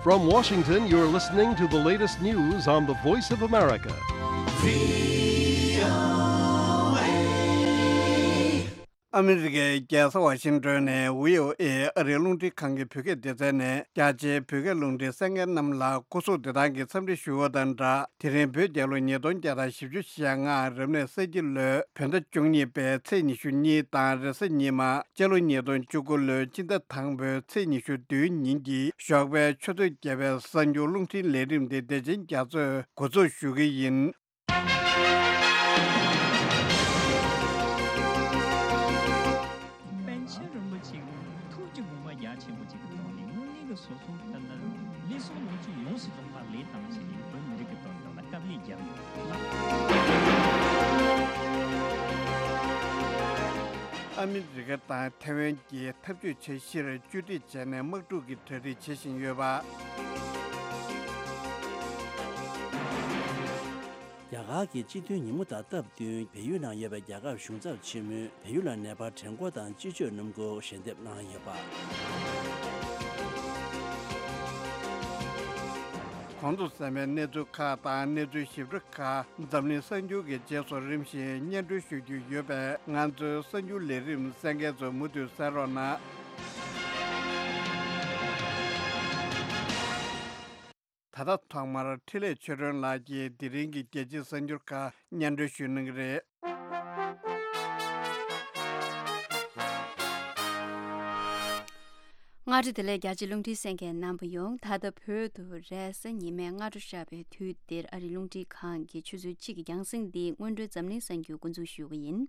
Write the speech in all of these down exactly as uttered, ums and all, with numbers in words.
From Washington, you're listening to the latest news on the Voice of America. ཨ་མི་རི་ཀའི་རྒྱལ་ས་ཝ་ཤིང་ཏོན་ནས་བྷི་ཨོ་ཨེ་ཨ་རིའི་རླུང་འཕྲིན་ཁང་གི་བོད་སྐད་སྡེ་ཚན་ནས་རྒྱ་ཆེའི་བོད་སྐད་རླུང་འཕྲིན་གསན་མཁན་རྣམས་ལ་སྐུ་གཟུགས་བདེ་ཐང་གི་འཚམས་འདྲི་ཞུ་བ་དང་སྦྲགས། དེ་རིང་བོད་རྒྱལ་ལོ་ཉིས་སྟོང་བརྒྱ་དང་བཞི་བཅུ་ཞེ་ལྔ་རབ་གནས་ས་ཁྱི་ལོའི་བོད་ཟླ་བཅུ་གཉིས་པའི་ཚེས་ཉི་ཤུ་གཉིས་དང་རེས་གཟའ་ཉི་མ་སྤྱི་ལོ་ཉིས་སྟོང་བཅུ་དགུ་ལོའི་སྤྱི་ཟླ་དང་པོའི་ཚེས་ཉི་ཤུ་བདུན་ཉིན་གྱི་ཞོགས་པའི་ཆུ་ཚོད་བརྒྱད་པའི་གསར་འགྱུར་རླུང་འཕྲིན་ལས་རིམ་འདི་བདེ་ཆེན་རྒྱ་མཚོས་འགོ་འཛུགས་ཞུ་གི་ཡིན། པཎ་ཆེན་རིན་པོ་ཆེ་གི་ཐུགས་ཀྱི་དགོངས་པ་རྒྱ་ཆེན་པོ་ཅིག་གི་ཐོག་ནས་དངོས་གནས་ཀྱི་སོ་སོ་ལྟར་ན་ལུས་ཟུངས་ལོངས་སྤྱོད་ཡོངས་སུ་རྫོགས་པ་ལས་བཏང་བྱས་ནས་བོད་མི་རིགས་ཀྱི་དོན་དག་ལ་དཀའ་ལས་བརྒྱབ་ཡོད་ལ། ཨ་མི་རི་ཀ་དང་ཐའེ་ཝན་གྱིས་འཐབ་ཇུས་འཆར་གཞིར་བཅོས་སྒྲིག་བྱས་ནས་དམག་འཁྲུག་གི་གྲ་སྒྲིག་བྱེད་བཞིན་ཡོད་པ། རྒྱ་གར་གྱི་སྤྱི་མཐུན་ཉིན་མོ་དང་སྟབས་བསྟུན་བལ་ཡུལ་ནང་ཡོད་པའི་རྒྱལ་ཁབ་གཞུང་ཚབ་ཆེན་མོས་བལ་ཡུལ་ལ་ནད་པ་གྲངས་འགོག་དང་སྤྱི་སྤྱོད་སྣུམ་འཁོར་ཞལ་འདེབས་གནང་ཡོད་པ། གོང་དུ་གསན་པའི་གནས་ཚུལ་ཁག་དང་གནས་ཚུལ་ཞིབ་ཕྲ་ཁག་འཛམ་གླིང་གསར་འགྱུར་གྱི་རྗེས་སུ་རིམ་བཞིན་སྙན་སྒྲོན་ཞུ་རྒྱུ་ཡོད་པས། ང་ཚོའི་གསར་འགྱུར་ལས་རིམ་གསན་མཁན་ཚོ་མུ་མཐུད་གསན་རོགས་གནང་། ད་ལྟ་ཐོག་མར་འཕྲིན་ལས་ཆོས་སྒྲོན་ལགས་ཀྱིས་དེ་རིང་གི་རྒྱལ་སྤྱིའི་གསར་འགྱུར་ཁག་སྙན་སྒྲོན་ཞུ་གནང་གི་རེད། སྔ་དྲོ་བདེ་ལེགས། རྒྱ་ཆེའི་རླུང་འཕྲིན་གསན་མཁན་རྣམ་པ་ཡོངས། ད་ལྟ་བོད་དུ་རེས་གཟའ་ཉི་མའི་སྔ་དྲོ་ཤར་བའི་དུས་འདིར། ཨ་རིའི་རླུང་འཕྲིན་ཁང་གི་ཆུ་ཚོད་གཅིག་གི་རྒྱང་སྲིང་འདི་སྔོན་འགྲོའི་འཛམ་གླིང་གསར་འགྱུར་འགོ་འཛུགས་ཞུ་གི་ཡིན།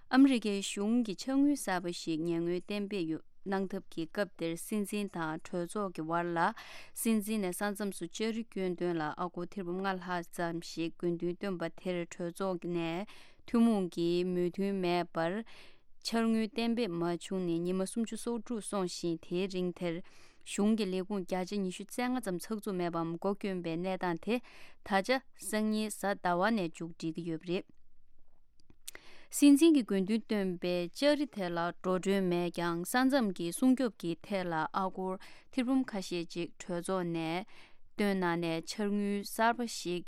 ཨ་མི་རི་ཀའི་གཞུང་གིས་འཕྱག་དངུལ་གསར་པ་ཞིག་ཉེས་དངུལ་གཏན་འབེབས་ཡོ་གནང་ཐབས་ཀྱི་སྐབས་འདིར། སྲིད་འཛིན་དང་གྲོས་ཚོགས་ཀྱི་བར་ལ། སྲིད་འཛིན་ནས་ས་མཚམས་སུ་ལྕགས་རི་སྐྱོན་དོན་ལ་ཨ་སྒོར་ཐེར་འབུམ་ལྔ་ལྷག་ཙམ་ཞིག་དགོས་འདུན་བཏོན་པ་དེར། གྲོས་ཚོགས་ནས་ཐུན་མོང་གི་མོས་མཐུན་མེད་པར་འཕྱག་དངུལ་གཏན་འབེབས་མ་བྱུང་ནས་ཉི་མ་སུམ་ཅུ་སོ་དྲུག་སོང་ཞིང་། དེའི་རིང་དེར་གཞུང་གི་ལས་ཁུངས་བརྒྱ་ཆ་ཉི་ཤུ་རྩ་ལྔ་ཙམ་ཚགས་ཚུད་མེད་པའམ་སྒོ་བསྐྱོན་པའི་གནས་སྟངས་དེ། ད་ཆ་སང་ཉིན་གཟའ་ཟླ་བ་ནས་མཇུག་སྒྲིལ་གྱི་ཡོད་པ་རེད། སྲིད་འཛིན་གྱིས་དགོས་འདུན་བཏོན་པའི་ལྕགས་རི་དེ་ལ་འགྲོ་གྲོན་མེད་ཀྱང་། ས་མཚམས་ཀྱི་སྲུང་སྐྱོབ་ཀྱི་ཐད་ལ་ཨ་སྒོར་ཐེར་འབུམ་ཁ་ཤས་ཅིག་གྲོས་ཚོགས་ནས་བཏོན་གནང་ནས། འཕྱག་དངུལ་གསར་པ་ཞིག་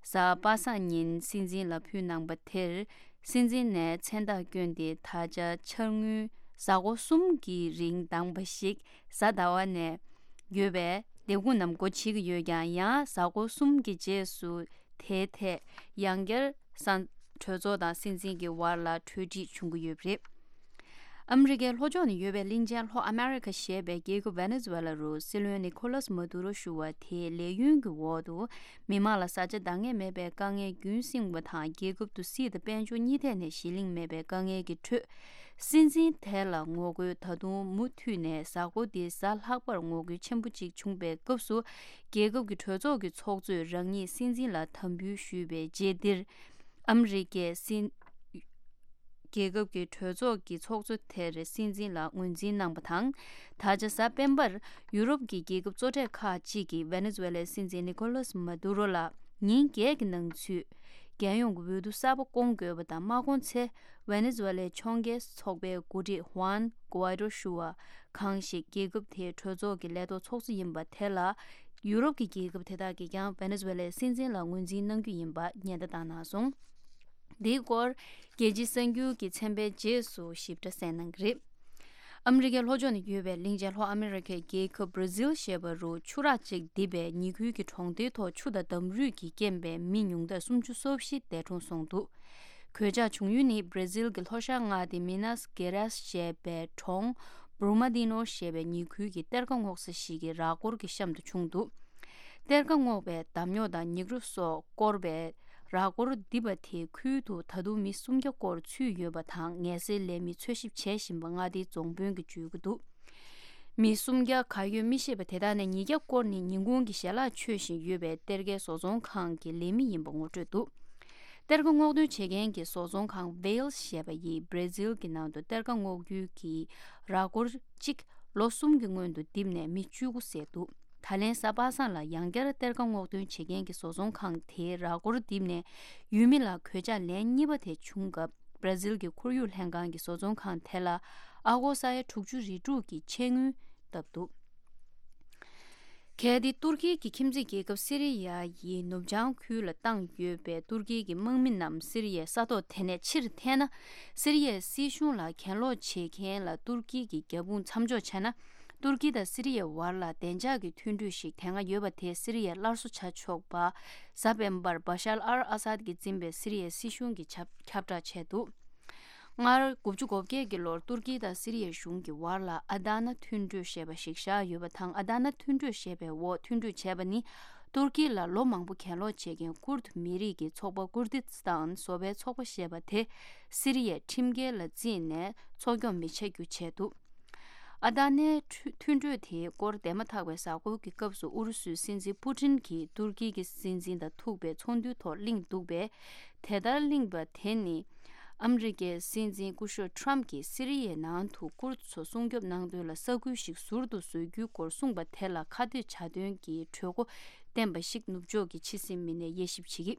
གཟའ་པ་སངས་ཉིན་སྲིད་འཛིན་ལ་ཕུལ་གནང་པ་དེར། སྲིད་འཛིན་ནས་མཚན་རྟགས་བསྐྱོན་ཏེ། ད་ཆ་འཕྱག་དངུལ་གཟའ་འཁོར་གསུམ་གྱི་རིང་འདང་བ་ཞིག་གཟའ་ཟླ་བ་ནས་ཡོད་པའི་ལས་ཁུངས་རྣམས་སྒོ་ཕྱེ་གི་ཡོད་ཀྱང་། ཡང་གཟའ་འཁོར་གསུམ་གྱི་རྗེས་སུ་དེའི་ཐད་ཡང་བསྐྱར་ས་གྲོས་ཚོགས་དང་སྲིད་འཛིན་གྱི་བར་ལ་གྲོས་འགྲིག་བྱུང་གི་ཡོད་པ་རེད། ཨ་མི་རི་ཀའི་ལྷོ་ཕྱོགས་ནས་ཡོད་པའི་གླིང་ཆེན་ལྷོ་ཨ་མེ་རི་ཁ་ཞེས་པའི་རྒྱལ་ཁབ་ཝེ་ནེ་ཛུ་ཝེ་ལ་རུ་སྲིད་བློན་ནི་ཁོ་ལཱས་མ་དུ་རོ་ཞུ་བ་དེའི་ལས་ཡུན་གྱི་འོག་ཏུ། མི་མང་ལ་བཟའ་བཅའ་འདང་ངེས་མེད་པའི་དཀའ་ངལ་རྒྱུན་བསྲིངས་པ་དང་། རྒྱལ་ཁབ་ཏུ་སྲིད་དང་དཔལ་འབྱོར་གཉིས་ཐད་ནས་གཞི་གླིང་མེད་པའི་དཀའ་ངལ་གྱི་ཁྲོད། སྲིད་འཛིན་དེ་ལ་ངོ་རྒོལ་ད་དུང་མུ་མཐུད་ནས། གཟའ་འཁོར་འདིའི་གཟའ་ལྷག་པར་ངོ་རྒོལ་ཆེན་པོ་ཅིག་བྱུང་པའི་སྐབས་སུ། རྒྱལ་ཁབ་ཀྱི་གྲོས་ཚོགས་ཀྱི་ཚོགས་གཙོས་རང་ཉིད་སྲིད་འཛིན་ལ་དམ་འབུལ་ཞུས་པའི་རྗེས་འདིར། ཨ་མི་རི་ཀའི་སྲིད་རྒྱལ་ཁབ་ཀྱི་གྲོས་ཚོགས་ཀྱི་ཚོགས་གཙོ་དེར་སྲིད་འཛིན་ལ་ངོས་འཛིན་གནང་པ་དང་། ད་ཆ་གཟའ་སྤེན་པར་ཡུ་རོབ་ཀྱི་རྒྱལ་ཁབ་གཙོ་གྲས་ཁག་ཅིག་གིས་ཝེ་ནེ་ཛུ་ཝེ་ལའི་སྲིད་འཛིན་ནི་ཁོ་ལཱས་མ་དུ་རོ་ལ་ཉིན་བརྒྱད་ཀྱི་ནང་ཚུད་རྒྱལ་ཡོངས་ཀྱི་འོས་བསྡུ་གསར་པ་སྐོང་དགོས་པ་དང་། མ་སྐོང་ཚེ་ཝེ་ནེ་ཛུ་ཝེ་ལའི་ཕྱོགས་འགལ་ཚོགས་པའི་འགོ་ཁྲིད་ཧུའན་གུ་ཝའི་ཏོ་ཞུ་བ་གང་ཞིག་རྒྱལ་ཁབ་དེའི་གྲོས་ཚོགས་ཀྱི་ལས་ཐོག་ཚོགས་གཙོ་ཡིན་པ་དེ་ལ། ཡུ་རོབ་ཀྱི་རྒྱལ་ཁབ་དེ་དག་གིས་ཀྱང་ཝེ་ནེ་ཛུ་ཝེ་ལའི་སྲིད་འཛིན་ལ་ངོས་འཛིན་གནང་རྒྱུ་ཡིན་པ་ཉེན་བརྡ་བཏང་གནང་སོང་། འདིའི་སྐོར་རྒྱལ་སྤྱིའི་གསར་འགྱུར་གྱི་ཚན་པའི་རྗེས་སུ་ཞིབ་ཕྲ་གསན་གནང་གི་རེད། ཨ་མི་རི་ཀའི་ལྷོ་ཕྱོགས་ནས་ཡོད་པའི་གླིང་ཆེན་ལྷོ་ཨ་མི་རི་ཀའི་རྒྱལ་ཁབ་བྷར་ཟིལ་ཞེས་པ་རུ་ཆུ་རགས་གཅིག་རྡིབ་པས་ཉེ་ཁུལ་གྱི་གྲོང་སྡེའི་ཐོག་ཆུ་དང་འདམ་རུད་ཀྱི་རྐྱེན་པས་མི་ཉུང་མཐར་སུམ་ཅུ་སོ་བཞི་འདས་གྲོངས་སོང་འདུག། གོད་ཆག་བྱུང་ཡུལ་ནི་བྷར་ཟིལ་གྱི་ལྷོ་ཤར་མངའ་སྡེ་མི་ནཱས་གེ་རཱས་ཞེས་པའི་གྲོང་བྷུར་མ་དི་ནོ་ཞེས་པའི་ཉེ་ཁུལ་གྱི་གཏེར་ཁ་སྔོག་ས་ཞིག་གི་ར་སྐོར་གྱི་གཤམ་དུ་བྱུང་འདུག། གཏེར་ཁ་སྔོག་པའི་འདམ་རྙོག་དང་ཉིག་རོ་སོགས་བསྐོར་བའི་ར་སྐོར་རྡིབ་པ་དེའི་ཁུལ་དུ་ད་དུང་མི་སུམ་བརྒྱ་སྐོར་ཚུད་ཡོད་པ་དང་། ངལ་སེལ་ལས་མི་འཚོལ་ཞིབ་བྱེད་བཞིན་པ་མངའ་སྡེའི་རྫོང་དཔོན་གྱིས་བརྗོད་ཀྱི་འདུག། མི་སུམ་བརྒྱ་ག་ཡོད་མི་ཤེས་པ་དེ་དག་ནས་ཉིས་བརྒྱ་སྐོར་ནི་ཉིན་གུང་གི་ཞལ་ལག་མཆོད་བཞིན་ཡོད་པའི་གཏེར་ཁའི་བཟོ་ཚོང་ཁང་གི་ལས་མི་ཡིན་པ་ངོ་སྤྲོད་འདུག། གཏེར་ཁ་སྔོག་འདོན་བྱེད་མཁན་གྱི་བཟོ་ཚོང་ཁང་Vale ཞེས་པ་ཡིས་བྷར་ཟིལ་གྱི་ནང་དུ་གཏེར་ཁ་སྔོག་རྒྱུའི་གི་ར་སྐོར་གཅིག་ལོ་གསུམ་གྱི་སྔོན་དུ་རྡིབ་ནས་མི་བཅུ་དགུ་བསད་འདུག། ད་ལན་གཟའ་པ་སངས་ལ་ཡང་བསྐྱར་གཏེར་ཁ་སྔོག་འདོན་བྱེད་མཁན་གྱི་བཟོ་ཚོང་ཁང་དེའི་ར་སྐོར་རྡིབ་ནས་ཡུལ་མི་ལ་གོད་ཆག་ལན་གཉིས་པ་དེ་བྱུང་སྐབས། བྷར་ཟིལ་གྱི་ཁོར་ཡུག་ལྷན་ཁང་གི་བཟོ་ཚོང་ཁང་དེ་ལ་ཨ་སྒོར་ས་ཡ་དྲུག་ཅུ་རེ་དྲུག་གི་ཆད་དངུལ་བཏབ་འདུག། གལ་ཏེ་ཏུར་ཀི་གི་ཁྱིམ་མཚེས་རྒྱལ་ཁབ་སི་རི་ཡ་ཡི་ནུབ་བྱང་ཁུལ་ལ་བཏང་ཡོད་པའི་ཏུར་ཀི་གི་དམག་མི་རྣམས་སི་རི་ཡའི་ས་ཐོག་དེ་ནས་ཕྱིར་འཐེན་ན། སི་རི་ཡའི་སྲིད་གཞུང་ལ་གྱེན་ལོག་བྱེད་མཁན་ལ་ཏུར་ཀི་གི་རྒྱབ་དཔུང་མཚམས་འཇོག་བྱས་ན། ཏུར་ཀི་དང་སི་རི་ཡའི་བར་ལ་བདེ་འཇགས་ཀྱི་མཐུན་གྲོས་ཤིག་དེ་སྔ་ཡོད་པ་དེ་སི་རི་ཡས་སླར་གསོ་བྱ་ཆོག་པ། གཟའ་སྤེན་པར་བ་ཤར་ཨལ་ཨ་སཱད་ཀྱིས་འཛིན་པའི་སི་རི་ཡའི་སྲིད་གཞུང་གིས་ཁྱབ་ཁྱབ་བསྒྲགས་བྱས་འདུག་སྔར་དགུ་བཅུ་གོ་བརྒྱད་ཀྱི་ལོར་ཏུར་ཀི་དང་སི་རི་ཡའི་གཞུང་གི་བར་ལ་ཨ་དཱ་ན་མཐུན་གྲོས་ཞེས་པ་ཞིག་བཞག་ཡོད་པ་དང་། ཨ་དཱ་ན་མཐུན་གྲོས་ཞེས་པའི་འོག་མཐུན་གྲོས་བྱས་པ་ནི། ཏུར་ཀི་ལ་ལོ་མང་པོ་གྱེན་ལོག་བྱེད་མཁན་ཀུར་དུ་མི་རིགས་ཀྱི་ཚོགས་པ་ཀུར་དི་སི་ཐན་བཟོ་པའི་ཚོགས་པ་ཞེས་པ་དེ་སི་རི་ཡའི་ཁྲིམས་འགལ་ལ་བརྩིས་ནས་འཚོ་སྐྱོང་མི་བྱ་རྒྱུ་བྱས་འདུག་ཨ་དཱ་ནའི་མཐུན་གྲོས་དེའི་སྐོར་འདས་མ་ཐག་པའི་གཟའ་འཁོར་གྱི་སྐབས་སུ་ཨུ་རུ་སུའི་སྲིད་འཛིན་པུ་ཏིན་གྱིས་ཏུར་ཀི་གི་སྲིད་འཛིན་དང་ཐུག་པའི་ཚོགས་འདུའི་ཐོག་གླེང་འདུག་པས། དེ་ལྟར་གླེང་བ་དེ་ནི། ཨ་མི་རི་ཀའི་སྲིད་འཛིན་སྐུ་ཞབས་ཁྲམ་གྱིས་སི་རི་ཡའི་ནང་དུ་ཀུར་ཚོ་སྲུང་སྐྱོབ་གནང་དོན་ལ་ས་ཁུལ་ཞིག་ཟུར་དུ་བཟོ་རྒྱུའི་སྐོར་གསུངས་པ་དེ་ལ་ཁ་གཏད་བྱ་དོན་གྱི་གྲོས་འགོ་བཏོན་པ་ཞིག་ནུབ་ཕྱོགས་ཀྱི་ཕྱི་སྲིད་མི་སྣས་དབྱེ་ཞིབ་བྱེད་ཀྱི།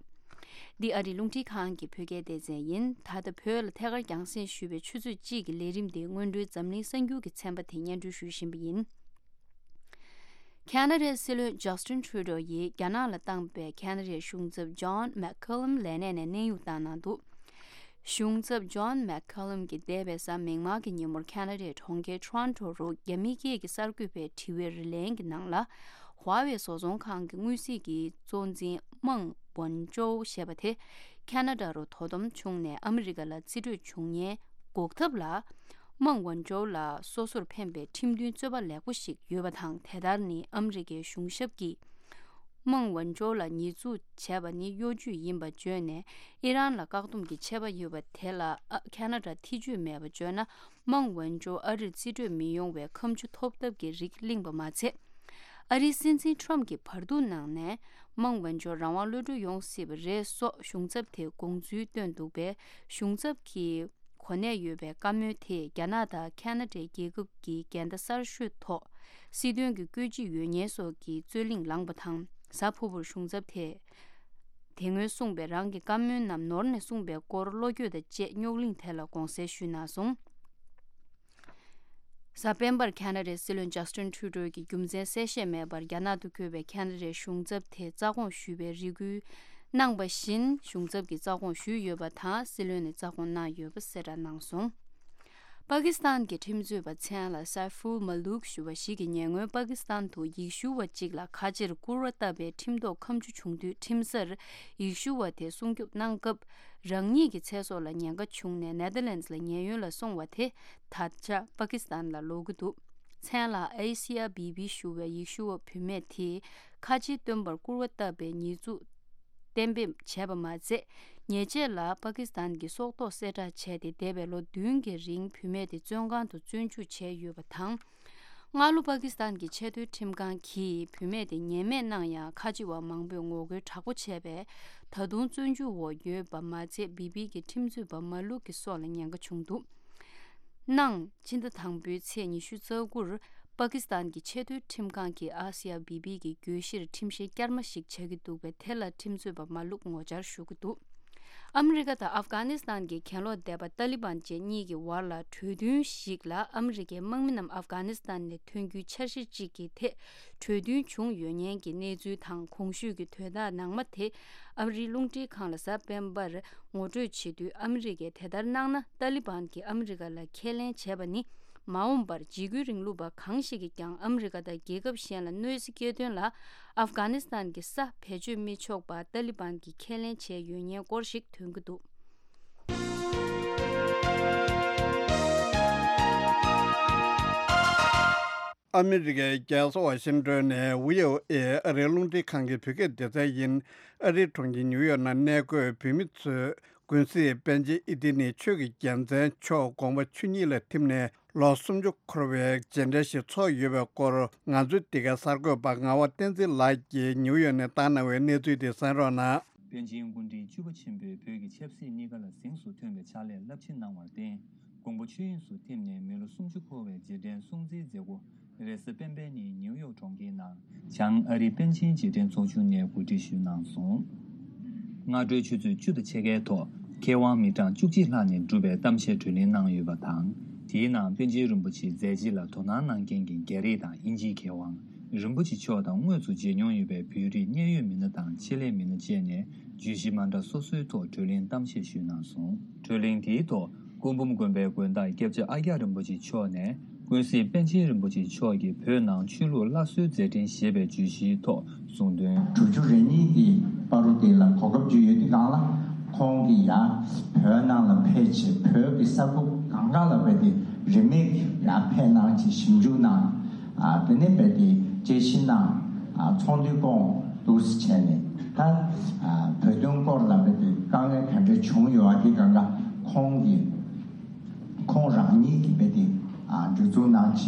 འདི་ཨ་རིའི་རླུང་འཕྲིན་ཁང་གི་བོད་སྐད་སྡེ་ཚན་ཡིན། ད་ལྟ་བོད་ལ་ཐད་ཀར་རྒྱང་སྲིང་ཞུས་པའི་ཆུ་ཚོད་གཅིག་གི་ལས་རིམ་དེའི་སྔོན་འགྲོའི་འཛམ་གླིང་གསར་འགྱུར་གྱི་ཚན་པ་དེ་སྙན་སྒྲོན་ཞུ་བཞིན་པ་ཡིན། ཁ་ན་ཌའི་སྲིད་བློན་ཇཱ་སྟིན་ཁྲུ་ཌོ་ཡིས་རྒྱ་ནག་ལ་བཏང་པའི་ཁ་ན་ཌའི་གཞུང་ཚབ་ཇོན་མེག་ཁེ་ལམ་ལས་གནས་ནས་གནས་དབྱུང་བཏང་གནང་འདུག་གཞུང་ཚབ་ཇོན་མེག་ཁེ་ལམ་གྱིས་འདས་པའི་གཟའ་མིག་དམར་གྱི་ཉིན་མོར་ཁ་ན་ཌའི་གྲོང་ཁྱེར་ཊོ་རོན་ཊོ་རུ་རྒྱ་མི་སྐད་ཀྱི་གསར་འགོད་པའི་དྲི་བའི་རིན་ལན་གྱི་ནང་ལ། ཧྭ་ཝེ་བཟོ་ཚོང་ཁང་གི་དངོས་གཟིགས་ཀྱི་གཙོ་འཛིན་མང་ཝུན་ཅོའུ་ཞེས་པ་དེ་ཁ་ན་ཌ་རུ་དོ་དམ་བྱུང་ནས་ཨ་མི་རི་ཀ་ལ་རྩིས་སྤྲོད་བྱུང་ཉེན་འགོག་ཐབས་ལ། མང་ཝུན་ཅོའུ་ལ་སོ་སོར་ཕན་པའི་ཁྲིམས་མཐུན་རྩོད་པ་ལེགས་པོ་ཞིག་ཡོད་པ་དང་། དེ་ལྟར་ནི་ཨ་མི་རི་ཀའི་གཞུང་ཞབས་ཀྱིས་མང་ཝུན་ཅོའུ་ལ་ཉེས་འཛུགས་བྱས་པ་ནི་གཡོ་ཇུས་ཡིན་པ་བརྗོད་ནས། ཨི་རན་ལ་བཀག་སྡོམ་གྱི་ཆད་པ་ཡོད་པ་དེ་ལ་ཨ་ཁ་ན་ཌ་ཐེ་ཇུས་མེད་པ་བརྗོད་ན། མང་ཝུན་ཅོའུ་ཨ་རིར་རྩིས་སྤྲོད་མི་ཡོང་བའི་ཁ་མཆུ་ཐོབ་ཐབས་ཀྱི་རིགས་བརླིང་པ་མ་ཚད། ཨ་རིའི་སྲིད་འཛིན་ཁྲམ་གྱིས་བར་འདུམ་གནང་ནས་མང་ཝུན་ཅོའུ་རང་དབང་གློད་གྲོལ་ཡོང་སྲིད་པ་རེད་སོགས་གཞུང་ཚབ་དེས་དགོངས་ཚུལ་བཏོན་འདུག་པས། གཞུང་ཚབ་ཀྱི་གོ་གནས་ཡོད་པའི་བཀའ་མོལ་དེས་རྒྱ་ནག་དང་ཁ་ན་ཌའི་རྒྱལ་ཁབ་ཀྱི་འགལ་ཟླ་གསར་ཤོས་ཐོག་སྲིད་དོན་གྱི་བཀོད་ཇི་ཡོད་ཉེན་སོགས་ཀྱི་རྩོད་གླེང་ལངས་པ་དང་། གཟའ་ཕུར་བུར་གཞུང་ཚབ་དེས་དེ་སྔོན་གསུངས་པའི་རང་གི་བཀའ་མོལ་རྣམས་ནོར་ནས་གསུངས་པའི་སྐོར་བློ་འགྱོད་དང་བཅས་རྙོག་གླེང་དེ་ལ་དགོངས་སེལ་ཞུས་གནང་སོང་། གཟའ་སྤེན་པར་ཁ་ན་ཌའི་སྲིད་བློན་ཇཱ་སྟིན་ཁྲུ་ཌོ་གིས་རྒྱུ་མཚན་གསལ་བཤད་མེད་པར་རྒྱ་ནག་ཏུ་འཁོད་པའི་ཁ་ན་ཌའི་གཞུང་ཚབ་དེ་རྩ་དགོངས་ཞུས་པའི་རེ་སྐུལ་གནང་བ་བཞིན། གཞུང་ཚབ་ཀྱིས་རྩ་དགོངས་ཞུས་ཡོད་པ་དང་། སྲིད་བློན་ནས་རྩ་དགོངས་གནང་ཡོད་པ་གསལ་བསྒྲགས་གནང་སོང་། པ་ཀི་སི་ཐན་གྱི་ཁྲིམས་རྩོད་པ་མཚན་ལ་སའི་ཧྥུལ་མ་ལུག་ཞུ་བ་ཞིག་གིས་ཉེ་སྔོན་པ་ཀི་སི་ཐན་དུ་ཡེ་ཤུ་བ་གཅིག་ལ་ཁ་ཆེར་སྐུར་བ་བཏབ་པའི་ཁྲིམས་ཐོག་ཁ་མཆུ་བྱུང་དུས། ཁྲིམས་སར་ཡེ་ཤུ་བ་དེ་སྲུང་སྐྱོབ་གནང་སྐབས། རང་ཉིད་ཀྱི་ཚེ་སྲོག་ལ་ཉེན་ཁ་བྱུང་ནས་ནེ་ཐར་ལེན་ཌི་ལ་ཉེན་གཡོལ་ལ་སོང་བ་དེ། ད་ཆ་པ་ཀི་སི་ཐན་ལ་ལོག་གི་འདུག་མཚན་ལ་ཨེ་སི་ཡ་བི་བི་ཞུ་བའི་ཡེ་ཤུ་བ་བུད་མེད་དེས་ཁ་ཆེའི་སྟོན་པར་སྐུར་བ་བཏབ་པའི་ཉེས་འཛུགས་གཏན་འབེབས་བྱས་པ་མ་ཚད། ཉེས་ཆད་ལ་པ་ཀི་སི་ཐན་གྱི་སྲོག་ཐོག་གསལ་བསྒྲགས་བྱས་ཏེ། འདས་པའི་ལོ་བདུན་གྱི་རིང་བུད་མེད་དེ་བཙོན་ཁང་དུ་བཙོན་འཇུག་བྱས་ཡོད་པ་དང་། སྔ་ལོ་པ་ཀི་སི་ཐན་གྱི་ཆེས་མཐོའི་ཁྲིམས་ཁང་གིས་བུད་མེད་དེ་ཉེས་མེད་གནང་ཡང་། ཁ་ཆེ་བ་མང་པོས་ངོ་རྒོལ་དྲག་པོ་བྱས་པས། ད་དུང་བཙོན་འཇུག་འོག་ཡོད་པ་མ་ཚད། བི་བི་གི་ཁྲིམས་རྩོད་པ་མ་ལུག་གི་སྲོག་ལ་ཉེན་ཁ་བྱུང་འདུག་གནངས་ཕྱི་ཟླ་དང་པོའི་ཚེས་ཉི་ཤུ་རྩ་དགུར་པ་ཀི་སི་ཐན་གྱི་ཆེས་མཐོའི་ཁྲིམས་ཁང་གིས་ཨ་སི་ཡ་བི་བི་གི་གྱོད་གཞིར་ཁྲིམས་བཤེར་བསྐྱར་མ་ཞིག་བྱ་གི་འདུག་པས། དེ་ལ་ཁྲིམས་རྩོད་པ་མ་ལུག་ངོ་བཅར་ཞུ་གི་འདུག་ཨ་མི་རི་ཀ་དང་ཨབ་གྷ་ནི་སི་ཐན་གྱི་གྱེན་ལོག་སྡེ་པ་ཏཱ་ལི་བན་བཅས་གཉིས་ཀྱི་བར་ལ་གྲོས་མཐུན་ཞིག་ལ་ཨ་མི་རི་ཀའི་དམག་མི་རྣམས་ཨབ་གྷ་ནི་སི་ཐན་ནས་ཐོན་རྒྱུའི་འཆར་གཞི་གཅིག་གི་ཐད་གྲོས་མཐུན་བྱུང་ཡོད་ཉེན་གྱི་གནས་ཚུལ་དང་། གོང་ཞུས་ཀྱི་དོན་དག་ནང་མ་དེ་ཨ་རིའི་རླུང་འཕྲིན་ཁང་ལ་གཟའ་སྤེན་པར་ངོ་སྤྲོད་བྱེད་དུས། ཨ་མི་རི་ཀས་དེ་ལྟར་གནང་ན་ཏཱ་ལི་བན་གྱིས་ཨ་མི་རི་ཀ་ལ་ཁས་ལེན་བྱས་པ་ནི། མ་འོངས་པར་འཇིགས་སྐུལ་རིང་ལུགས་པ་གང་ཞིག་གིས་ཀྱང་ཨ་མི་རི་ཀ་དང་རྒྱལ་ཁབ་གཞན་ལ་གནོད་འཚེ་སྐྱེལ་དོན་ལ་ཨབ་གྷ་ནི་སི་ཐན་གྱི་ས་བེད་སྤྱོད་མི་ཆོག་པ་ཏཱ་ལི་བན་གྱིས་ཁས་ལེན་བྱས་ཡོད་ཉེན་སྐོར་ཞིག་ཐོན་གྱི་འདུག་ཨ་མི་རི་ཀའི་རྒྱལ་ས་ཝ་ཤིང་ཏོན་ནས་བྷི་ཨོ་ཨེ་ཨ་རིའི་རླུང་འཕྲིན་ཁང་གི་བོད་སྐད་སྡེ་ཚན་ཡིན། ཨ་རིའི་གྲོང་ཁྱེར་ཉིའུ་ཡོག་ནང་གནས་འཁོད་བོད་མི་ཚོས་ཀུན་གཟིགས་པཎ་ཆེན་ཨི་ཏི་ནི་ཆོས་ཀྱི་རྒྱལ་མཚན་མཆོག་དགོངས་པ་ཆོས་ཉིད་ལ་ཐིམ་ནས་ལོ་སུམ་ཅུ་འཁོར་བའི་རྗེས་དྲན་ཞིག་ཚོགས་ཡོད་པའི་སྐོར། ང་ཚོའི་འདི་གའི་གསར་འགོད་པ་ངག་དབང་བསྟན་འཛིན་ལགས་ཀྱིས་ཉིའུ་ཡོག་ནས་བཏང་གནང་བའི་གནས་ཚུལ་དེ་གསན་རོགས་གནང་། པཎ་ཆེན་སྐུ་ཕྲེང་བཅུ་པ་ཆེན་པོས་བོད་ཀྱི་ཆབ་སྲིད་གནས་སྐབས་ལ་གཟེངས་སུ་ཐོན་པའི་ཕྱག་ལས་རླབས་ཆེན་གནང་བར་བརྟེན། དགོངས་པ་ཆོས་དབྱིངས་སུ་ཐིམ་ནས་མི་ལོ་སུམ་ཅུ་འཁོར་བའི་རྗེས་དྲན་སྲུང་བརྩིའི་མཛད་སྒོ་རེས་གཟའ་སྤེན་པའི་ཉིན་ཉིའུ་ཡོག་གྲོང་ཁྱེར་ནང་བྱང་ཨ་རིའི་པཎ་ཆེན་རྗེས་དྲན་ཚོགས་ཆུང་ནས་གོ་སྒྲིག་ཞུས་གནང་སོང་། སྔ་དྲོའི་ཆུ་ཚོད་བཅུ་དང་ཕྱེད་ཀའི་ཐོག་མཁས་དབང་མི་གྲངས་བཅུ་གཅིག་ལྷག་ནས་གྲུབ་པའི་གཏམ་བཤད་གྲོས་གླེང་གནང་ཡོད་པ་དང་། དེའི་ནང་པཎ་ཆེན་རིན་པོ་ཆེའི་མཛད་རྗེས་ལ་དོ་སྣང་གནང་མཁན་གྱི་རྒྱ་རིགས་དང་དབྱིན་ཇིའི་མཁས་དབང་། རིན་པོ་ཆེ་མཆོག་དང་དངོས་སུ་མཇལ་མྱོང་ཡོད་པའི་བོད་རིགས་གནད་ཡོད་མི་སྣ་དང་ཆེད་ལས་མི་སྣ་བཅས་ནས་བརྗོད་གཞི་མ་འདྲ་སོ་སོའི་ཐོག་གྲོས་གླེང་གཏམ་བཤད་ཞུས་གནང་སོང་། གྲོས་གླེང་དེའི་ཐོག་སྐུ་འབུམ་དགོན་པའི་དགོན་བདག་སྐྱབས་རྗེ་ཨ་ཀྱ་རིན་པོ་ཆེ་མཆོག་ནས་ཀུན་གཟིགས་པཎ་ཆེན་རིན་པོ་ཆེ་མཆོག་གིས་བོད་ནང་ཆོས་ལུགས་སླར་གསོའི་མཛད་འཕྲིན་ཞེས་པའི་བརྗོད་གཞིའི་ཐོག་གསུངས་དོན། དྲུག་ཅུ་རེ་གཉིས་ཀྱི་བར་དུ་དེ་ལ་གོ་སྐབས་ཅིག་ཡོད་དུས་སྒང་ལ་ཁོང་གིས་ཡང་བོད་ནང་ལ་ཕེབས་བྱས་བོད་ཀྱི་ས་ཁུལ་གང་ག་ལ་རྦད་དེ་རིན་མེད་ཀྱི་ཡང་ཕེབས་གནང་བྱས་ཞིབ་འཇུག་གནང་། ཨ་དེ་ནས་རྦད་དེ་དཔྱད་ཞིབ་གནང་། ཨ་ཚོགས་འདུའི་སྐོར་འདུག་སེ་བྱས་ནས་ད་ཨ་བོད་དོན་སྐོར་ལ་རྦད་དེ་དཀའ་ངལ་ག་འདྲ་བྱུང་ཡོད་པ་དེ་སྒང་ག་ཁོང་གིས། ཁོང་རང་ཉིད་ཀྱིས་རྦད་དེ་ཨ་སྒྲིག་འཛུགས་གནང་བྱས་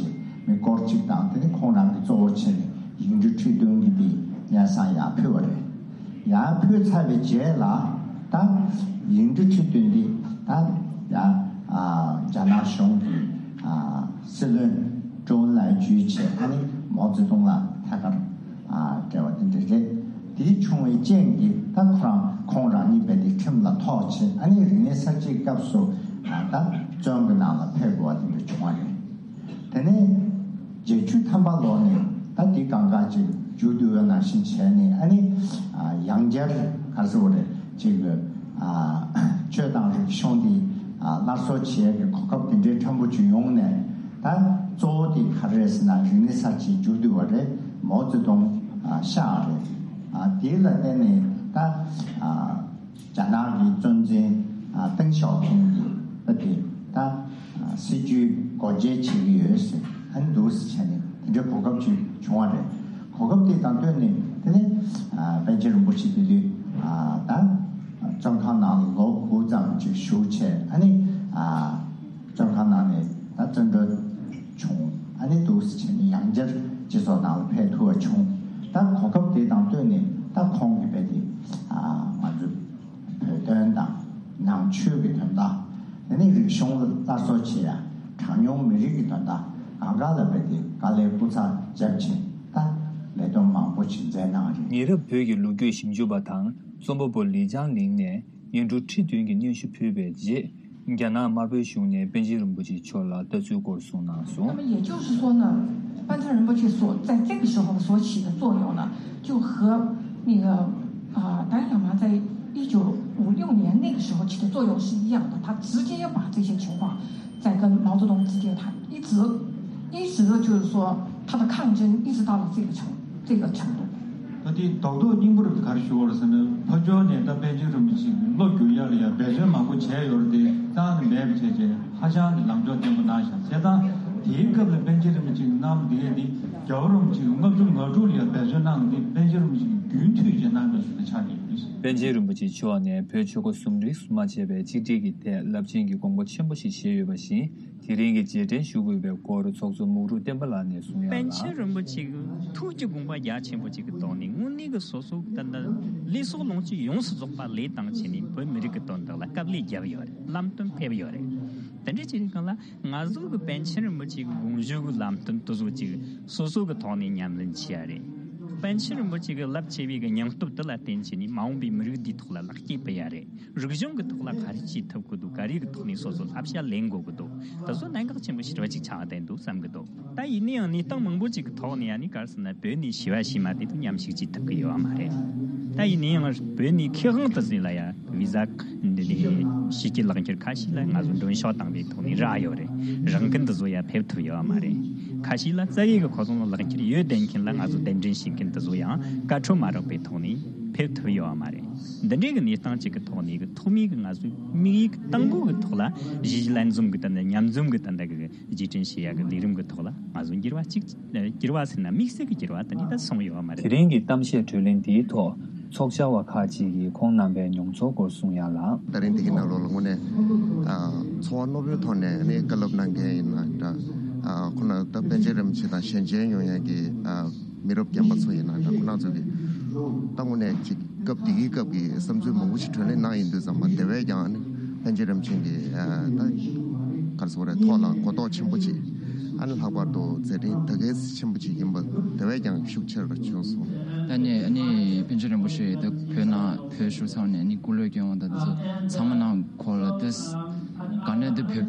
མི་སྐོར་གཅིག་དང་དེ་ནས་ཁོང་རང་གིས་གཙོ་བོ་བྱས་ནས་ཡིག་འབྲུ་ཁྲི་བདུན་གྱི་དེ་སྙན་སེང་ཡར་ཕུལ་བ་རེད། ཡར་ཕུལ་ཚར་བའི་རྗེས་ལ་ད་ཡིག་འབྲུ་ཁྲི་བདུན་འདི་ད་ཡར་ཨ་རྒྱ་ནག་གཞུང་གི་ཨ་སྲིད་བློན་ཀྲོའུ་ཨིན་ལན་བརྒྱུད་བྱས་ཨ་ནི་མའོ་ཙེ་ཏུང་ལ་ཐད་ཀར་ཨ་འབྲེལ་བ་དེ་འདྲ་རེད། དེའི་བྱུང་བའི་རྐྱེན་གྱིས་ད་ཁོ་རང་ཁོང་རང་ཉིད་རྦད་དེ་ཁྲིམས་ལ་ཐོགས་བྱས་ཨ་ནི་རིག་གནས་གསར་བརྗེའི་སྐབས་སུ་ཨ་ད་བཙོན་གྱི་ནང་ལ་ཕེབས་དགོས་པ་དེ་འདྲ་བྱུང་བ་རེད། དེ་ནས་བརྒྱད་ཅུ་ཐམ་པ་ལོ་ནས་ད་དེ་སྒང་ག་ཅིག་མཇུག་བསྡུ་བ་ནང་བཞིན་བྱས་ནས་ཨ་ནི་ཨ་ཡང་བསྐྱར་ག་རེ་ཟེར་དགོས་རེད་ཅིག་ཨ་ཆོས་དང་རིག་གཞུང་དེ་ཨ་སླར་གསོ་བྱེད་ཡག་གི་གོ་སྐབས་དེ་འདྲའི་ཕྲན་བུ་ཅིག་ཡོང་ནས་ད་གཙོ་བོ་དེ་ག་རེ་རེད་ཟེར་ན་རིག་གནས་གསར་བརྗེ་མཇུག་བསྡུ་བ་རེད། མའོ་ཙེ་ཏུང་ཨ་གཤེགས་པ་རེད། ཨ་དེ་ལ་བརྟེན་ནས་ད་ཨ་རྒྱ་ནག་གི་གཙོ་འཛིན་ཨ་ཏེང་ཞའོ་ཕིང་གིས་ད་དེ་ད་ཨ་སྲིད་བྱུས་སྒོ་འབྱེད་བྱེད་ཀྱི་ཡོད་ཟེར་ཨ་ནི་འདུག་སེ་བྱས་ནས་དེ་འདྲའི་གོ་སྐབས་ཅིག་བྱུང་བ་རེད། གོ་སྐབས་དེ་དང་བསྟུན་ནས་དེ་ནས་ཨ་པཎ་ཆེན་རིན་པོ་ཆེ་དེ་དུས་ཨ་ད་བཙོན་ཁང་ནང་ལ་ལོ་དགུ་ཙམ་ཅིག་བཞུགས་བྱས་ཨ་ནི་ཨ་བཙོན་ཁང་ནང་ནས་ད་བཙོན་གྲོལ་བྱུང་ཨ་ནི་འདུག་སེ་བྱས་ནས་ཡང་བསྐྱར་སྤྱི་ཚོགས་ནང་ལ་ཕེབས་ཐུབ་པ་བྱུང་། ད་གོ་སྐབས་དེ་དང་བསྟུན་ནས་ད་ཁོང་གིས་རྦད་དེ་ཨ་ང་ཚོ་བོད་དོན་དང་ནང་ཆོས་ཀྱི་དོན་དག་དེ་ནས་རིག་གཞུང་སླར་གསོ་བྱེད་ཡ་གྲངས་ཉུང་མི་རིགས་ཀྱི་དོན་དག་གང་ག་ལ་རྦད་དེ་དཀའ་ལས་སྐུ་ཚབ་བརྒྱབ་བྱས་ད་ལས་དོན་མང་པོ་ཞིག་མཛད་གནང་རེད། ཉེ་རབས་བོད་ཀྱི་ལོ་རྒྱུས་ཞིབ་འཇུག་པ་དང་རྩོམ་པ་པོ་ལི་ཅང་ལིང་ནས་སྙན་སྒྲོན་ཁྲི་བདུན་གྱི་སྙན་ཞུ་ཕུལ་བའི་རྗེས། རྒྱ་ནག་དམར་པོའི་གཞུང་ནས་པཎ་ཆེན་རིན་པོ་ཆེ་མཆོག་ལ་ལྟ་ཚུལ་སྐོར་གསུངས་གནང་སོང་། 那么也就是说呢，班禅仁波切所在这个时候所起的作用呢，就和那个啊达赖喇嘛在一九五六年那个时候起的作用是一样的，他直接把这些情况在跟毛泽东直接谈，一直一直就是说他的抗争一直到了这个程这个程度。 ད་དེ་རྡོག་རྡོག་སྙིང་པོ་རུ་ག་རེ་ཞུ་བ་རེད་ཟེར་ན་ཕར་ཕྱོགས་ནས་ད་པཎ་ཆེན་རིན་པོ་ཆེ་གི་བློ་བསྒྱུར་ཡག་ལ་ཡང་འབད་བརྩོན་མང་པོ་བྱས་ཡོད་རེད་དེ་རྩ་ནས་མེད་པ་བྱས་རྗེས་ཧ་ཅང་གི་ལངས་ཕྱོགས་བརྟན་པོ་གནང་ཤག་བྱས་ཙང་དེའི་སྐབས་ལ་པཎ་ཆེན་རིན་པོ་ཆེ་གི་གནང་བ་དེ་གས་དེ་རྒྱལ་བ་རིན་པོ་ཆེ་གི་ལྔ་བཅུ་ང་དྲུག་ལ་ཡང་འབད་བརྩོན་གནང་གི་དེ་པཎ་ཆེན་རིན་པོ་ཆེ་གི་རྒྱུན་མཐུད་བྱས་གནང་བ་ཞིག་ལ་ཆགས་ཀྱི་ཡོད་རེད། པཎ་ཆེན་རིན་པོ་ཆེ་མཆོག་ནས་བོད་ཆོལ་ཁ་གསུམ་རིས་སུ་མ་ཆད་པའི་གཅིག་སྒྲིལ་གྱི་ཐད་རླབས་ཆེན་གྱི་དགོངས་པ་ཆེན་པོ་ཞིག་བཞེས་ཡོད་པ་བཞིན། དེ་རིང་གི་རྗེས་དྲན་ཞུ་དགོས་པའི་སྐོར་ཚོགས་གཙོ་མུག་རུ་བསྟན་པ་ལགས་ནས་གསུངས་ཡ་ལ། པཎ་ཆེན་རིན་པོ་ཆེ་གི་ཐུགས་ཀྱི་དགོངས་པ་རྒྱ་ཆེན་པོ་ཅིག་གི་ཐོག་ནས་དངོས་གནས་ཀྱི་སོ་སོ་གི་ད་ལྟ་ལུས་སྲོག་ལོངས་སྤྱོད་ཡོངས་སུ་རྫོགས་པ་ལས་བཏང་བྱས་ནས་བོད་མི་རིགས་ཀྱི་དོན་དག་ལ་དཀའ་ལས་བརྒྱབ་ཡོད་རེད། ལམ་སྟོན་ཕེབས་ཡོད་རེད། དེ་འདྲ་བྱས་ནས་གང་ལ་ང་ཚོ་གི་པཎ་ཆེན་རིན་པོ་ཆེ་གི་དགོངས་ཞུ་གི་ལམ་སྟོན་དེ་ཚོ་ཅིག་སོ་སོ་གི་ཐོག་ནས་ཉམས་ལེན་བྱེད་ཡ་རེད། པཎ་ཆེན་རིན་པོ་ཆེ་གི་རླབས་ཆེ་བའི་གི་སྙིང་སྟོབས་དེ་ལ་བརྟེན་བྱས་ནས་མ་འོངས་པའི་མི་རིགས་འདིའི་ཐོག་ལ་ལེགས་སྐྱེས་ཕུལ་ཡ་རེད། རིག་གཞུང་གི་ཐོག་ལ་ག་རེ་བྱེད་ཐུབ་ཀྱི་འདུག་ག་རེ་གི་ཐོག་ནས་སོ་སོ་བསླབ་བྱ་ལེན་དགོས་ཀྱི་འདུག་དེ་ཚོ་གནད་འགག་ཆེན་པོ་ཞེ་དྲག་ཅིག་ཆགས་བསྡད་འདུག་བསམ་གྱི་འདུག་ད་ཡིན་ན་ཡང་གནས་སྟངས་མང་པོ་ཅིག་གི་ཐོག་ནས་ཡང་ནི་ག་རེ་ཟེར་ན་བོད་ནས་ཞི་བ་ཞི་མ་དེ་ཚོ་མཉམ་ཞུགས་བྱེད་ཐུབ་ཀྱི་ཡོད་མ་རེད། ད་ཡིན་ན་ཡང་བོད་ནས་ཁེ་དབང་དུ་ཟིན་ལ་ཡ་བི་ཟ་འདི་ནས་ཕྱི་རྒྱལ་ལག་འཁྱེར་ཁ་ཤས་ལ་ང་ཚོ་མགྲོན་ཤོག་བཏང་བའི་ཐོག་ནས་རག་ཡོད་རེད། རང་འགན་དེ་ཚོ་ཡ་ཕེབས་ཐུབ་ཡོད་མ་རེད། ཁ་ཤས་ལ་རྩ་བའི་གི་ཁོ་ཚོ་ལ་ལག་འཁྱེར་ཡོད་བསྡད་མཁན་ལ་ང་ཚོ་གདན་འདྲེན་བྱེད་མཁན་དེ་ཚོ་ཡང་བཀའ་འཁྲོལ་མ་རག་པའི་ཐོག་ནས་ཕེབས་ཐུབ་ཡོད་མ་རེད། འདི་འདྲའི་གི་གནས་སྟངས་ཅིག་གི་ཐོག་ནས་གི་ཐོག་མའི་གི་ང་ཚོའི་དམིགས་ཡུལ་གི་དང་པོ་གི་ཐོག་ལ་གཞིས་བྱེས་ལྷན་འཛོམས་གི་ད་ལྟ་མཉམ་འཛོམས་གི་ད་ལྟ་གི་རྗེས་དྲན་བྱེད་ཡ་གི་ལས་རིམ་གི་ཐོག་ལ་ང་ཚོ་འགྱུར་བ་གཅིག་འགྱུར་བ་ཟེར་ན་དམིགས་བསལ་གི་འགྱུར་བ་དེ་འདྲ་ད་སོང་ཡོད་མ་རེད། དེ་རིང་གི་གཏམ་བཤད་གྲོས་གླེང་འདིའི་ཐོག་ཚོགས་བཅར་བ་ཁག་ཅིག་གིས་ཁོང་རྣམ་པའི་མྱོང་ཚོར་སྐོར་གསུངས་ཡ་ལ། ད་རིང་འདི་གི་ནང་ལོགས་ལ་དངོས་གནས་ཨ་ཚོར་བ་རྣོ་པོའི་ཐོག་ནས་ནི་བཀའ་སློབ་གནང་མཁན་ཡིན་ན་འདྲ། ཨ་ཁོ་ན་ད་པཎ་ཆེན་རིན་པོ་ཆེ་དང་ཞལ་མཇལ་ཡོང་ཡ་གི་ཨ་མི་རབས་རྒན་པ་ཚོ་ཡིན་ན་འདྲ་ཁོ་ན་ཚོ་གི་ད་དངོས་གནས་ཅིག་སྐབས་དེ་གི་སྐབས་ཀྱི་བསམ་ཚུལ་མང་པོ་ཞིག་གྲོས་གླེང་གནང་ཡིན་དུས་ཙམ་པ་དེ་བས་ཀྱང་ནི་པཎ་ཆེན་རིན་པོ་ཆེ་གི་ཨ་ད་ག་རེ་ཟེར་དགོས་རེད་ཐོག་ལ་གོ་རྟོགས་ཆེན་པོ་ཅིག་ཨ་ནི་ལྷག་པར་དུ་མཛད་འཕྲིན་ད་གལ་ཆེན་པོ་ཅིག་ཡིན་པ་དེ་བས་ཀྱང་ཤུགས་ཆེ་རུ་བྱུང་སོང་། ད་ནི་ཨ་ནི་པཎ་ཆེན་རིན་པོ་ཆེ་ད་བོད་ནང་བོད་གཞུང་ཚང་མ་ནས་ཨ་ནི་སྐུ་ལས་སྐྱོན་འོང་ད་དེ་ཚོ་ཚང་མ་ནང་ཁོ་ལ་དེ་ག་ནས་དེ་བོད་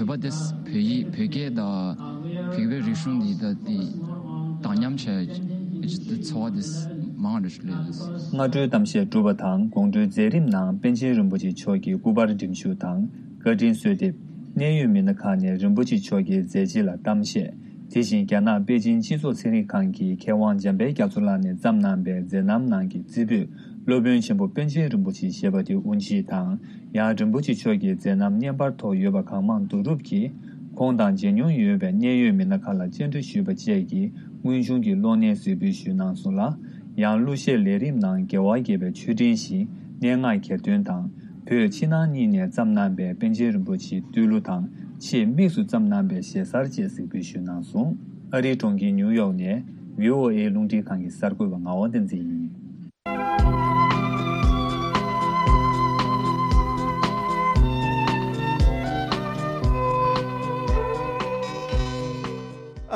བོད་པ་དེ་བོད་ཡིག་བོད་སྐད་ད་བོད་པའི་རིག་གཞུང་འདི་ད་དེ། དང་མཉམ་བྱས་ཀྱི་འཚོ་བ་དེ་མང་རུ་སླེབས་ཡོད། སྔ་དྲོའི་གཏམ་བཤད་གྲུབ་པ་དང་དགོང་དྲོའི་མཛད་རིམ་ནང་པཎ་ཆེན་རིན་པོ་ཆེ་མཆོག་གི་སྐུ་པར་འགྲེམས་ཞུ་དང་བཀའ་དྲིན་གསོལ་འདེབས། གནད་ཡོད་མི་སྣ་ཁག་ནས་རིན་པོ་ཆེ་མཆོག་གི་མཛད་རྗེས་ལ་གཏམ་བཤད། དེ་བཞིན་རྒྱ་ནག་པེ་ཅིན་སྤྱི་ཚོགས་ཚན་རིག་ཁང་གི་མཁས་དབང་འཇམ་དཔལ་རྒྱ་མཚོ་ལགས་ནས་བརྩམས་གནང་པའི་མཛད་རྣམ་ནང་གི་རྩེ་ཕུད། སློབ་དཔོན་ཆེན་པོ་པཎ་ཆེན་རིན་པོ་ཆེ་ཞེས་པ་དེ་དབུ་འབྱེད་དང་། ཡང་རིན་པོ་ཆེ་མཆོག་གི་མཛད་རྣམ་བརྙན་པར་ཐོག་ཡོད་པ་གང་མང་བསྡུ་རུབ་ཀྱིས། ཁོང་དང་མཇལ་མྱོང་ཡོད་པའི་གནད་ཡོད་མི་སྣ་ཁག་ལ་བཅར་འདྲི་ཞུས་པ་བཅས་ཀྱིས་དངོས་བྱུང་གི་གློག་བརྙན་གཟིགས་འབུལ་ཞུས་གནང་སོང་ལ། ཡང་གླུ་གཞས་ལས་རིམ་ནང་རྒྱལ་བ་དགྱེས་པའི་མཆོད་སྤྲིན་བཞིན་སྙན་ངག་གྱེར་འདོན་དང་། བོད་ཕྱི་ནང་གཉིས་ནས་བརྩམས་གནང་པའི་པཎ་ཆེན་རིན་པོ་ཆེའི་བསྟོད་གླུ་དང་ཆེས་དམིགས་སུ་བརྩམས་གནང་པའི་གཞས་གསར་བཅས་གཟིགས་འབུལ་ཞུས་གནང་སོང་། ཨ་རིའི་གྲོང་ཁྱེར་ནིའུ་ཡོག་ནས་བྷི་ཨོ་ཨེ་རླུང་འཕྲིན་ཁང་གི་གསར་འགོད་པ་ངག་དབང་བསྟན་འཛིན་ཡིན།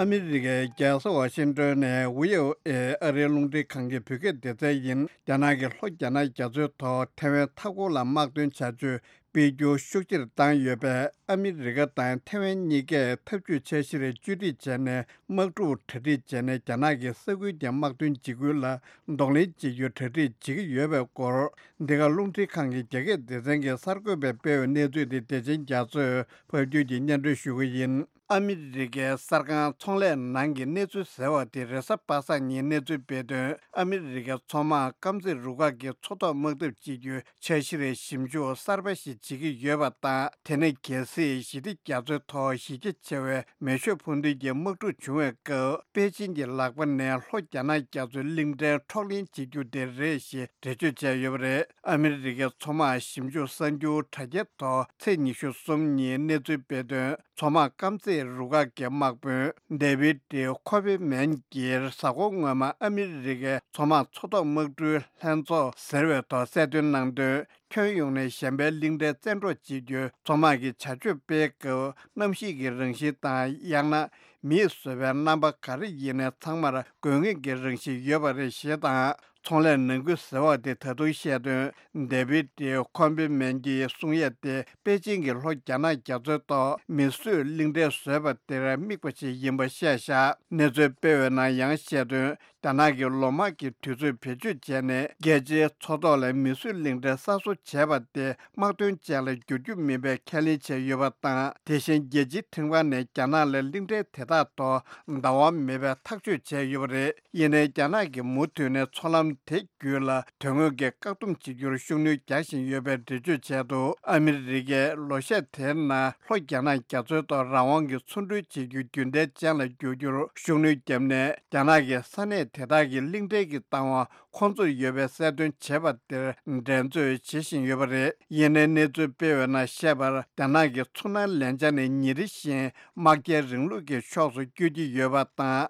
ཨ་མི་རི་ཀའི་རྒྱལ་ས་ཝ་ཤིང་ཏོན་ནས་ཝི་ཨོ་ཨེ་ཨ་རིའི་རླུང་འཕྲིན་ཁང་གི་བོད་སྐད་སྡེ་ཚན་ཡིན། རྒྱ་ནག་གི་ལྷོ་རྒྱ་ནག་རྒྱ་མཚོའི་ཐོག་ཐེ་ཝན་མཐའ་འཁོར་ལ་དམག་དོན་བྱ་སྤྱོད་སྤེལ་རྒྱུ་ཤུགས་ཆེར་བཏང་ཡོད་པས། ཨ་མི་རི་ཀ་དང་ཐེ་ཝན་གཉིས་ཀས་འཐབ་ཇུས་འཆར་གཞིར་བཅོས་སྒྲིག་བྱས་ནས། དམག་འཁྲུག་གྲ་སྒྲིག་བྱས་ནས། རྒྱ་ནག་གིས་ས་ཁུལ་གྱི་དམག་དོན་འཇིགས་སྐུལ་ལ་གདོང་ལེན་བྱེད་རྒྱུ་གྲ་སྒྲིག་བྱེད་ཀྱི་ཡོད་པའི་སྐོར། འདི་ག་རླུང་འཕྲིན་ཁང་གི་རྒྱ་སྐད་སྡེ་ཚན་གྱི་གསར་འགོད་པས་སྤེལ་བའི་གནས་ཚུལ་དེ་བདེ་ཆེན་རྒྱ་མཚོས་ཕབ་སྒྱུར་གྱིས་སྙན་སྒྲོན་ཞུ་གི་ཡིན། ཨ་མི་རི་ཀའི་གསར་ཁང་ཚོང་ལས་ནང་གི་གནས་ཚུལ་ཟེར་བ་དེ་རེས་གཟའ་པ་སངས་ཉིན་གནས་ཚུལ་སྤེལ་དོན། ཨ་མི་རི་ཀའི་མཚོ་དམག་དཀར་མཛེས་རུ་ཁག་གིས་མཚོ་ཐོག་དམག་འཐབ་བྱེད་རྒྱུའི་འཆར་གཞིར་ཞིབ་འཇུག་གསར་པ་ཞིག་བྱེད་ཀྱི་ཡོད་པ་དང་། དེ་ནི་གལ་སྲིད་ཞི་བདེ་རྒྱ་མཚོའི་ཐོག་གཞི་རྒྱ་ཆེ་བའི་མེ་ཤུགས་འཕུར་མདེལ་གྱི་དམག་འཁྲུག་བྱུང་བའི་སྐབས། པེ་ཅིན་གྱི་ལག་པ་ནས་ལྷོ་རྒྱ་ནག་རྒྱ་མཚོའི་གླིང་ཕྲན་འཕྲོག་ལེན་བྱེད་རྒྱུ་དེ་རེད་ཞེས་འགྲེལ་བརྗོད་བྱས་ཡོད་པ་རེད། ཨ་མི་རི་ཀའི་མཚོ་དམག་ཞིབ་འཇུག་གསར་འགྱུར་དྲ་རྒྱའི་ཐོག་ཚེས་ཉི་ཤུ་གསུམ་ཉིན་གནས་ཚུལ་སྤེལ་དོན། མཚོ་དམག་དཀར་མཛེས་རུ་ཁག་གི་དམག་དཔོན་ཌེ་བིད་ཀོ་པེ་མན་གྱིས་གཟའ་འཁོར་སྔོན་མ་ཨ་མི་རི་ཀའི་མཚོ་དམག་མཚོ་ཐོག་དམག་གྲུའི་ལྷན་ཚོགས་ཟེར་བའི་ཐོག་གསལ་སྟོན་གནང་དོན། ཁྱོན་ཡོངས་ནས་གཞན་པའི་གླིང་ཕྲན་བཙན་འཕྲོག་བྱེད་རྒྱུའི་མཚོ་དམག་གི་བྱ་སྤྱོད་སྤེལ་སྐབས་གནམ་གཤིས་ཀྱི་རང་བཞིན་དང་། ཡང་ན་མིས་བཟོས་པའི་རྣམ་པ་ག་རེ་ཡིན་ནའི་ཚང་མར་དགོས་ངེས་ཀྱི་རང་བཞིན་ཡོད་པ་རེད་ཞེས་དང་། ཚོང་ལས་ནང་ཁུལ་ཟེར་བ་དེ་ད་དུང་བཤད་དོན། ཌེ་བིད་ཀོ་པེ་མན་གྱིས་གསུང་ཡས་དེ་པེ་ཅིན་གྱིས་ལྷོ་རྒྱ་ནག་རྒྱ་མཚོའི་ཐོག་མིས་བཟོས་གླིང་ཕྲན་བཟོས་པ་དེར་དམིགས་པ་ཞིག་ཡིན་པ་བཤད་བཞག་གནས་ཚུལ་སྤེལ་བའི་ནང་ཡང་བཤད་དོན། རྒྱ་ནག་གིས་ལོ་མང་གི་དུས་ཚོད་བེད་སྤྱོད་བྱས་ནས། རྒྱལ་སྤྱིའི་མཚོ་ཐོག་ལ་མིས་བཟོས་གླིང་ཕྲན་གསར་བཟོ་བྱས་པ་དེ་དམག་དོན་ཅན་ལ་བསྒྱུར་རྒྱུ་མིན་པའི་ཁས་ལེན་བྱས་ཡོད་པ་དང་། དེ་བཞིན་རྒྱལ་སྤྱིའི་ཁྲིམས་ཁང་ནས་རྒྱ་ནག་ལ་གླིང་ཕྲན་དེ་དག་ཐོག་བདའ་དབང་མེད་པའི་ཐག་གཅོད་བྱས་ཡོད་པ་རེད། ཡིན་ནའི་རྒྱ་ནག་གིས་མུ་མཐུད་ནས་མཚོ་ལམ་དེ་བརྒྱུད་ལ་དོན་དངོས་ཀྱི་བཀག་སྡོམ་བྱེད་རྒྱུར་ཤུགས་སྣོན་རྒྱག་བཞིན་ཡོད་པའི་འགྲེལ་བརྗོད་བྱས་འདུག་ཨ་མི་རི་ཀས་ལོ་ཤས་དེའི་ནང་ལྷོ་རྒྱ་ནག་རྒྱ་མཚོའི་ཐོག་རང་དབང་གི་མཚོ་འགྲུལ་བྱེད་རྒྱུ་རྒྱུན་ལྡན་ཅན་ལ་བསྒྱུར་རྒྱུར་ཤུགས་སྣོན་བརྒྱབ་ནས། རྒྱ་ནག་གིས་ས་གནས་དེ་དག་གི་གླིང་ཕྲན་གྱི་བདག་དབང་ཁོང་ཚོར་ཡོད་པའི་གསལ་སྟོན་བྱས་པ་དེར་འགྲན་རྩོད་བྱེད་བཞིན་ཡོད་པ་རེད། ཡིན་ནའི་གནས་ཚུལ་སྤེལ་བའི་ནང་བཤད་པར། རྒྱ་ནག་གི་མཚོ་ནང་ལན་ཆ་ནི་ཉིན་རེ་བཞིན་དམག་རྒྱལ་རིང་ལུགས་ཀྱི་ཕྱོགས་སུ་བསྐྱོད་ཀྱི་ཡོད་པ་དང་།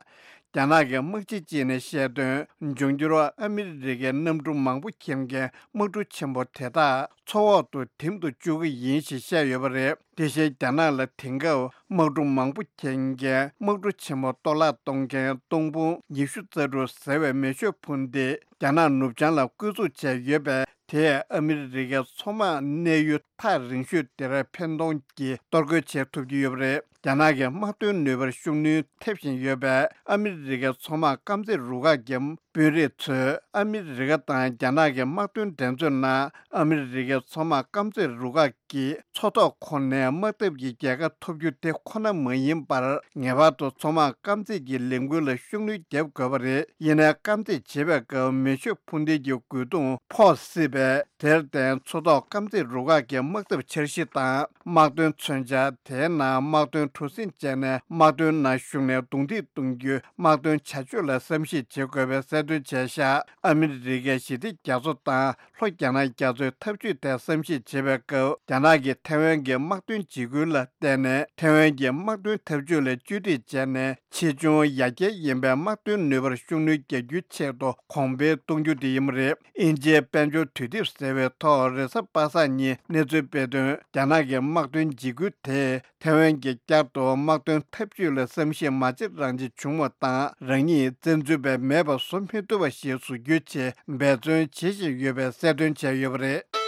རྒྱ་ནག་གི་དམག་སྤྱི་གཅིག་ནས་བཤད་དོན། འབྱུང་འགྱུར་ཨ་མི་རི་ཀའི་གནམ་གྲུ་མང་པོ་འཁྱེར་མཁན་དམག་གྲུ་ཆེན་པོ་དེ་དག་མཚོ་འོག་ཏུ་འཐིམ་དུ་བཅུག་གི་ཡིན་ཞེས་བཤད་ཡོད་པ་རེད། དེ་བཞིན་རྒྱ་ནག་ལ་དེང་སྐབས་དམག་གྲུ་མང་པོ་འཁྱེར་མཁན་དམག་གྲུ་ཆེན་མོ་གཏོར་བརླག་གཏོང་མཁན་སྟོང་དཔུང་ཉི་ཤུ་རྩ་དྲུག་ཟེར་བའི་མེ་ཤུགས་འཕུར་མདེལ་རྒྱ་ནག་ནུབ་བྱང་ལ་བསྐོས་འཛུགས་བྱས་ཡོད་པས། དེས་ཨ་མི་རི་ཀའི་མཚོ་དམག་གནས་ཡུལ་ཐག་རིང་ཤོས་དེར་འཕེན་གཏོང་གིས་གཏོར་རྒོལ་བྱེད་ཐུབ་ཀྱི་ཡོད་པ་རེད། རྒྱ་ནག་གི་དམག་དོན་ནུས་པར་ཤུགས་སྣོན་ཐེབས་བཞིན་ཡོད་པས། ཨ་མི་རི་ཀའི་མཚོ་དམག་དཀར་མཛེས་རུ་ཁག་གི་དཔོན་རིགས་ཚོས་ཨ་མི་རི་ཀ་དང་རྒྱ་ནག་གི་དམག་དོན་འགྲན་རྩོད་ནང་ཨ་མི་རི་ཀའི་མཚོ་དམག་དཀར་མཛེས་རུ་ཁག་གིས་མཚོ་ཐོག་ཁོངས་ནས་དམག་འཐབ་ཀྱི་རྒྱལ་ཁ་ཐོབ་རྒྱུ་དེ་ཁོ་ན་མ་ཡིན་པར། ངེས་པར་དུ་མཚོ་དམག་དཀར་མཛེས་ཀྱི་ལས་འགུལ་ལ་ཤུགས་སྣོན་བརྒྱབ་དགོས་པ་རེད། ཡིན་ནའི་དཀར་མཛེས་བྱེད་པའི་སྐབས་མེ་ཤུགས་འཕུར་མདེལ་གྱི་རྒོལ་རྡུང་ཕོག་སྲིད་པས། དེར་བརྟེན་མཚོ་ཐོག་དཀར་མཛེས་རུ་ཁག་གི་དམག་འཐབ་འཆར་གཞི་དང་དམག་དོན་མཚོན་ཆ། དེའི་ནང་དམག་དོན་གྲུ་གཟིངས་བཅས་ནས་དམག་དོན་ནང་ཞུགས་ནས་རྡུང་རྡེག་གཏོང་རྒྱུའི་དམག་དོན་བྱ་སྤྱོད་ལ་བསམ་གཞིག་བྱེད་དགོས་པའི་གསལ་སྟོན་བྱས་བཞག་ཨ་མི་རི་ཀའི་ཞི་བདེ་རྒྱ་མཚོ་དང་ལྷོ་རྒྱ་ནག་རྒྱ་མཚོའི་འཐབ་ཇུས་ཐད་བསམ་གཞིག་བྱེད་པའི་སྐབས། རྒྱ་ནག་གིས་ཐེ་ཝན་གྱི་དམག་དོན་འཇིགས་སྐུལ་ལ་བརྟེན་ནས་ཐེ་ཝན་གྱི་དམག་དོན་འཐབ་ཇུས་ལ་བཅོས་སྒྲིག་བྱས་ནས། ཆེ་ཆུང་ཡར་རྒྱས་ཡིན་པའི་དམག་དོན་ནུས་པར་ཤུགས་སྣོན་རྒྱག་རྒྱུའི་ཆེད་དུ་གོང་འཕེལ་གཏོང་རྒྱུ་དེ་ཡིན་པ་རེད། དབྱིན་ཇིའི་དཔལ་འབྱོར་དུས་དེབ་ཟེར་བའི་ཐོག་རེས་གཟའ་པ་སངས་ཉིན་གནས་ཚུལ་སྤེལ་དོན། རྒྱ་ནག་གི་དམག་དོན་འཇིགས་སྐུལ་དེས་ཐེ་ཝན་གྱིས་བསྐྱར་དུ་དམག་དོན་འཐབ་ཇུས་ལ་བསམ་གཞིག་མ་བྱེད་རང་བྱེད་བྱུང་བ་དང་། རང་ཉིད་བཙན་འཛུལ་པ་མེད་པ་བཟོ་མི་ཐུབ་པ་ཞིག་བཟོ་རྒྱུའི་ཆེད་འབད་བརྩོན་བྱེད་བཞིན་ཡོད་པའི་གསལ་སྟོན་བྱས་ཡོད་པ་རེད།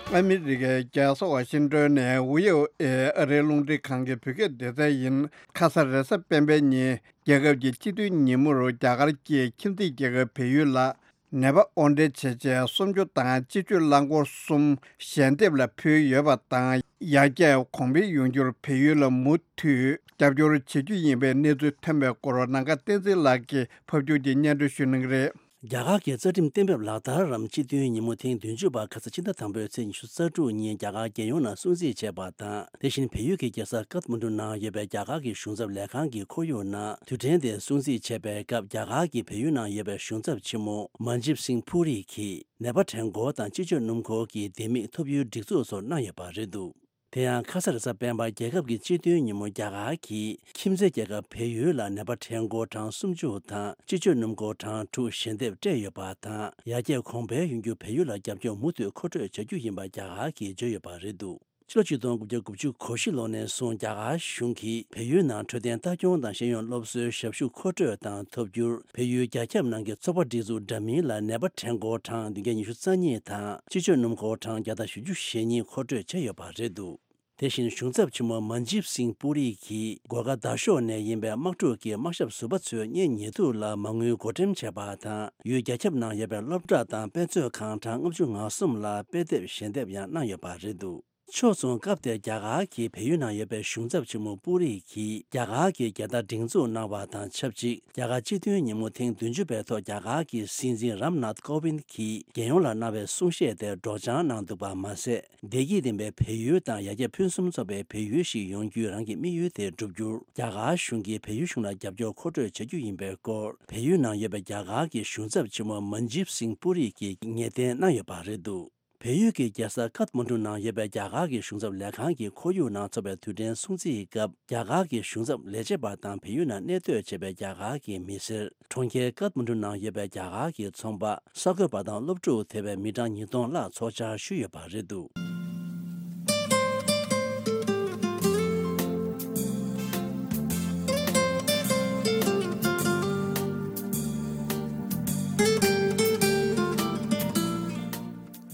ཨ་མི་རི་ཀའི་རྒྱལ་ས་ཝ་ཤིང་ཏོན་ནས་ཝི་ཨོ་ཨེ་ཨ་རིའི་རླུང་འཕྲིན་ཁང་གི་བོད་སྐད་སྡེ་ཚན་ཡིན། ཁ་ས་རེས་གཟའ་སྤེན་པའི་ཉིན་རྒྱལ་ཁབ་ཀྱི་སྤྱི་མཐུན་ཉིན་མོར་རྒྱ་གར་གྱི་ཁྱིམ་མཚེས་རྒྱལ་ཁབ་བལ་ཡུལ་ལ། ནད་པ་དབོར་འདྲེན་བྱས་རྗེས་གསུམ་བཅུ་དང་སྤྱི་སྤྱོད་རླངས་འཁོར་གསུམ་ཞལ་འདེབས་ལ་ཕུལ་ཡོད་པ་དང་། ཡར་རྒྱས་གོང་འཕེལ་ཡོང་རྒྱུར་བལ་ཡུལ་ལ་མུ་མཐུད་རྒྱབ་སྐྱོར་བྱེད་རྒྱུ་ཡིན་པའི་གནས་ཚུལ་ཐོན་པའི་སྐོར། ནམ་མཁའ་བསྟན་འཛིན་ལགས་ཀྱིས་ཕབ་སྒྱུར་གྱིས་སྙན་སྒྲོན་ཞུ་གནང་གི་རེད། རྒྱ་གར་གྱི་རྩ་ཁྲིམས་གཏན་འབེབས་ལག་བསྟར་རམ་སྤྱི་མཐུན་ཉིན་མོ་ཐེངས་བདུན་ཅུ་པ་ཁ་ས་ཕྱི་ཟླ་དང་པོའི་ཚེས་ཉི་ཤུ་རྩ་དྲུག་ཉིན་རྒྱ་གར་རྒྱལ་ཡོངས་ནང་སྲུང་བརྩི་བྱས་པ་དང་། དེ་བཞིན་བལ་ཡུལ་གྱི་རྒྱལ་ས་ཀཏ་མན་ཌུ་ནང་ཡོད་པའི་རྒྱ་གར་གྱི་གཞུང་ཚབ་ལས་ཁང་གི་ཁོར་ཡུག་ནང་དུས་དྲན་དེ་སྲུང་བརྩི་བྱས་པའི་སྐབས། རྒྱ་གར་གྱི་བལ་ཡུལ་ནང་ཡོད་པའི་གཞུང་ཚབ་ཆེན་མོ་མན་ཇིབ་སིང་ཕུ་རི་གིས་ནད་པ་གྲལ་འགོ་དང་སྤྱི་སྤྱོད་སྣུམ་འཁོར་གྱི་ལྡེ་མིག་ཐོབ་ཡུལ་སྒྲིག་འཛུགས་སོགས་གནང་ཡོད་པ་རེད་འདུག་དེ་ཡང་ཁ་ས་རེས་གཟའ་སྤེན་པ་རྒྱལ་ཁབ་ཀྱི་སྤྱི་མཐུན་ཉིན་མོ་རྒྱ་གར་གྱིས་ཁྱིམ་མཚེས་རྒྱལ་ཁབ་བལ་ཡུལ་ལ་ནད་པ་གྲལ་འགོ་གྲངས་སུམ་ཅུ་དང་སྤྱི་སྤྱོད་སྣུམ་འཁོར་གྲངས་དྲུག་ཞལ་འདེབས་སྤྲད་ཡོད་པ་དང་། ཡར་རྒྱས་གོང་འཕེལ་ཡོང་རྒྱུར་བལ་ཡུལ་ལ་རྒྱབ་སྐྱོར་མུ་མཐུད་མཁོ་སྤྲོད་བྱ་རྒྱུ་ཡིན་པ་རྒྱ་གར་གྱིས་བརྗོད་ཡོད་པ་རེད་འདུག་ཕྱི་ལོ་ཆིག་སྟོང་དགུ་བརྒྱ་དགུ་བཅུ་གོ་བཞི་ལོ་ནས་བཟུང་རྒྱ་གར་གཞུང་གིས་བལ་ཡུལ་ནང་འཕྲོད་བསྟེན་ལྟ་སྐྱོང་དང་ཤེས་ཡོན་སློབ་གསོའི་ཞབས་ཞུ་མཁོ་སྤྲོད་དང་ཐོབ་རྒྱུར། བལ་ཡུལ་རྒྱ་ཁྱབ་ནང་གི་ཚོགས་པ་སྒྲིག་འཛུགས་འདྲ་མིན་ལ་ནད་པ་གྲལ་འགོ་གྲངས་བདུན་བརྒྱ་ཉི་ཤུ་རྩ་གཉིས་དང་སྤྱི་སྤྱོད་སྣུམ་འཁོར་གྲངས་བརྒྱ་དང་བཞི་བཅུ་ཞེ་གཉིས་མཁོ་སྤྲོད་བྱས་ཡོད་པ་རེད་འདུག་དེ་བཞིན་གཞུང་ཚབ་ཆེན་མོ་མན་ཇིབ་སིང་པུ་རི་གིས་སྒོར་ཁ་དག་ཤོག་ནས་ཡིན་པའི་དམག་འཁྲུག་གི་དམག་ཞབས་ཟུར་པ་ཚོའི་གཉེན་ཉེ་དུ་ལ་མ་དངུལ་བགོ་འགྲེམས་བྱས་པ་དང་། ཡུལ་རྒྱ་ཁྱབ་ནང་ཡོད་པའི་སློབ་གྲྭ་དང་དཔེ་མཛོད་ཁང་གྲངས་ལྔ་བཅུ་ང་གསུམ་ལ་དཔེ་དེབ་ཞལ་འདེབས་ཡང་གནང་ཡོད་པ་རེད་འདུག་ཕྱོགས་མཚུངས་སྐབས་དེར་རྒྱ་གར་གྱི་བལ་ཡུལ་ནང་ཡོད་པའི་གཞུང་ཚབ་ཆེན་མོ་པུ་རི་གིས་རྒྱ་གར་གྱི་རྒྱལ་དར་སྒྲེང་འཛུགས་གནང་བ་དང་ཆབས་ཅིག་རྒྱ་གར་སྤྱི་མཐུན་ཉིན་མོ་ཐེངས་བདུན་ཅུ་པའི་ཐོག་རྒྱ་གར་གྱི་སྲིད་འཛིན་རམ་ནཱཐ་ཀོ་བིན་གྱིས་རྒྱལ་ཡོངས་ལ་གནང་བའི་གསུང་བཤད་དེར་སྒྲོག་སྦྱང་གནང་འདུག་པ་མ་ཟད། བདེ་སྐྱིད་ལྡན་པའི་བལ་ཡུལ་དང་ཡར་རྒྱས་ཕུན་སུམ་ཚོགས་པའི་བལ་ཡུལ་ཞིག་ཡོང་རྒྱུའི་རང་གི་དམིགས་ཡུལ་དེ་བསྒྲུབ་རྒྱུར་རྒྱ་གར་གཞུང་གིས་བལ་ཡུལ་གཞུང་ལ་རྒྱབ་སྐྱོར་མཁོ་སྤྲོད་བྱ་རྒྱུ་ཡིན་པའི་སྐོར། བལ་ཡུལ་ནང་ཡོད་པའི་རྒྱ་གར་གྱི་གཞུང་ཚབ་ཆེན་མོ་མན་ཇིབ་སིང་པུ་རི་གིས་ངེས་གཏན་གནང་ཡོད་པ་རེད་འདུག་བལ་ཡུལ་གྱི་རྒྱལ་ས་ཀཏ་མན་ཌུ་ནང་ཡོད་པའི་རྒྱ་གར་གྱི་གཞུང་ཚབ་ལས་ཁང་གི་ཁོར་ཡུག་ནང་འཚོགས་པའི་དུས་དྲན་སྲུང་བརྩིའི་སྐབས། རྒྱ་གར་གྱི་གཞུང་ཚབ་ལས་བྱེད་པ་དང་བལ་ཡུལ་ནང་གནས་སྡོད་བྱེད་པའི་རྒྱ་གར་གྱི་མི་སེར། གྲོང་ཁྱེར་ཀཏ་མན་ཌུ་ནང་ཡོད་པའི་རྒྱ་གར་གྱི་ཚོང་པ། གསར་འགོད་པ་དང་སློབ་ཕྲུག་དེ་བས་མི་གྲངས་ཉིས་སྟོང་ལྷག་ཚོགས་བཅར་ཞུས་ཡོད་པ་རེད་འདུག་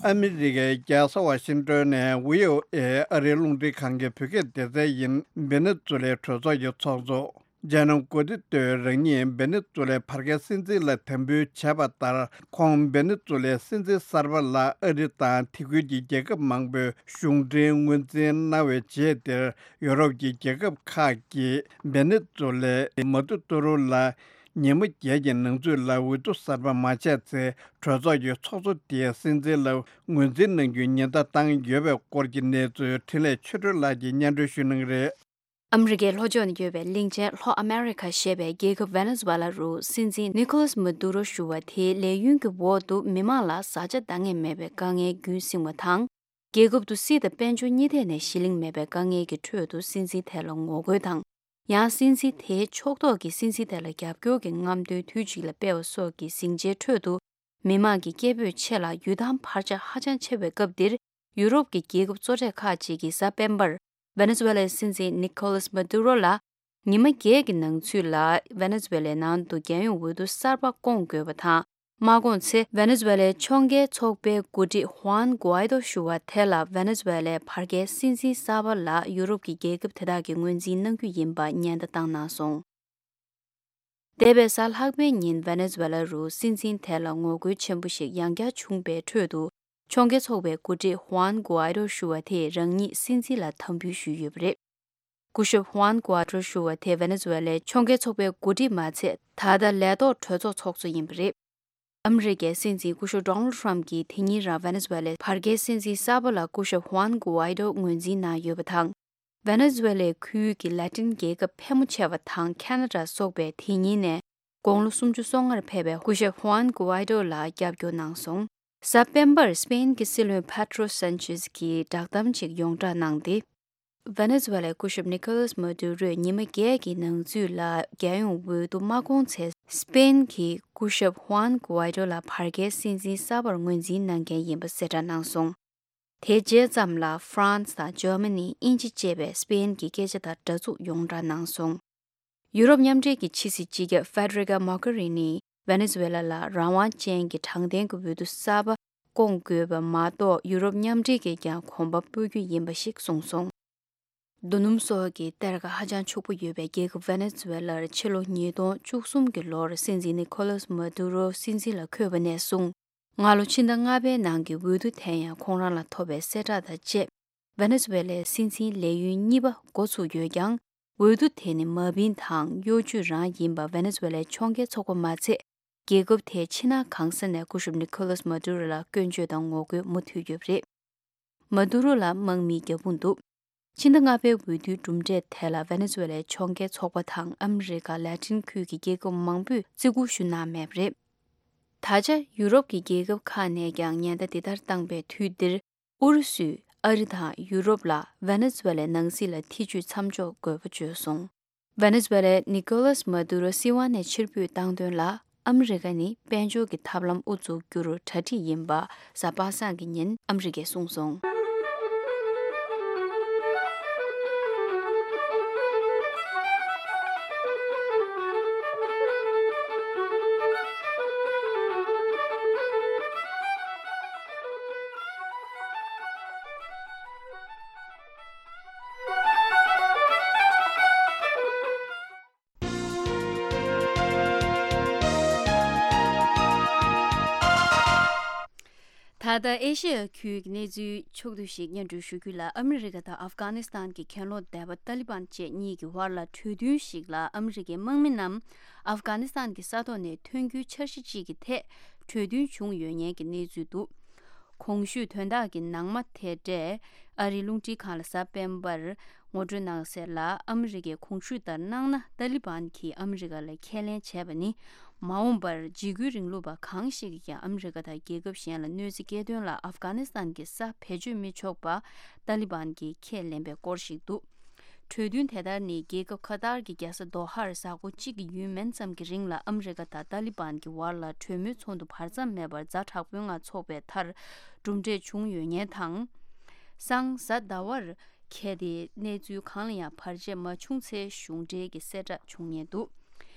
ཨ་མི་རི་ཀའི་རྒྱལ་ས་ཝ་ཤིང་ཏོན་ནས་ཝི་ཨོ་ཨེ་ཨ་རིའི་རླུང་འཕྲིན་ཁང་གི་བོད་སྐད་སྡེ་ཚན་ཡིན། བེ་ནེ་ཛུ་ལའི་གྲོས་ཚོགས་ཀྱི་ཚོགས་གཙོ་ཇན་ནོ་གོ་ཏི་ཏོས་རང་ཉིད་བེ་ནེ་ཛུ་ལའི་བར་བརྒལ་སྲིད་འཛིན་ལ་དམ་འབུལ་བྱས་པ་ལྟར། ཁོང་བེ་ནེ་ཛུ་ལའི་སྲིད་འཛིན་གསར་པ་ལ་ཨ་རི་དང་དེ་ཁུལ་གྱི་རྒྱལ་ཁབ་མང་པོས་གཞུང་འབྲེལ་ངོས་འཛིན་གནང་བའི་རྗེས། དེར་ཡུ་རོབ་ཀྱི་རྒྱལ་ཁབ་ཁག་གིས་བེ་ནེ་ཛུ་ལའི་མ་དུ་ཏུ་རུ་ལ་ཉི་མ་བརྒྱད་ཀྱི་ནང་ཚུད་ལ་འོས་བསྡུ་གསར་པ་མ་བྱས་ཚེ། གྲོས་ཚོགས་ཀྱི་ཚོགས་གཙོ་དེས་སྲིད་འཛིན་ལ་ངོས་འཛིན་གནང་རྒྱུའི་ཉེན་བརྡ་བཏང་ཡོད་པའི་སྐོར་གྱི་གནས་ཚུལ། འཕྲིན་ལས་ཆོས་སྒྲོན་ལགས་ཀྱིས་སྙན་སྒྲོན་ཞུ་གནང་གི་རེད། ཨ་མི་རི་ཀའི་ལྷོ་ཕྱོགས་ནས་ཡོད་པའི་གླིང་ཆེན་ལྷོ་ཨ་མེ་རི་ཁ་ཞེས་པའི་རྒྱལ་ཁབ་ཝེ་ནེ་ཛུ་ཝེ་ལ་རུ་སྲིད་འཛིན་ནི་ཁོ་ལཱས་མ་དུ་རོ་ཞུ་བ་དེའི་ལས་ཡུན་གྱི་འོག་ཏུ་མི་མང་ལ་བཟའ་བཅའ་འདང་ངེས་མེད་པའི་དཀའ་ངལ་རྒྱུན་བསྲིངས་བ་དང་། རྒྱལ་ཁབ་ཏུ་སྲིད་དང་དཔལ་འབྱོར་གཉིས་ཐད་ནས་གཞི་གླིང་མེད་པའི་དཀའ་ངལ་གྱི་ཁྲོད་དུ་སྲིད་འཛིན་དེ་ལ་ངོ་རྒོལ་དང་། ཡང་སྲིད་འཛིན་དེའི་ཕྱོགས་གཏོགས་ཀྱིས་སྲིད་འཛིན་དེ་ལ་རྒྱབ་སྐྱོར་གྱི་རྔམ་སྟོན་དུས་གཅིག་ལ་སྤེལ་བ་སོགས་ཀྱི་ཟིང་ཆའི་ཁྲོད་དུ། མི་མང་གི་སྐད་འབོད་ཆེ་ལ་ཡུལ་ཐང་འཕར་ཆག་ཧ་ཅང་ཆེ་བའི་སྐབས་འདིར། ཡུ་རོབ་ཀྱི་རྒྱལ་ཁབ་གཙོ་གྲས་ཁག་ཅིག་གིས་གཟའ་སྤེན་པར་ཝེ་ནེ་ཛུ་ཝེ་ལའི་སྲིད་འཛིན་ནི་ཁོ་ལཱས་མ་དུ་རོ་ལ་ཉི་མ་བརྒྱད་ཀྱི་ནང་ཚུད་ལ་ཝེ་ནེ་ཛུ་ཝེ་ལའི་ནང་དུ་རྒྱལ་ཡོངས་འོས་བསྡུ་གསར་པ་བསྐོང་དགོས་པ་དང་། མ་བསྐོངས་ཚེ་ཝེ་ནེ་ཛུ་ཝེ་ལའི་ཕྱོགས་འགལ་ཚོགས་པའི་འགོ་ཁྲིད་ཧུའན་གུ་ཨའི་ཏོ་ཞུ་བ་དེ་ལ་ཝེ་ནེ་ཛུ་ཝེ་ལའི་བར་བརྒལ་སྲིད་འཛིན་གསར་པ་ལ་ཡུ་རོབ་ཀྱི་རྒྱལ་ཁབ་དེ་དག་གིས་ངོས་འཛིན་གནང་རྒྱུ་ཡིན་པ་ཉེན་བརྡ་བཏང་གནང་སོང་། འདས་པའི་གཟའ་ལྷག་པའི་ཉིན་ཝེ་ནེ་ཛུ་ཝེ་ལ་རུ་སྲིད་འཛིན་དེ་ལ་ངོ་རྒོལ་ཆེན་པོ་ཞིག་ཡང་བསྐྱར་བྱུང་པའི་ཁྲོད་དུ། ཕྱོགས་འགལ་ཚོགས་པའི་འགོ་ཁྲིད་ཧུའན་གུ་ཨའི་རོ་ཞུ་བ་དེས་རང་ཉིད་སྲིད་འཛིན་ལ་དམ་འབུལ་ཞུས་ཡོད་པ་རེད། སྐུ་ཞབས་ཧུའན་གུ་ཨའི་རོ་ཞུ་བ་དེ་ཝེ་ནེ་ཛུ་ཝེ་ལའི་ཕྱོགས་འགལ་ཚོགས་པའི་འགོ་ཁྲིད་མ་ཚད། ད་ལྟ་ལས་ཐོག་གྲོས་ཚོགས་ཚོགས་གཙོ་ཡིན་པ་རེད། ཨ་མི་རི་ཀའི་སྲིད་འཛིན་སྐུ་ཞབས་ཌོ་ནལ་ཊམ་གྱིས་དེ་ཉིན་རང་ཝེ་ནེ་ཛུ་ཝེ་ལའི་བར་བརྒལ་སྲིད་འཛིན་གསར་པ་ལ་སྐུ་ཞབས་ཧུའན་གུ་ཨའི་རོ་ངོས་འཛིན་གནང་ཡོད་པ་དང་། ཝེ་ནེ་ཛུ་ཝེ་ལའི་ཁུལ་གྱི་ལ་ཏིན་རྒྱལ་ཁབ་ཕལ་མོ་ཆེ་བ་དང་ཁེ་ན་ཌ་སོགས་པས་དེ་ཉིན་ནས་དགུང་ལོ་སུམ་ཅུ་སོ་ལྔར་ཕེབས་པའི་སྐུ་ཞབས་ཧུའན་གུ་ཨའི་རོ་ལ་རྒྱབ་སྐྱོར་གནང་སོང་། གཟའ་སྤེན་པར་སི་པེན་གྱི་སྲིད་བློན་པེ་ཏྲོ་སན་ཆེས་ཀྱིས་བསྒྲགས་གཏམ་ཅིག་ཡོངས་བསྒྲགས་གནང་སྟེ། ཝེ་ནེ་ཛུ་ཝེ་ལའི་སྐུ་ཞབས་ནི་ཁོ་ལཱས་མ་དུ་རོས་ཉི་མ་བརྒྱད་ཀྱི་ནང་ཚུད་ལ་རྒྱལ་ཡོངས་འོས་བསྡུ་མ་བསྐོངས་ཚེ། སི་པེན་གྱི་སྐུ་ཞབས་ཧུའན་གུ་ཨའི་རོ་ལ་བར་བརྒལ་སྲིད་འཛིན་གསར་པར་ངོས་འཛིན་གནང་མཁན་ཡིན་པ་གསལ་བསྒྲགས་གནང་སོང་། དེ་རྗེས་ཙམ་ལ་ཧྥ་རན་སི་དང་འཇར་མ་ནི། དབྱིན་ཇི་བཅས་པས་སི་པེན་གྱི་སྐད་ཆ་དང་འདྲ་འཛུགས་ཡོངས་བསྒྲགས་གནང་སོང་། ཡུ་རོབ་མཉམ་འབྲེལ་གྱི་ཕྱི་སྲིད་སྤྱི་ཁྱབ་ཧྥེ་ཌེ་རི་ཀ་མོ་གྷེ་རི་ནིས་ཝེ་ནེ་ཛུ་ཝེ་ལ་ལ་རང་དབང་ཅན་གྱི་དྲང་བདེན་གྱི་འོས་བསྡུ་གསར་པ་ སྐོང་དགོས་པ་མ་གཏོགས། ཡུ་རོབ་མཉམ་འབྲེལ་གྱིས་ཀྱང་གོམ་པ་སྤོ་རྒྱུ་ཡིན་པ་ཞིག་གསུངས་སོང་། རྡོ་སྣུམ་སོགས་ཀྱི་གཏེར་ཁ་ཧ་ཅང་ཕྱུག་པོ་ཡོད་པའི་རྒྱལ་ཁབ་ཝེ་ནེ་ཛུ་ཝེ་ལར་ཕྱི་ལོ་ཉིས་སྟོང་བཅུ་གསུམ་གྱི་ལོར་སྲིད་འཛིན་ནི་ཁོ་ལཱས་མ་དུ་རོ་སྲིད་འཛིན་ལ་འཁོད་པ་ནས་བཟུང་། སྔ་ལོ་ཕྱི་ཟླ་ལྔ་པའི་ནང་གི་འོས་བསྡུ་དེ་ཡང་ཁོང་རང་ལ་ཐོབ་པའི་གསལ་བསྒྲགས་དང་བཅས། ཝེ་ནེ་ཛུ་ཝེ་ལའི་སྲིད་འཛིན་ལས་ཡུན་གཉིས་པ་འགོ་ཚུགས་ཡོད་ཀྱང་། འོས་བསྡུ་དེ་ནི་མ་བིན་དང་གཡོ་ཇུས་རང་ཡིན་པ་ཝེ་ནེ་ཛུ་ཝེ་ལའི་ཕྱོགས་འགལ་ཚོགས་པ་མ་ཚད། རྒྱལ་ཁབ་དེའི་ཕྱི་ནང་གང་ས་ནས་སྐུ་ཞབས་ནི་ཁོ་ལཱས་མ་དུ་རོ་ལ་སྐྱོན་བརྗོད་དང་ངོ་རྒོལ་མུ་མཐུད་ཡོད་པ་རེད། མ་དུ་རོ་ལ་དམག་མིའི་རྒྱབ་དཔུང་འདུག་ཕྱི་ཟླ་ལྔ་པའི་འོས་བསྡུའི་གྲུབ་འབྲས་དེ་ལ་ཝེ་ནེ་ཛུ་ཝེ་ལའི་ཕྱོགས་འགལ་ཚོགས་པ་དང་ཨ་མི་རི་ཀ་ལ་ཏིན་ཁུལ་གྱི་རྒྱལ་ཁབ་མང་པོས་བརྩི་བཀུར་ཞུ་གནང་མེད་པ་རེད། ད་ཆ་ཡུ་རོབ་ཀྱི་རྒྱལ་ཁབ་ཁག་ནས་ཀྱང་ཉེན་བརྡ་འདི་ལྟར་བཏང་པའི་དུས་འདིར། ཨུ་རུ་སུས་ཨ་རི་དང་ཡུ་རོབ་ལ་ཝེ་ནེ་ཛུ་ཝེ་ལའི་ནང་སྲིད་ལ་ཐེ་ཇུས་མཚམས་འཇོག་དགོས་པ་བརྗོད་སོང་། ཝེ་ནེ་ཛུ་ཝེ་ལའི་ནི་ཀོ་ལཱས་མ་དུ་རོ་སྲིད་དབང་ནས་ཕྱིར་འབུད་བཏང་དོན་ལ། ཨ་མི་རི་ཀ་ནི་དཔལ་འབྱོར་གྱི་ཐབས་ལམ་དབུ་འཛུགས་རྒྱུར་གྲ་སྒྲིག་ཡིན་པ་གཟའ་པ་སངས་ཀྱི་ཉིན་ཨ་མི་རི་ཀས་གསུངས་སོང་། ད་ལྟ་ཨེ་ཤེ་ཡ་ཁུལ་གྱི་གནས་ཚུལ་ཕྱོགས་བསྡུས་ཤིག་སྙན་སྒྲོན་ཞུ་རྒྱུ་ལ། ཨ་མི་རི་ཀ་དང་ཨབ་གྷ་ནི་སི་ཐན་གྱི་གྱེན་ལོག་སྡེ་པ་ཏཱ་ལི་བན་བཅས་གཉིས་ཀྱི་དབར་ལ་གྲོས་མཐུན་ཞིག་ལ་ཨ་མི་རི་ཀའི་དམག་མི་རྣམས་ཨབ་གྷ་ནི་སི་ཐན་གྱི་ས་ཐོག་ནས་ཐོན་རྒྱུའི་འཆར་གཞི་གཅིག་གི་ཐད་གྲོས་མཐུན་བྱུང་ཡོད་ཉེན་གྱི་གནས་ཚུལ་འདུག་གོང་ཞུས་དོན་དག་གི་ནང་མ་དེ་འདྲས་ཨ་རིའི་རླུང་འཕྲིན་ཁང་ལ་གཟའ་སྤེན་པར་ངོ་སྤྲོད་གནང་གསལ་ལ། ཨ་མི་རི་ཀས་གོང་ཞུས་ལྟར་གནང་ན། ཏཱ་ལི་བན་གྱིས་ཨ་མི་རི་ཀ་ལ་ཁས་ལེན་བྱས་པ་ནི། མ་འོངས་པར་འཇིགས་སྐུལ་རིང་ལུགས་པ་གང་ཞིག་གིས་ཀྱང་ཨ་མི་རི་ཀ་དང་རྒྱལ་ཁབ་གཞན་ལ་གནོད་འཚེ་སྐྱེལ་དོན་ལ་ཨབ་གྷ་ནི་སི་ཐན་གྱི་ས་བེད་སྤྱོད་མི་ཆོག་པ་ཏཱ་ལི་བན་གྱིས་ཁས་ལེན་པའི་སྐོར་ཞིག་འདུག་གྲོས་མཐུན་དེ་ལྟར་ནི་རྒྱལ་ཁབ་ཁ་ཏར་གྱི་རྒྱལ་ས་དོ་ཧར་གཟའ་འཁོར་གཅིག་གི་ཡུན་མན་ཙམ་གྱི་རིང་ལ་ཨ་མི་རི་ཀ་དང་ཏཱ་ལི་བན་གྱི་བར་ལ་གྲོས་མོལ་ཚོགས་འདུ་བར་མཚམས་མེད་པར་ཛ་དྲག་པོའི་ངང་འཚོགས་པའི་མཐར་གྲུབ་འབྲས་བྱུང་ཡོད་ཉེན་དང་། སང་གཟའ་ཟླ་བར་ཁེལ་ཏེ་གནས་ཚུལ་གང་ལ་ཡང་བར་ཆད་མ་བྱུང་ཚེ་གཞུང་འབྲེལ་གྱི་གསལ་བསྒྲགས་བྱུང་ཉེན་འདུག་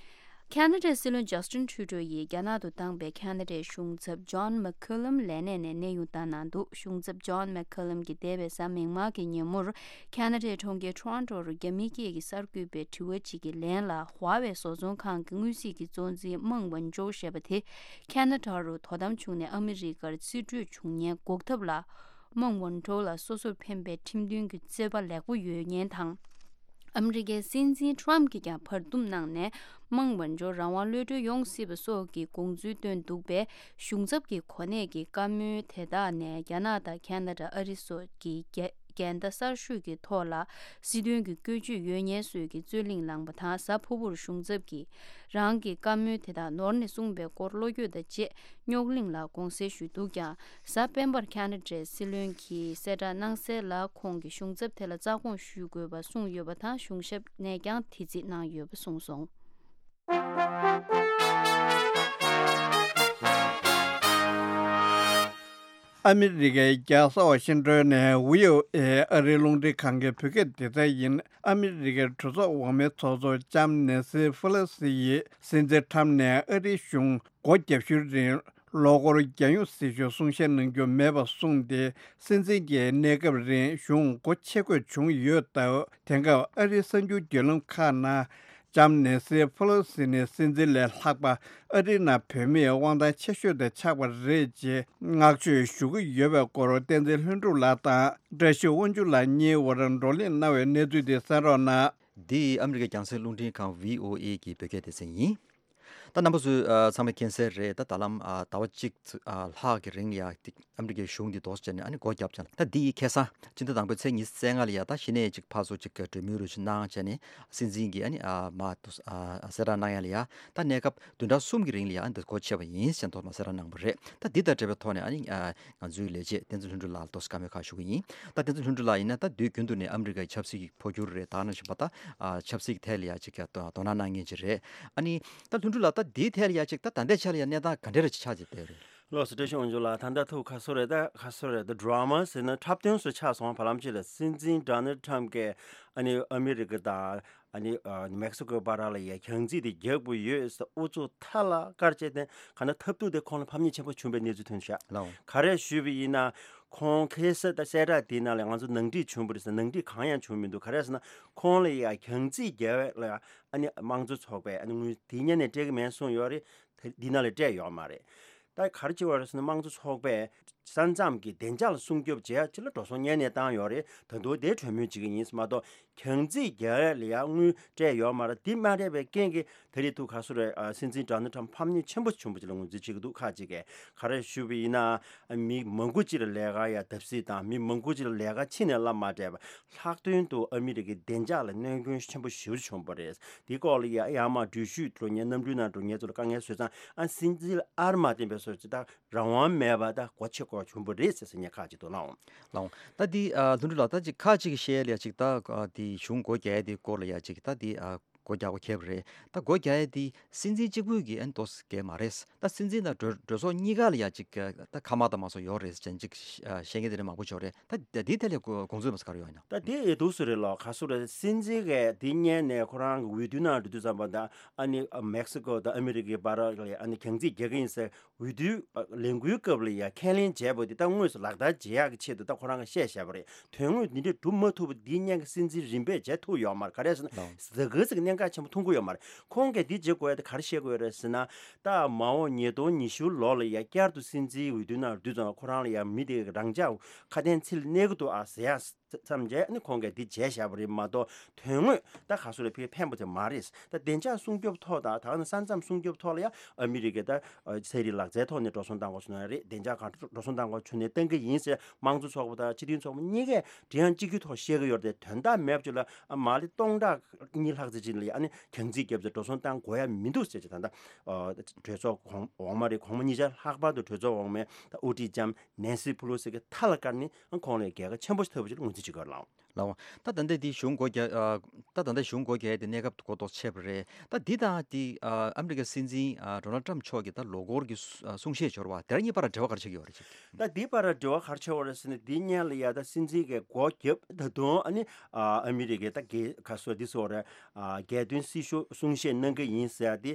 ཁ་ན་ཌའི་སྲིད་བློན་ཇཱ་སྟིན་ཁྲུ་ཌོ་ཡིས་རྒྱ་ནག་ཏུ་བཏང་པའི་ཁ་ན་ཌའི་གཞུང་ཚབ་ཇོན་མེག་ཁུ་ལམ་ལས་གནས་ནས་གནས་དབྱུང་བཏང་གནང་འདུག་གཞུང་ཚབ་ཇོན་མེག་ཁུ་ལམ་གྱིས་འདས་པའི་གཟའ་མིག་དམར་གྱི་ཉིན་མོར་ཁ་ན་ཌའི་གྲོང་ཁྱེར་ཊོ་རོན་ཊོ་རུ་རྒྱ་མི་སྐད་ཀྱི་གསར་འགོད་པའི་དྲི་བ་གཅིག་གི་ལན་ལ། ཧྭ་ཝེ་བཟོ་ཚོང་ཁང་གི་དངོས་གཟིགས་ཀྱི་གཙོ་འཛིན་མང་ཝན་ཅོ་ཞེས་པ་དེ་ཁ་ན་ཌ་རུ་དོ་དམ་བྱུང་ནས་ཨ་མི་རི་ཀར་རྩིས་སྤྲོད་བྱུང་ཉེན་འགོག་ཐབས་ལ། མང་ཝན་ཀྲོ་ལ་སོ་སོར་ཕན་པའི་ཁྲིམས་མཐུན་གྱི་རྩོད་པ་ལེགས་པོ་ཡོད་ཉེན་དང་། ཨ་མི་རི་ཀའི་སྲིད་འཛིན་ཊམ་གྱིས་ཀྱང་བར་འདུམ་གནང་ནས། མང་ཝན་ཀྲོ་རང་དབང་གློད་གྲོལ་ཡོང་སྲིད་པ་སོགས་ཀྱི་དགོངས་ཚུལ་བཏོན་འདུག་པས། གཞུང་ཚབ་ཀྱི་གོ་གནས་ཀྱི་བཀའ་མོལ་དེ་དག་ནས་རྒྱ་ནག་དང་ཁ་ན་ཌ། ཨ་རི་སོགས་ཀྱི་རྒྱལ་འགལ་ཟླ་གསར་ཤོས་ཀྱི་ཐོག་ལ་སྲིད་དོན་གྱི་བཀོད་ཇུས་ཡོད་ཉེན་སོགས་ཀྱི་རྩོད་གླེང་ལངས་པ་དང་། གཟའ་ཕུར་བུར་གཞུང་ཚབ་ཀྱིས་རང་གི་བཀའ་མོལ་དེ་དག་ནོར་ནས་གསུངས་པའི་སྐོར་བློ་འགྱོད་དང་བཅས་རྙོག་གླེང་ལ་དགོངས་སེལ་ཞུས་འདུག་ཀྱང་། གཟའ་སྤེན་པར་ཁ་ན་ཌའི་སྲིད་བློན་གྱིས་གསལ་བསྒྲགས་གནང་གསལ་ལ། ཁོང་གིས་གཞུང་ཚབ་དེ་ལ་རྩ་དགོངས་ཞུ་དགོས་པ་གསུངས་ཡོད་པ་དང་། གཞུང་ཞབས་ནས་ཀྱང་དེ་རྩིས་གནང་ཡོད་པ་གསུངས་སོང་། ཨ་མི་རི་ཀའི་རྒྱལ་ས་ཝ་ཤིང་ཏོན་ནས་ཝི་ཨོ་ཨེ་ཨ་རིའི་རླུང་འཕྲིན་ཁང་གི་བོད་སྐད་སྡེ་ཚན་ཡིན། ཨ་མི་རི་ཀའི་གྲོས་ཚོགས་འོག་མའི་ཚོགས་གཙོ་ལྕམ་ནེན་སི་ཕེ་ལོ་སི་ཡིས་སྲིད་འཛིན་ཁྲམ་ནས་ཨ་རིའི་གཞུང་སྒོ་བརྒྱབ་ཤུལ་རིང་ལོ་འཁོར་བརྒྱ་ཡོང་སྲིད་ཞུའི་གསུང་བཤད་གནང་རྒྱུ་མེད་པར་གསུངས་ཏེ། སྲིད་འཛིན་གྱི་གནས་སྐབས་རིང་གཞུང་སྒོ་ཕྱེ་དགོས་བྱུང་ཡོད་སྟབས། དེང་སྐབས་ཨ་རིའི་གསར་འགྱུར་བརྒྱུད་ལམ་ཁག་ནང་ལྕམ་ནེན་སི་ཕེ་ལོ་སི་ནི་སྲིད་འཛིན་ལས་ལྷག་པ་ཨ་རིའི་ནང་བོད་མིའི་དབང་ཐང་ཆེ་ཤོས་དེ་ཆགས་པ་རེད་ཅེས་བསྔགས་བརྗོད་ཞུ་གི་ཡོད་པའི་སྐོར་བསྟན་འཛིན་ལྷུན་གྲུབ་ལགས་དང་བཀྲ་ཤིས་དབང་ཕྱུག་ལགས་གཉིས་བར་བགྲོ་གླེང་གནང་བའི་གནས་ཚུལ་དེ་གསན་རོགས་གནང་། འདི་ཨ་མི་རི་ཀའི་རྒྱང་སྲིང་རླུང་འཕྲིན་ཁང་ཝི་ཨོ་ཨེ་གི་བོད་སྐད་སྡེ་ཚན་ཡིན། ད་རྣམ་པ་ཚོས་ཨ་ཚང་མས་མཁྱེན་གསལ་རེད། ད་ད་ལམ་ཨ་ཟླ་བ་གཅིག་ཨ་ལྷག་གི་རིང་ལ་ཡ་ཨ་མི་རི་ཀའི་གཞུང་འདི་ལྡོག་བྱས་ནས་ཨ་ནི་སྒོ་བརྒྱབ་ཙང་། ད་འདི་ཡི་ཁ་སང་སྤྱི་ཟླ་དང་པོའི་ཚེས་ཉི་ཤུ་རྩ་ལྔ་ལ་ཡ་ད་གཞི་ནས་ཅིག་ཕར་ཚུར་ཅིག་གྲོས་མོལ་རེ་ཞིག་གནང་བྱས་ནས་སྲིད་འཛིན་གྱིས་ཨ་ནི་ཨ་མ་ཨ་གསལ་བསྒྲགས་གནང་ཡ་ལ་ཡ། ད་གནས་སྐབས་བདུན་ཕྲག་གསུམ་གྱི་རིང་ལ་ཡ་ཨ་ནི་འདི་སྒོ་ཕྱེ་བ་ཡིན་ཞེས་ཐོག་མ་གསལ་བསྒྲགས་གནང་བ་རེད། ད་འདི་དང་འབྲེལ་བའི་ཐོག་ནས་ཨ་ནི་ཨ་ང་ཚོའི་ལས་བྱེད་བསྟན་འཛིན་ལྷུན་གྲུབ་ལགས་ལ་ཏོག་ཙམ་བཀའ་མོལ་ཁག་ཞུ་གི་ཡིན། ད་བསྟན་འཛིན་ལྷུན་གྲུབ་ལགས་ཡིན་ན་ད་དུས་རྒྱུན་དུ་ནས་ཨ་མི་རི་ཀའི་ཆབ་སྲིད་ཀྱི་འཕོ་འགྱུར་རེད། ད་ནང་བཞིན་པ་ད་ཨ་ཆབ་སྲིད་ཀྱི་ཐད་ལ་ཡ་ཅིག་ཀྱང་དོ་དོ་སྣང་གནང་མཁན་ཅིག་རེད། ཨ་ནི་ད་ལྷུན་གྲུབ་ལགས་ད་འདིའི་ཐད་ལ་ཡ་ཅིག་ད་ད་ལྟའི་ཆ་ལ་ཡ་གནས་སྟངས་ག་འདྲ་རེ་ཆགས་ཀྱི་བསྡད་རེད། ལགས་སོ། བཀྲ་ཤིས་དབང་ཕྱུག་ལགས། ད་ལྟ་ཐུགས་ཁ་གསོ་རེད། ད་ཁ་གསོ་རེད། ད་ཌ་ར་མ་ཟེར་ན་འཁྲབ་སྟོན་བཟོ་ཆགས་སོང་། བར་ལམ་ཅིག་ལ་སྲིད་འཛིན་ཌོ་ནལ་ཊམ་གྱིས་ཨ་ནི་ཨ་མི་རི་ཀ་དང་ ཨ་ནི་ཨ་མེག་སི་ཀོའི་བར་ལ་ཡ་གྱང་རྩིས་དེ་རྒྱག་གི་ཡོད་ཟེར་ཨུ་ཚུགས་མཐའ་ལ་བཀར་བྱས་ཏེ་ག་ན་ཐབས་སྡུག་དེ་ཁོང་ལ་ཕམ་ཉེས་ཆེན་པོ་བྱུང་བའི་གནས་ཚུལ་ཐོན་ཤག་ལའོ། ག་རེ་ཞུས་པ་ཡིན་ན། ཁོང་ཁ་སང་ད་གསལ་བསྒྲགས་དེའི་ནང་ལ་ང་ཚོ་ནང་འགྲིག་བྱུང་བ་རེད་ཟེར། ནང་འགྲིག་གང་ཡང་བྱུང་མི་འདུག་ག་རེ་ཟེར་ན་ཁོང་ལ་ཡ་གྱང་རྩིས་རྒྱག་ཡས་ལ་ཨ་ནི་དམངས་གཙོ་ཚོགས་པས་ཨ་ནི་དངུལ་དེ་སྔོན་ནས་སྤྲད་ཀྱི་མེད་གསུངས་ཡོད་རེད། ད་འདི་ནང་ལ་སྤྲད་ཡོད་མ་རེད། ད་ག་རེ་བྱེད་པ་རེད་ཟེར་ན་དམངས་གཙོ་ཚོགས་པས་ས་མཚམས་ཀྱི་བདེ་འཇགས་ལ་སྲུང་སྐྱོབ་བྱེད་ཡ་ཅིག་ལ་འགྲོ་སོང་སྔོན་ནས་བཏང་ཡོད་རེད། ད་དུང་དེ་གྲོས་མོལ་བྱེད་ཀྱི་ཡིན་མ་གཏོགས་གྱང་རྩིས་རྒྱག་ཡ་ལ་ཡ་དངུལ་སྤྲད་ཡོད་མ་རེད། འདི་མ་སྤྲད་པའི་རྐྱེན་གྱིས་ད་རེས་ཐུག་ག་སུ་རེད། ཨ་སྲིད་འཛིན་ཌོ་ནལ་ཊམ་ཕམ་ཉེས་ཆེན་པོ་བྱུང་བ་ཅིག་ལ་ངོས་འཛིན་བྱེད་ཀྱི་འདུག་ཁག་ཅིག་གིས་ག་རེ་ཞུས་པ་ཡིན་ན། མི་མང་པོ་ཅིག་ལ་ལས་ཀ་ཡ་བརྡབ་གསིག་དང་མི་མང་པོ་ཅིག་ལ་ལས་ཀ་ཕྱི་ནས་བསླབ་མ་སྤྲད་པ། ལྷག་དོན་དུ་ཨ་མི་རི་ཀའི་བདེ་འཇགས་ལ་གནོད་སྐྱོན་ཆེན་པོ་ཞེ་པོ་བྱུང་བ་རེད། འདི་སྐོར་ལ་ཡ་ཡར་མར་འགྲུལ་བཞུད་འགྲོ་མཁན་གནམ་གྲུའི་ནང་འགྲོ་མཁན་ཚོ་ལ་དཀའ་ངལ་བཟོས་ཙང་ཨ་སྲིད་འཛིན་ཨར་མ་བསྟན་པའི་སོ་ཅིག་ད་རང་དབང་མེད་པ་ད་སྒོ་ཕྱེ་དགོས་བྱུང་བ་རེད་ཟེར་ཟེར་མཁན་ཁག་ཅིག་འདུག་ལགས། ལགས། ད་འདི་ཨ་ལྷུན་གྲུབ་ལགས། ད་ཅིག་ཁག་ཅིག་གིས་བཤད་ཡ་ལ་ཅིག་ད་ཨ་འདི་གཞུང་སྒོ་རྒྱག་ཡ་དེ་སྐོར་ལ་ཡ་ཅིག་ད་འདི་ཨ་སྒོ་རྒྱག་པ་ཁེལ་བ་རེད། ད་སྒོ་རྒྱག་ཡ་དེ་སྲིད་འཛིན་གཅིག་པུས་ཀྱིས་ཨ་ནི་ཏོག་ཙམ་གལ་མ་རེད། ད་སྲིད་འཛིན་དང་གྲོས་གྲོས་ཚོགས་གཉིས་ཀ་ལ་ཡ་ཅིག་ད་ཁ་མ་ད་མ་སོགས་ཡོད་རེད་ཟེར་ཅིག་བཤད་མཁན་དེ་འདྲ་མང་པོ་ཡོད་རེད། ད་འདི་ཐད་ལ་དགོངས་ཚུལ་མ་ག་རེ་ཡོད་ན། ད་དེ་ཡི་འདུག་སེ་རེད་ལགས། ག་སུ་རེད། སྲིད་འཛིན་གྱིས་དེ་སྔོན་ནས་ཁོ་རང་གི་འོས་བསྡུ་ནང་འགྲོ་དུས་ཙམ་པ་ད་ཨ་ནི་མེག་སི་ཀོ་དང་ཨ་མི་རི་ཀའི་བར་ལ་ཨ་ནི་གྱང་རྩིས་རྒྱག་གི་ཡིན་ཟེར་འོས་བསྡུའི་ལས་འགུལ་སྐབས་ལ་ཡ་ཁས་ལེན་བྱས་པ་དེ་ད་དངོས་སུ་ལག་བསྟར་བྱེད་ཡག་གི་ཆེད་དུ་ད་ཁོ་རང་གིས་བཤད་བཞག་པ་རེད། དོན་དངོས་འདི་འདྲ་སྒྲུབ་མ་ཐུབ་པ་འདི་སྔོན་གྱི་སྲིད་འཛིན་རིམ་པས་བྱེད་ཐུབ་ཡོད་མ་རེད། ག་རེ་ཟེར་ན་ལགས། ཟ་ཁང་ཟིག་གི་གནད་འགག་ཆེན་པོ་མཐོང་གི་ཡོད་མ་རེད། ཁོང་གིས་འདི་བྱེད་དགོས་ཡ་དེ་ག་རེ་བཤད་དགོས་ཡོད་རེད་ཟེར་ན། ད་མ་འོངས་ཉིས་སྟོང་ཉི་ཤུ་ལོ་ལ་ཡ་བསྐྱར་དུ་སྲིད་འཛིན་འོས་བསྡུ་ནང་བསྡུས་ཙང་ཁོ་རང་ལ་ཡ་མི་དེ་རང་འཇགས་ཁ་དན་ཚིག་ལ་གནས་ཀྱི་འདུག་ཨ་ཟེར་ཡ་མཚམས་བཅད་ནི་ཁོང་གིས་འདི་བྱས་བཞག་པ་རེད་མ་གཏོགས་དོན་དངོས་ད་ག་སུ་ལ་ཕན་ཕན་པ་དེ་མ་རེད། ད་བདེ་འཇགས་སྲུང་སྐྱོབ་ཐོག་དང་ད་ག་ནང་ས་མཚམས་སྲུང་སྐྱོབ་ཐོག་ལ་ཡང་ཨ་མི་རི་ཀས་ད་ཚན་རིག་ལག་རྩལ་ཐོག་ནས་འགྲོ་སོང་བཏང་དགོས་བྱུང་ན་རེད། བདེ་འཇགས་སྒང་འགྲོ་སོང་བཏང་དགོས་བྱུང་ན་བཏང་གི་ཡིན་ཟེར་དམངས་གཙོ་ཚོགས་པ་དང་སྤྱི་མཐུན་ཚོགས་པ་གཉིས་ཀས་དེ་ཡང་གཅིག་གྱུར་ཐོག་བཤད་ཀྱི་ཡོད་རེད་དེ། དོན་དག་མེད་པ་ཅིག་ལ་ཨ་མ་ལེ་སྟོང་ཕྲག་གཉིས་ལྷག་ཙམ་ཅིག་ལ་ཨ་ནི་གྱང་རྩིས་བརྒྱབ་ཚེ་འགྲོ་སོང་བཏང་དགོས་ཡ་མི་འདུག་ཟེར་གྱི་ད་ལྟ་གྲོས་ཚོགས་གོང་འོག་མ་རེད། གོང་མ་གཉིས་ཆར་ལྷག་པར་དུ་གྲོས་ཚོགས་འོག་མའི་ད་དབུ་ཁྲིད་ལྕམ་ནན་སི་ཕུ་ལོ་སི་གི་མཐའ་ལ་བཀར་ནས་ཨ་ཁོང་ལ་རྒྱལ་ཁ་ཆེན་པོ་ཞིག་ཐོབ་པ་ཞིག་ལ་ངོས་འཛིན་བྱེད་དགོས་ལགས། ལགས། ད་ད་ལྟ་འདི་གཞུང་སྒོ་རྒྱག་ཨ་ད་ད་ལྟ་གཞུང་སྒོ་རྒྱག་ཡས་དེ་གནས་སྐབས་འགོ་ཐོག་ཆད་པ་རེད། ད་འདི་དང་དེ་ཨ་ཨ་མི་རི་ཀའི་སྲིད་འཛིན་ཨ་ཌོ་ནལ་ཊམ་མཆོག་གི་ད་ལོ་འཁོར་གྱི་གསུ་ཨ་གསུང་བཤད་འབྱོར་བ་དེ་ར་གཉིས་བར་འབྲེལ་བ་ག་རེ་ཆགས་ཀྱི་ཡོད་རེད་ཅིག་ད་འདི་བར་འབྲེལ་བ་ག་རེ་ཆགས་ཡོད་རེད་ཟེར་ན། འདི་སྔོན་ལ་ཡ་ད་སྲིད་འཛིན་གྱི་སྒོ་བརྒྱབ་ད་དུང་ཨ་ནི་ཨ་ཨ་མི་རི་ཀའི་ད་རྒྱལ་ཁ་སོ་འདི་སོགས་རེད། ཨ་རྒྱལ་དོན་སྲི་ཞུ་གསུང་བཤད་གནང་གི་ཡིན་ཟེར་ཡ་དེ་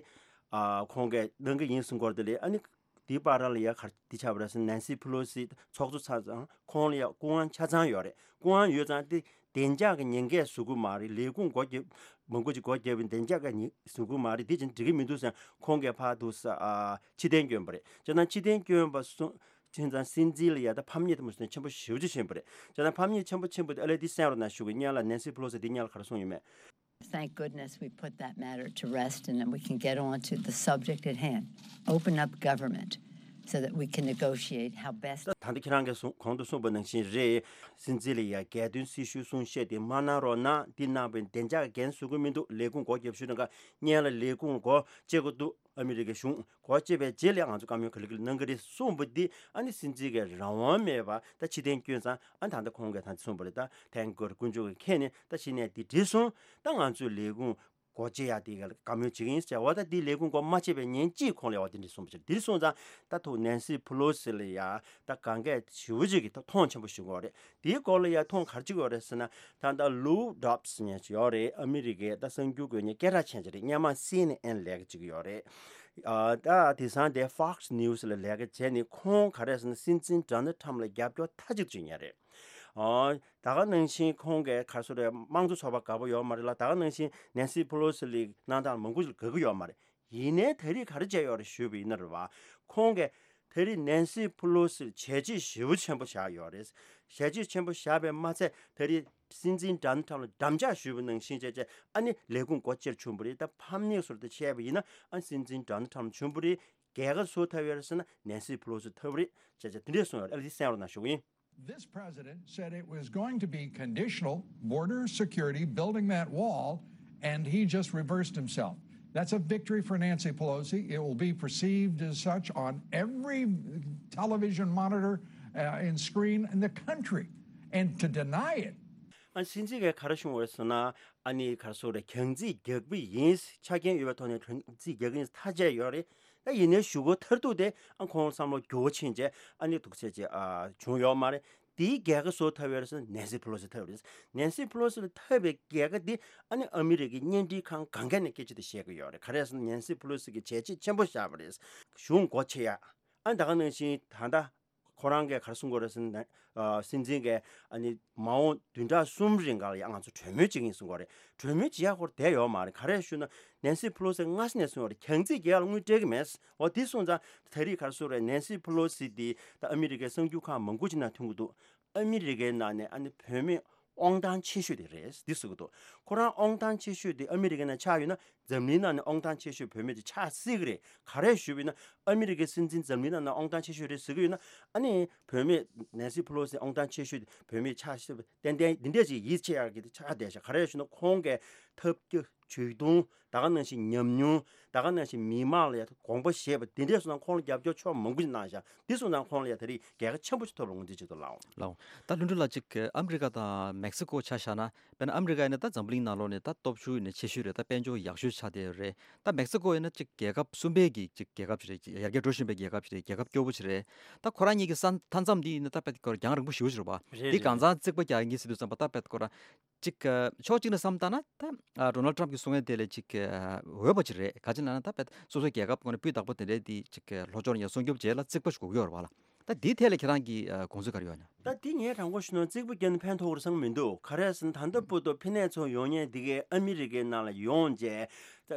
ཨ་ཁོང་གིས་གནང་གི་ཡིན་གསུང་སྐོར་དེ་ལས་ཨ་ནི། དེའི་བར་ལ་ཡ་ག་རེ་འདི་ཆགས་པ་རེད་ཟེར་ན། ནན་སི་ཕུ་ལོ་སི་ཚོགས་གཙོ་ཚར་ཙང་ཁོང་ལ་ཡ་སྐུ་དབང་ཆ་ཚང་ཡོད་རེད། སྐུ་དབང་ཡོད་ཙང་དེ་བདེ་འཇགས་ཀྱི་ཉེན་ཁས་བཟོ་གི་མ་རེད། ལས་ཁུངས་སྒོ་བརྒྱབ་མང་པོ་ཅིག་སྒོ་བརྒྱབ་པའི་བདེ་འཇགས་ཀྱི་ཉེན་བཟོ་གི་མ་རེད། དེ་བྱས་ན་འགྲིག་གི་མི་འདུག་ཟེར་ཁོང་གིས་ཕར་འདུག་ས་ཨ་ཕྱིར་འཐེན་བསྐྱོན་པ་རེད། བྱས་ན་ཕྱིར་འཐེན་བསྐྱོན་པ་སོང་ཕྱིན་ཙང་སྲིད་འཛིན་ལ་ཡ་ད་ཕམ་ཉེས་དེ་མོ་ཟེར་ན་ཆེན་པོ་ཞེ་པོ་ཅིག་ཕྱིན་པ་རེད། བྱས་ན་ཕམ་ཉེས་ཆེན་པོ་ཕྱིན་པ་དེ་ཨ་ལས་འདི་གསན་རོགས་གནང་ཞུ་གི། སྔོན་ལ་ནན་སི་ཕུ་ལོ་སི་འདི་སྔོན་ལ་ག་རེ་གསུངས་ཡོད་མེད། Thank goodness we put that matter to rest and then we can get on to the subject at hand. Open up government so that we can negotiate how best. ད་ད་ལྟ་ཁྱེད་རང་གིས་གསུང་གོང་དུ་གསུངས་པ་ནང་བཞིན་རེད། སྲིད་འཛིན་ལ་ཡ་རྒྱལ་དོན་སྲི་ཞུའི་གསུང་བཤད་དེ་མ་གནང་རོགས་གནང་། འདི་གནང་བའི་བདེ་འཇགས་འགན་བཟོ་གི་མི་འདུག་ལས་ཁུངས་སྒོ་བརྒྱབ་ཞུས་ན་ག་སྔོན་ལ་ལས་ཁུངས་སྒོ་ཕྱེ་དགོས་འདུག་ཨ་མི་རི་ཀའི་གཞུང་སྒོ་ཕྱེ་བའི་རྗེས་ལ་ང་ཚོ་བཀའ་མོལ་ག་ལེ་ག་ལེ་གནང་གི་རེད་གསུངས་པ་འདི་ཨ་ནི་སྲིད་འཛིན་གྱིས་རང་དབང་མེད་པ་ད་ཕྱིར་འཐེན་བསྐྱོན་ཙང་ཨ་ད་ལྟ་ཁོང་གིས་ད་གསུངས་པ་རེད། ད་ཐེངས་འགོར་དཀོན་མཆོག་གིས་མཁྱེན་ནས་ད་ཕྱི་ནས་འདི་འགྲིག་སོང་། ད་ང་ཚོའི་ལས་ཁུངས་སྒོ་ཕྱེ་ཡག་དེ་ག་ལ་བཀའ་མོལ་བྱེད་ཀྱི་ཡིན་ཟེར་བ། ད་འདི་ལས་ཁུངས་སྒོ་མ་ཕྱེ་བའི་ཉིན་གཅིག་ཁོང་ལ་ཡ་བ་འདི་འདྲ་གསུངས་པ་ཕྱིར་འདིར་སོང་ཙང་ད་ཐུག་ནན་སི་ཕུ་ལོ་སི་ལ་ཡ་ད་དགོངས་འགལ་ཞེ་པོ་ཅིག་གི་ད་མཐོང་ཆེན་པོ་ཞིག་ཡོད་རེད། དེའི་སྐོར་ལ་ཡ་མཐོང་ག་རེ་ཅིག་ཡོད་རེད་ཟེར་ན། ད་ལྟ་ལུའུ་ཌོབ་སི་ཉེ་ཅིག་ཡོད་རེད། ཨ་མི་རི་ཀའི་ད་གསར་འགྱུར་འགོད་མཁན་སྐད་གྲགས་ཅན་ཅིག་རེད། སྔོན་མ་སི་ཨེན་ཨེན་ལས་ཀ་ཅིག་ཡོད་རེད། ཨ་ད་དེང་སང་དེ་Fox News ལ་ལས་ཀ་བྱས་ནས་ཁོང་ག་རེ་ཟེར་ན་སྲིད་འཛིན་ཌོ་ནལ་ཊམ་ལ་རྒྱབ་སྐྱོར་མཐའ་གཅིག་ཅིག་ཉན་རེད། ཨ་ད་ག་ནང་བཞིན་ཁོང་གིས་ག་རེ་ཟེར་རེད། དམངས་གཙོ་ཚོགས་པ་དགའ་པོ་ཡོད་མ་རེད་ལ། ད་ག་ནང་བཞིན་ནན་སི་ཕུ་ལོ་སི་ལི་གནང་སྟངས་མང་པོ་ཞིག་དགའ་གི་ཡོད་མ་རེད། ཡིན་ནའི་ད་རེས་ག་རེ་བྱས་ཡོད་རེད་ཞུས་པ་ཡིན་ན་རེད་བ། ཁོང་གིས་ད་རེས་ནན་སི་ཕུ་ལོ་སི་ལ་བྱས་རྗེས་ཞེ་པོ་ཆེན་པོ་བཞག་ཡོད་རེད། བྱས་རྗེས་ཆེན་པོ་བཞག་པས་མ་ཚད་ད་རེས་སྲིད་འཛིན་ཌོ་ནལ་ཊམ་ལ་འགྲམ་ལྕག་གཞུས་པ་ནང་བཞིན་བྱས་བྱས་ཨ་ནི་ལས་ཁུངས་སྒོ་ཕྱེ་བྱུང་བ་རེད། ད་ཕམ་ཉེས་ཟེར་དེ་བྱས་པ་ཡིན་ན་ཨ་སྲིད་འཛིན་ཌོ་ནལ་ཊམ་བྱུང་བ་རེད། རྒྱལ་ཁ་སུ་ཐོབ་ཡོད་རེད་ཟེར་ན་ནན་སི་ཕུ་ལོ་སི་ཐོབ་རེད་བྱས་བྱས་དེ་འདྲས་གསུངས་ཡོད་རེད། ཨ་ལས་འདི་གསན་རོགས་གནང་ཞུ་གི་ཡིན། This president said it was going to be conditional border security, building that wall, and he just reversed himself. That's a victory for Nancy Pelosi. It will be perceived as such on every television monitor uh, and screen in the country. And to deny it, ཨ་སྲིད་འཛིན་གྱིས་ག་རེ་གསུངས་པ་རེད་ཟེར་ན། ཨ་ནི་ག་རེ་ཟེར་རེད། གྱང་རྩིས་རྒྱག་པ་ཡིན། ཆ་རྐྱེན་ཡོད་པའི་ཐོག་ནས་གྱང་རྩིས་རྒྱག་གི་ཡིན་ཐག་བཅད་ཡོད་རེད། ད་ཡིན་ནའི་གཞུག་གུ་མཐར་ཐུག་དེ་ཨ་ཁོང་བསམ་བློ་འགྱུར་བ་ཕྱིན་རྗེས་ཨ་ནི་འདུག་སེ་བྱས་ཨ་བྱུང་ཡོད་མ་རེད། དེའི་རྒྱལ་ཁ་བཟོ་ཐུབ་ཡོད་རེད་ཟེར་ན་ནེན་སི་ཕེ་ལོ་སི་ཐུབ་རེད། ནེན་སི་ཕེ་ལོ་སི་ལ་ཐུབ་པའི་རྒྱལ་ཁ་དེ་ཨ་ནི་ཨ་མི་རི་ཀའི་གཉེན་སྒྲིག་ཁང་གང་ག་ནས་སྐད་ཆ་དེ་བཤད་གི་ཡོད་རེད། ག་རེ་ཟེར་ན་ནེན་སི་ཕེ་ལོ་སི་གི་བྱས་རྗེས་ཆེན་པོ་བཞག་པ་རེད། གཞུང་སྒོ་ཕྱེ་ཡ། ཨ་ནི་ད་ག་ནང་བཞིན་ད་ལྟ་ཁོ་རང་གིས་ག་རེ་གསུང་གི་ཡོད་རེད་ཟེར་ན། ཨ། སྲིད་འཛིན་གྱིས་ཨ་ནི་མ་འོངས་བདུན་ཕྲག་གསུམ་རིང་ག་ལ་ཡ་ང་ཚོ་གྲོས་མོལ་བྱེད་ཀྱི་ཡིན་གསུང་གི་ཡོད་རེད། གྲོས་མོལ་བྱེད་ཡ་ཁོ་རང་བསྡད་ཡོད་མ་རེད། ག་རེ་ཞུ་ན་ནེན་སི་ཕེ་ལོ་སི་སྔ་ས་ནས་གསུང་ཡོད་རེད། གྱང་རྩིས་རྒྱག་ཡ་ལ་དངུལ་སྤྲད་ཀྱི་མེད། འོ་དེ་སོང་ཙང་ད་རེས་ག་རེ་གསུང་རེད། ནེན་སི་ཕེ་ལོ་སི་དེ་ད་ཨ་མི་རི་ཀའི་གསར་འགྱུར་ཁང་མང་པོ་ཅིག་ནང་ཐོན་གྱི་འདུག་ཨ་མི་རི་ཀའི་ནང་ནས་ཨ་ནི་བུད་མེད་དབང་ཐང་ཆེ་ཤོས་དེ་རེད་འདི་ཟེར་གྱི་འདུག་ཁོ་རང་དབང་ཐང་ཆེ་ཤོས་དེ་ཨ་མི་རི་ཀའི་ནང་ཆགས་ཡོད་ན་འཛམ་གླིང་ནང་ནས་དབང་ཐང་ཆེ་ཤོས་བུད་མེད་དེ་ཆགས་སྲིད་ཀྱི་རེད། ག་རེ་ཞུས་པ་ཡིན་ན་ཨ་མི་རི་ཀའི་སྲིད་འཛིན་འཛམ་གླིང་ནང་ནས་དབང་ཐང་ཆེ་ཤོས་རེད་ཟེར་གྱི་ཡོད་ན། ཨ་ནི་བུད་མེད་ནེན་སི་ཕེ་ལོ་སི་དབང་ཐང་ཆེ་ཤོས་དེ་བུད་མེད་ཆགས་སྲིད་པ་ཏན་ཏན་འདི་འདྲས་ཅིག་ཡིད་ཆེས་ཡག་གི་དེ་ཆགས་བསྡད་ཤག་ག་རེ་ཞུ་ན་ཁོང་གི་ཐབས་བཀོད་ཇུས་གཏོང་། ད་ག་ནང་བཞིན་ཉམས་མྱོང་། ད་ག་ནང་བཞིན་མི་མང་ལ་ཡ་དགོངས་པ་བཞེས་པ་དེ་འདྲས་སོང་ཙང་ཁོང་ལ་རྒྱབ་སྐྱོར་ཕྱོགས་མང་པོ་ཞིག་གནང་ཤག་འདི་སོང་ཙང་ཁོང་ལ་ཡ་ད་རེས་རྒྱལ་ཁ་ཆེན་པོ་ཞིག་ཐོབ་པར་ངོས་འཛིན་བྱེད་དུ་ལའོ། ལའོ། ད་ལྷུན་གྲུབ་ལགས་ཅིག་ཨ་མི་རི་ཀ་དང་མེག་སི་ཀོ་ཆ་བཞག་ན། དཔེར་ན་ཨ་མི་རི་ཀ་ཡིན་ན་ད་འཛམ་བུ་གླིང་ནང་ལོགས་ནས་ད་སྟོབས་ཤུགས་ཡིན་ན་ཆེ་ཤོས་རེད། ད་དཔལ་འབྱོར་ཡག་ཤོས་ཆགས་བསྡད་ཡོད་རེད། ད་མེག་སི་ཀོ་ཡིན་ན་ཅིག་རྒྱལ་ཁབ་གསུམ་པའི་གི་ཅིག་རྒྱལ་ཁབ་ཅིག་རེད། ཡར་རྒྱས་འགྲོ་བཞིན་པའི་རྒྱལ་ཁབ་ཅིག་རེད། རྒྱལ་ཁབ་སྐྱོ་པོ་ཅིག་རེད། ད་ཁོ་རང་གཉིས་ཀྱི་ས་མཐའ་མཚམས་འདི་ཡིན་ན་ད་དཔེ་ཁོ་རང་རྒྱང་རིང་པོ་ཞེ་པོ་ཅིག་རེད་པ། རེད་འདི་རེད། གང་ཚང་གཅིག་པ་རྒྱག་ཡིན་ཟེར་དུས་ཙམ་པ་ད་དཔེ་ཁོ་རང་ཅིག་ཕྱོགས་གཅིག་ནས་བསམ་བཏང་ན་ད་ཌོ་ནལ་ཊམ་གྱིས་གསུང་ཡ་དེ་ལས་ཅིག་འོས་པ་ཅིག་རེད། ག་ཅི་ལབ་ན་ད་དཔེ་སོ་སོའི་རྒྱལ་ཁབ་ཁོ་ནས་སྤུས་དག་པོ་དེ་འདྲའི་འདི་ཅིག་ལྷོ་ཕྱོགས་ནས་ཡར་སྲུང་སྐྱོབ་བྱེད་ལ་རྩིག་པ་ཞིག་དགོས་ཀྱི་ཡོད་རེད་པ་ལ། ད་འདི་ཐད་ལ་ཁྱེད་རང་གི་དགོངས་ཚུལ་ག་རེ་ཡོད་ན། ད་འདི་ངས་དྲང་པོ་ཞུ་ན་རྩིག་པ་བརྒྱབ་ན་ཕན་ཐོགས་རེད་བསམ་གྱི་མི་འདུག་ག་རེ་ཟེར་ན་ད་ལྟ་བར་དུ་ཕན་ནས་ཚོ་ཡོང་མཁན་འདི་གའི་ཨ་མི་རི་ཀའི་ནང་ལ་ཡོང་བྱས།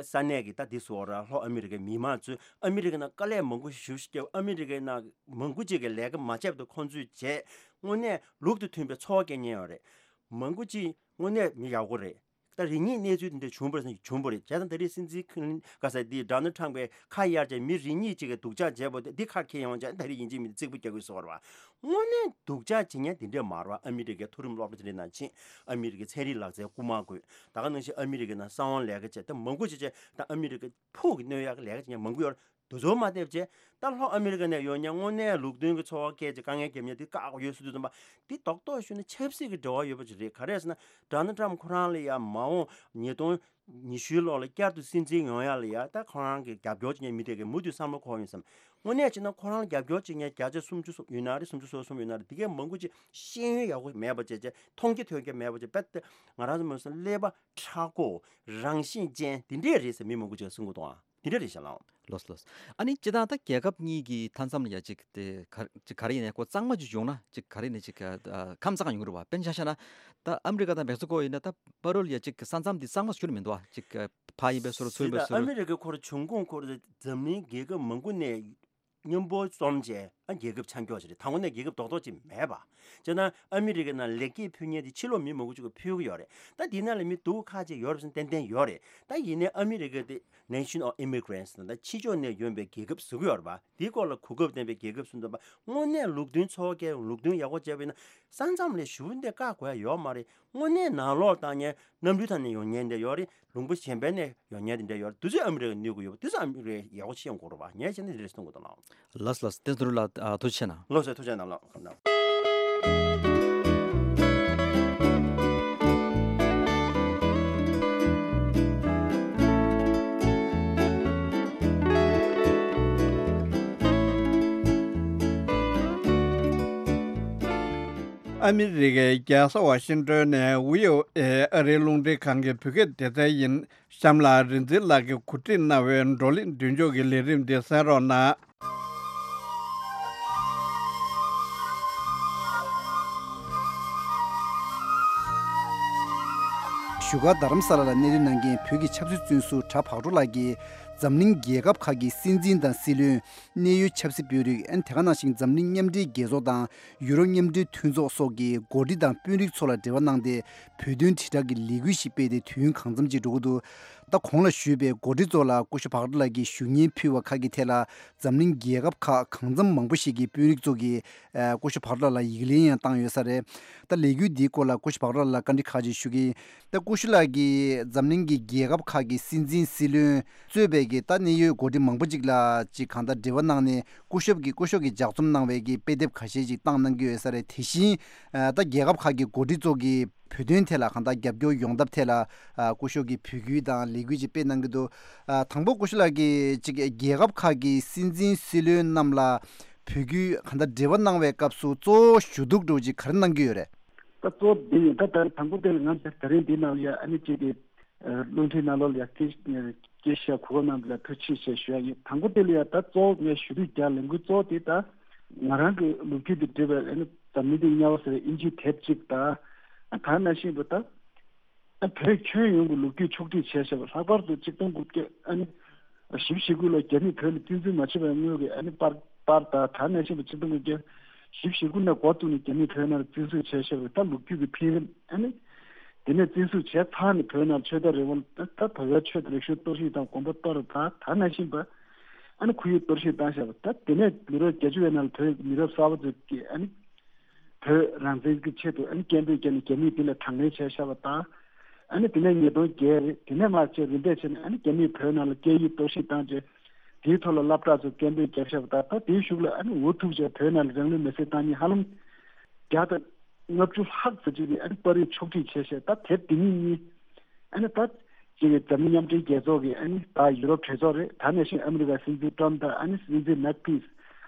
ས་གནས་ཀྱི་ད་འདི་སོགས་ར་ལྷོ་ཨ་མི་རི་ཀའི་མི་མང་ཚོས་ཨ་མི་རི་ཀའི་ནང་དཀའ་ལས་མང་པོ་ཞེ་པོ་ཞིག་བརྒྱབ། ཨ་མི་རི་ཀའི་ནང་མང་པོ་ཅིག་གིས་ལས་ཀ་མ་བྱས་པ་དང་ཁོང་ཚོས་བྱས། དངོས་གནས་ལུགས་དང་མཐུན་པའི་འཚོ་བ་སྐྱེལ་མཁན་ཡོད་རེད། མང་པོ་ཅིག་དངོས་གནས་མི་ཡག་པོ་རེད། ད་རེ་གཉིས་གནས་ཚུལ་དེ་འདྲ་བྱུང་བ་རེད་ཟེར་ན་བྱུང་བ་རེད། བྱས་ཙང་ད་རེས་སྲིད་འཛིན་ཁིན་ག་ས་འདི་ཌོ་ནལ་ཊམ་པས་ཁ་གཡར་བྱས་མི་རེ་གཉིས་ཅིག་གིས་སྡུག་ཅག་བྱས་པ་དེ་འདི་ཁ་འཁྱེར་ཡོང་བྱས་ད་རེས་ཡིན་གཅིག་མིན་གཅིག་རྩིག་པ་རྒྱག་དགོས་ཟེར་བ་རེད་པ། དངོས་གནས་སྡུག་ཅག་བྱེད་མཁན་དེ་འདྲས་མ་རེད་པ། ཨ་མི་རི་ཀའི་མཐོ་རིམ་སློབ་གྲྭ་དེ་འདྲའི་ནང་ཕྱིན། ཨ་མི་རི་ཀའི་ཚན་རིག་ལག་རྩལ་རྐུ་མ་དགོས། ད་ག་ནང་བཞིན་ཨ་མི་རི་ཀའི་ནང་གསང་བ་ལས་ཀ་བྱས་ད་མང་པོ་ཅིག་བྱས་ད་ཨ་མི་རི་ཀའི་ཕུགས་ཀྱི་གནོད་ཡག་གི་ལས་ཀ་བྱེད་མཁན་མང་པོ་ཡོད་རེད། དེ་ཚོ་མ་བསྡད་བྱས་ད་ལྷོ་ཨ་མི་རི་ཀ་ནས་ཡོང་མཁན་དངོས་གནས་ལུགས་མཐུན་གྱི་འཚོ་བ་སྐྱེལ་བྱས་དཀའ་ངལ་འཁྱེར་མཁན་དེ་བཀག་དགོས་ཡོད་ཟེར་དུས་ཙམ་པ་འདི་རྡོག་རྡོག་ཞུས་ན་ཆབ་སྲིད་ཀྱི་འབྲེལ་བ་ཡོད་པ་ཅིག་རེད། ག་རེ་ཟེར་ན་ཌོ་ནལ་ཊམ་ཁོ་རང་ལ་ཡང་མ་འོངས་ཉིས་སྟོང་ཉི་ཤུའི་ལོ་ལ་བསྐྱར་དུ་སྲིད་འཛིན་ཡོང་ཡ་ལ་ཡ་ད་ཁོ་རང་གི་རྒྱབ་སྐྱོར་བྱེད་མཁན་མི་དེ་གའི་མུ་མཐུད་བསམ་བློ་འཁོར་ཡོང་བསམ། དངོས་གནས་བྱས་ན་ཁོ་རང་ལ་རྒྱབ་སྐྱོར་བྱེད་མཁན་བརྒྱ་ཆ་སུམ་ཅུ་སོ་ཡོད་ན་རེད། སུམ་ཅུ་སོ་གསུམ་ཡོད་ན་རེད། དེ་གའི་མང་པོ་ཅིག་ཤེས་ཡོན་ཡག་པོ་མེད་པ་བྱས་བྱས་མཐོང་རྒྱ་ཐོས་རྒྱ་མེད་པ་བྱས་རྦད་དེ་ང་རང་ཚོ་མ་སོང་ཀླད་པ་མཁྲེགས་པོ་རང་བཞིན་ཅན་དེ་འདྲས་རེད་ཟེར་མི་མང་པོ་ཅིག་གསུང་གི་འདུག་ཨ། དེ་འདྲ་རེད་ཤག་ལགས། ལགས་སོ་ལགས་སོ། ཨ་ནི་སྤྱིར་བཏང་ད་རྒྱལ་ཁབ་གཉིས་ཀྱི་མཐའ་མཚམས་ལ་ཡ་གཅིག་དེ་ག་གཅིག་ག་རེ་ཡིན་ནའི་ཁོ་གཙང་མ་ཅིག་བྱུང་ན་གཅིག་ག་རེ་ནས་གཅིག་ཨ་ཁམས་གཙང་ཡོང་གི་རེད་པ། དཔེར་ན་ཆ་བཞག་ན་ད་ཨ་མི་རི་ཀ་དང་མེག་སི་ཀོ་ཡིན་ན་ད་པ་རོལ་ཡ་གཅིག་ས་མཚམས་འདི་གཙང་མ་ཞིག་ཁྱོན་ནས་མི་འདུག་ཨ། གཅིག་ཕར་ཡིན་པའི་བཟོ་འདྲ་ཚུར་ཡིན་པའི་བཟོ་འདྲ། ཨ་མི་རི་ཀའི་ཁོ་རང་བྱུང་ཁུངས་ཁོ་རང་འཛམ་གླིང་རྒྱལ་ཁབ་མང་པོ་ནས་མཉམ་པོ་འཛོམས་བྱས་ཨ་རྒྱལ་ཁབ་ཆགས་ཀྱི་ཡོད་ཅིག་རེད། ད་དངོས་གནས་རྒྱལ་ཁབ་རྡོག་རྡོག་ཅིག་མེད་པ། བྱས་ན་ཨ་མི་རི་ཀའི་ནང་ལེགས་སྐྱེས་ཕུལ་མཁན་དེ་ཕྱི་ལོགས་མི་མང་པོ་ཅིག་གིས་ཕུལ་གྱི་ཡོད་རེད། ད་དེའི་ནང་ལ་མི་སྡུག་ཁག་ཅིག་ཡོད་རེད་ཟེར་ན་ཏན་ཏན་ཡོད་རེད། ད་ཡིན་ནའི་ཨ་མི་རི་ཀ་དེ་Nation of Immigrants ད་ཕྱི་ཕྱོགས་ནས་ཡོང་པའི་རྒྱལ་ཁབ་ཟེར་གྱི་ཡོད་རེད་པ། དེའི་སྐོར་ལ་གོ་སྐབས་ལྡན་པའི་རྒྱལ་ཁབ་ཟེར་འདུག་པ། དངོས་གནས་ལུགས་མཐུན་འཚོ་བ་སྐྱེལ་ལུགས་མཐུན་ཡག་པོ་བྱས་པ་ཡིན་ན་ས་མཚམས་ལ་ཞེ་པོ་འདི་བཀག་དགོས་ཡ་ཡོད་མ་རེད། དངོས་གནས་ནང་ལོགས་བཏང་མཁན་གནམ་གྲུའི་ཐོག་ནས་ཡོང་མཁན་དེ་ཡོད་རེད། ལུང་པ་གཞན་པ་ནས་ཡོང་མཁན་དེ་འདྲ་ཡོད་རེད། དེ་ཚོས་ཨ་མི་རི་ཀ་གནོད་ཀྱི་ཡོད་པ། དེ་ཚོ་ཨ་མི་རི་ཀས་ཡག་པོ་ཤེས་དགོས་རེད་པ། ངས་བྱས་ན་འདི་རེད་གསུང་གི་འདུག་ལགས། ལགས་སོ་ལགས་སོ། བསྟན་ཚུལ་ལགས་ཐུགས་རྗེ་ཆེ་གནང་། ལགས་སོ་ཐུགས་རྗེ་གནང་ལགས། ཨ་མི་རི་ཀའི་རྒྱལ་ས་ཝ་ཤིང་ཏོན་ནས་བྷི་ཨོ་ཨེ་ཨ་རིའི་རླུང་འཕྲིན་ཁང་གི་བོད་སྐད་སྡེ་ཚན་ཡིན། གཤམ་ལ་རིག་འཛིན་ལགས་ཀྱིས་གོ་སྒྲིག་གནང་བའི་བགྲོ་གླེང་མདུན་ལྕོག་གི་ལས་རིམ་འདི་གསན་རོགས་གནང་། བཞུགས་སྒར་རྡ་རམ་ས་ལ་ལ་གནས་སྡོད་གནང་མཁན་བོད་ཀྱི་ཆབ་སྲིད་བཙོན་ཟུར་གྲྭ་བག་གྲོ་ལགས་ཀྱིས་འཛམ་གླིང་རྒྱལ་ཁབ་ཁག་གི་སྲིད་འཛིན་དང་སྲིད་བློན། གནད་ཡོད་ཆབ་སྲིད་དཔོན་རིགས། ཨན་དེ་ག་ནང་བཞིན་འཛམ་གླིང་མཉམ་འབྲེལ་རྒྱལ་ཚོགས་དང་ཡུ་རོབ་མཉམ་འབྲེལ་མཐུན་ཚོགས་སོགས་ཀྱི་འགོ་ཁྲིད་དང་དཔོན་རིགས་ཚོ་ལ་འབྲེལ་བ་གནང་སྟེ་བོད་དོན་དྲིལ་བསྒྲགས་ཀྱི་ལས་འགུལ་ཞིག་སྤེལ་ཏེ་དུས་ཡུན་གང་འཚམ་ཅིག་འགྲོ་གི་འདུག་ད་གོང་ལ་ཞུས་པའི་འགོ་ཁྲིད་ཚོ་ལ་སྐུ་ཞབས་བག་གྲོ་ལགས་ཀྱིས་ཞུ་སྙན་ཕུལ་བ་ཁག་གི་ཐད་ལ་འཛམ་གླིང་རྒྱལ་ཁབ་ཁག་གང་འཚམ་མང་པོ་ཞིག་གི་དཔོན་རིགས་ཚོ་གིས་ཨ་སྐུ་ཞབས་བག་གྲོ་ལགས་ལ་ཡིག་ལན་ཡང་བཏང་ཡོད་ས་རེད། ད་ལས་འགུལ་འདིའི་སྐོར་ལ་སྐུ་ཞབས་བག་གྲོ་ལགས་ལ་བཀའ་འདྲི་ཁག་ཅིག་ཞུ་གི་ཡིན། ད་སྐུ་ཞབས་ལགས་ཀྱིས་འཛམ་གླིང་གི་རྒྱལ་ཁབ་ཁག་གི་སྲིད་འཛིན་སྲིད་བློན་གཙོས་པའི་གི་ད་གནད་ཡོད་འགོ་ཁྲིད་མང་པོ་ཅིག་ལ་ཅིག་གང་ལྟར་འབྲེལ་བ་གནང་ནས་སྐུ་ཞབས་ཀྱིས་སྐུ་ཞབས་ཀྱིས་ལྗགས་རྩོམ་གནང་བའི་གི་དཔེ་དེབ་ཁ་ཤས་ཅིག་བཏང་གནང་གི་ཡོད་ས་རེད། དེ་བཞིན་ད་རྒྱལ་ཁབ་ཁག་གི་འགོ་ཁྲིད་ཚོ་གིས་བོད་དོན་ཐད་ལ་གང་ལྟར་རྒྱབ་སྐྱོར་ཡོང་ཐབས་ཐད་ལ་སྐུ་ཞབས་ཀྱིས་འབོད་སྐུལ་དང་ལས་འགུལ་ཅིག་སྤེལ་གནང་གི་འདུག་དང་པོ་སྐུ་ཞབས་ལགས་ཀྱིས་ཅིག་རྒྱལ་ཁབ་ཁག་གི་སྲིད་འཛིན་སྲིད་བློན་རྣམས་ལ་ བོད་བརྒྱུད་གང་ལྟར་འབྲེལ་བ་གནང་བའི་སྐབས་སུ་གཙོ་བོ་ཞུ་གཏུག་འདྲ་བོ་ཅིག་ག་རེ་གནང་གི་ཡོད་རེད། ད་གཙོ་བོ་འདི་ཡིན། ད་ད་དང་པོ་དེ་ལ་ང་ཚོ་ད་རིང་འདི་ནང་ལ་ཡ་ཨ་ནི་གཅིག་གི་རླུང་འཕྲིན་ནང་ལོགས་ལ་ཡ་སྐད་སྐད་ཆ་གོ་སྐབས་གནང་བ་ལ་ཐུགས་རྗེ་ཆེ་ཞུ་ཡ་ཡིན། དང་པོ་དེ་ལ་ཡ་ད་གཙོ་བོ་ངས་ཞུ་གཏུག་རྒྱག་ལས་འགུལ་གཙོ་བོ་དེ་ད་ང་རང་གི་ལོ་རྒྱུས་དང་འབྲེལ་བའི་ཨ་ནི་འཛམ་གླིང་འདི་དམྱལ་བ་ཟེར་བའི་ཨིན་ཇིའི་དེབ་ཅིག་དང་། ཨ་ད་ནང་བཞིན་པ་ད། ཨ་བོད་ཁྱོན་ཡོངས་ཀྱི་ལོ་རྒྱུས་ཕྱོགས་སྒྲིག་བྱས་བཞག་པ། ལྷག་པར་དུ་གཅིག་སྟོང་དགུ་བརྒྱ་ཨ་ནི་བཞི་བཅུ་ཞེ་དགུ་ལོར་རྒྱ་མིས་བོད་ལ་བཙན་འཛུལ་མ་བྱས་པའི་སྔོན་གྱི་ཨ་ནི་པར་པར་དང་། ད་ནང་བཞིན་པ་གཅིག་སྟོང་དགུ་བརྒྱ་བཞི་བཅུ་ཞེ་དགུ་ནས་འགོ་བཙུགས་ནས་རྒྱ་མིས་བོད་ནང་ལ་བཙན་འཛུལ་བྱས་བཞག་པའི་ད་ལོ་རྒྱུས་ཀྱི་འཕེལ་རིམ། ཨ་ནི་དེ་ནས་བཙན་འཛུལ་བྱས་ཚར་ནས་བོད་ནང་ཆོས་དད་རེ་བ་ད་ད་བོད་པའི་ཆོས་དང་རིག་གཞུང་གཏོར་བཤིག་དང་དགོན་པ་གཏོར་བ་དང་། ད་ནང་བཞིན་པ་ཨ་ནི་ཁོར་ཡུག་གཏོར་བཤིག་བཏང་བཞག་པ། ད་དེ་ནས་མི་རབས་བརྒྱད་ཅུ་བའི་ནང་ལ་བོད་མི་རབས་གསར་པ་ཚོས་ཀྱིས་ཨ་ནི། བོད་རང་བཙན་གྱི་ཆེད་དུ་ཨ་ནི་སྐད་འབོད་བརྒྱབ་ནས་རྒྱ་མིས་དེ་ལ་དང་ལེན་བྱས་བཞག་པ་དང་། ཨ་ནི་དེ་ནས་ཉིས་སྟོང་བརྒྱད་རེད། དེ་ནས་མར་བྱས་རིམ་པས་བྱས་ནས་ཨ་ནི་རྒྱ་མིས་བོད་ནང་ལ་སྐད་ཡིག་གཏོར་བཤིག་བཏང་རྗེས། དེའི་ཐོག་ལ་སློབ་གྲྭ་ཚོས་སྐད་འབོད་བརྒྱབ་བཞག་པ་དང་། ད་དེའི་གཞུག་ལ་ཨ་ནི་འུ་ཐུག་བྱས་བོད་ནང་ལ་རང་ལུས་མེར་སྲེག་བཏང་མཁན་ཧ་ལམ་བརྒྱ་དང་ལྔ་བཅུ་ལྷག་ཙམ་ཅིག་གིས་ཨ་ནི་པར་རིས་ཕྱོགས་སྒྲིག་བྱས་བྱས། ད་དེབ་འདི་ཉིད་གཉིས། ཨ་ནི་ད་ཅིག་གི་འཛམ་གླིང་མཉམ་འབྲེལ་རྒྱལ་ཚོགས་ཀྱི་ཨ་ནི་ད་ཡུ་རོབ་གྲོས་ཚོགས་རེད། ད་ནང་བཞིན་ཨ་མི་རི་ཀའི་སྲིད་འཛིན་ཊམ་དང་ཨ་ནི་སྲིད་འཛིན་མེག་ཕེན་སི།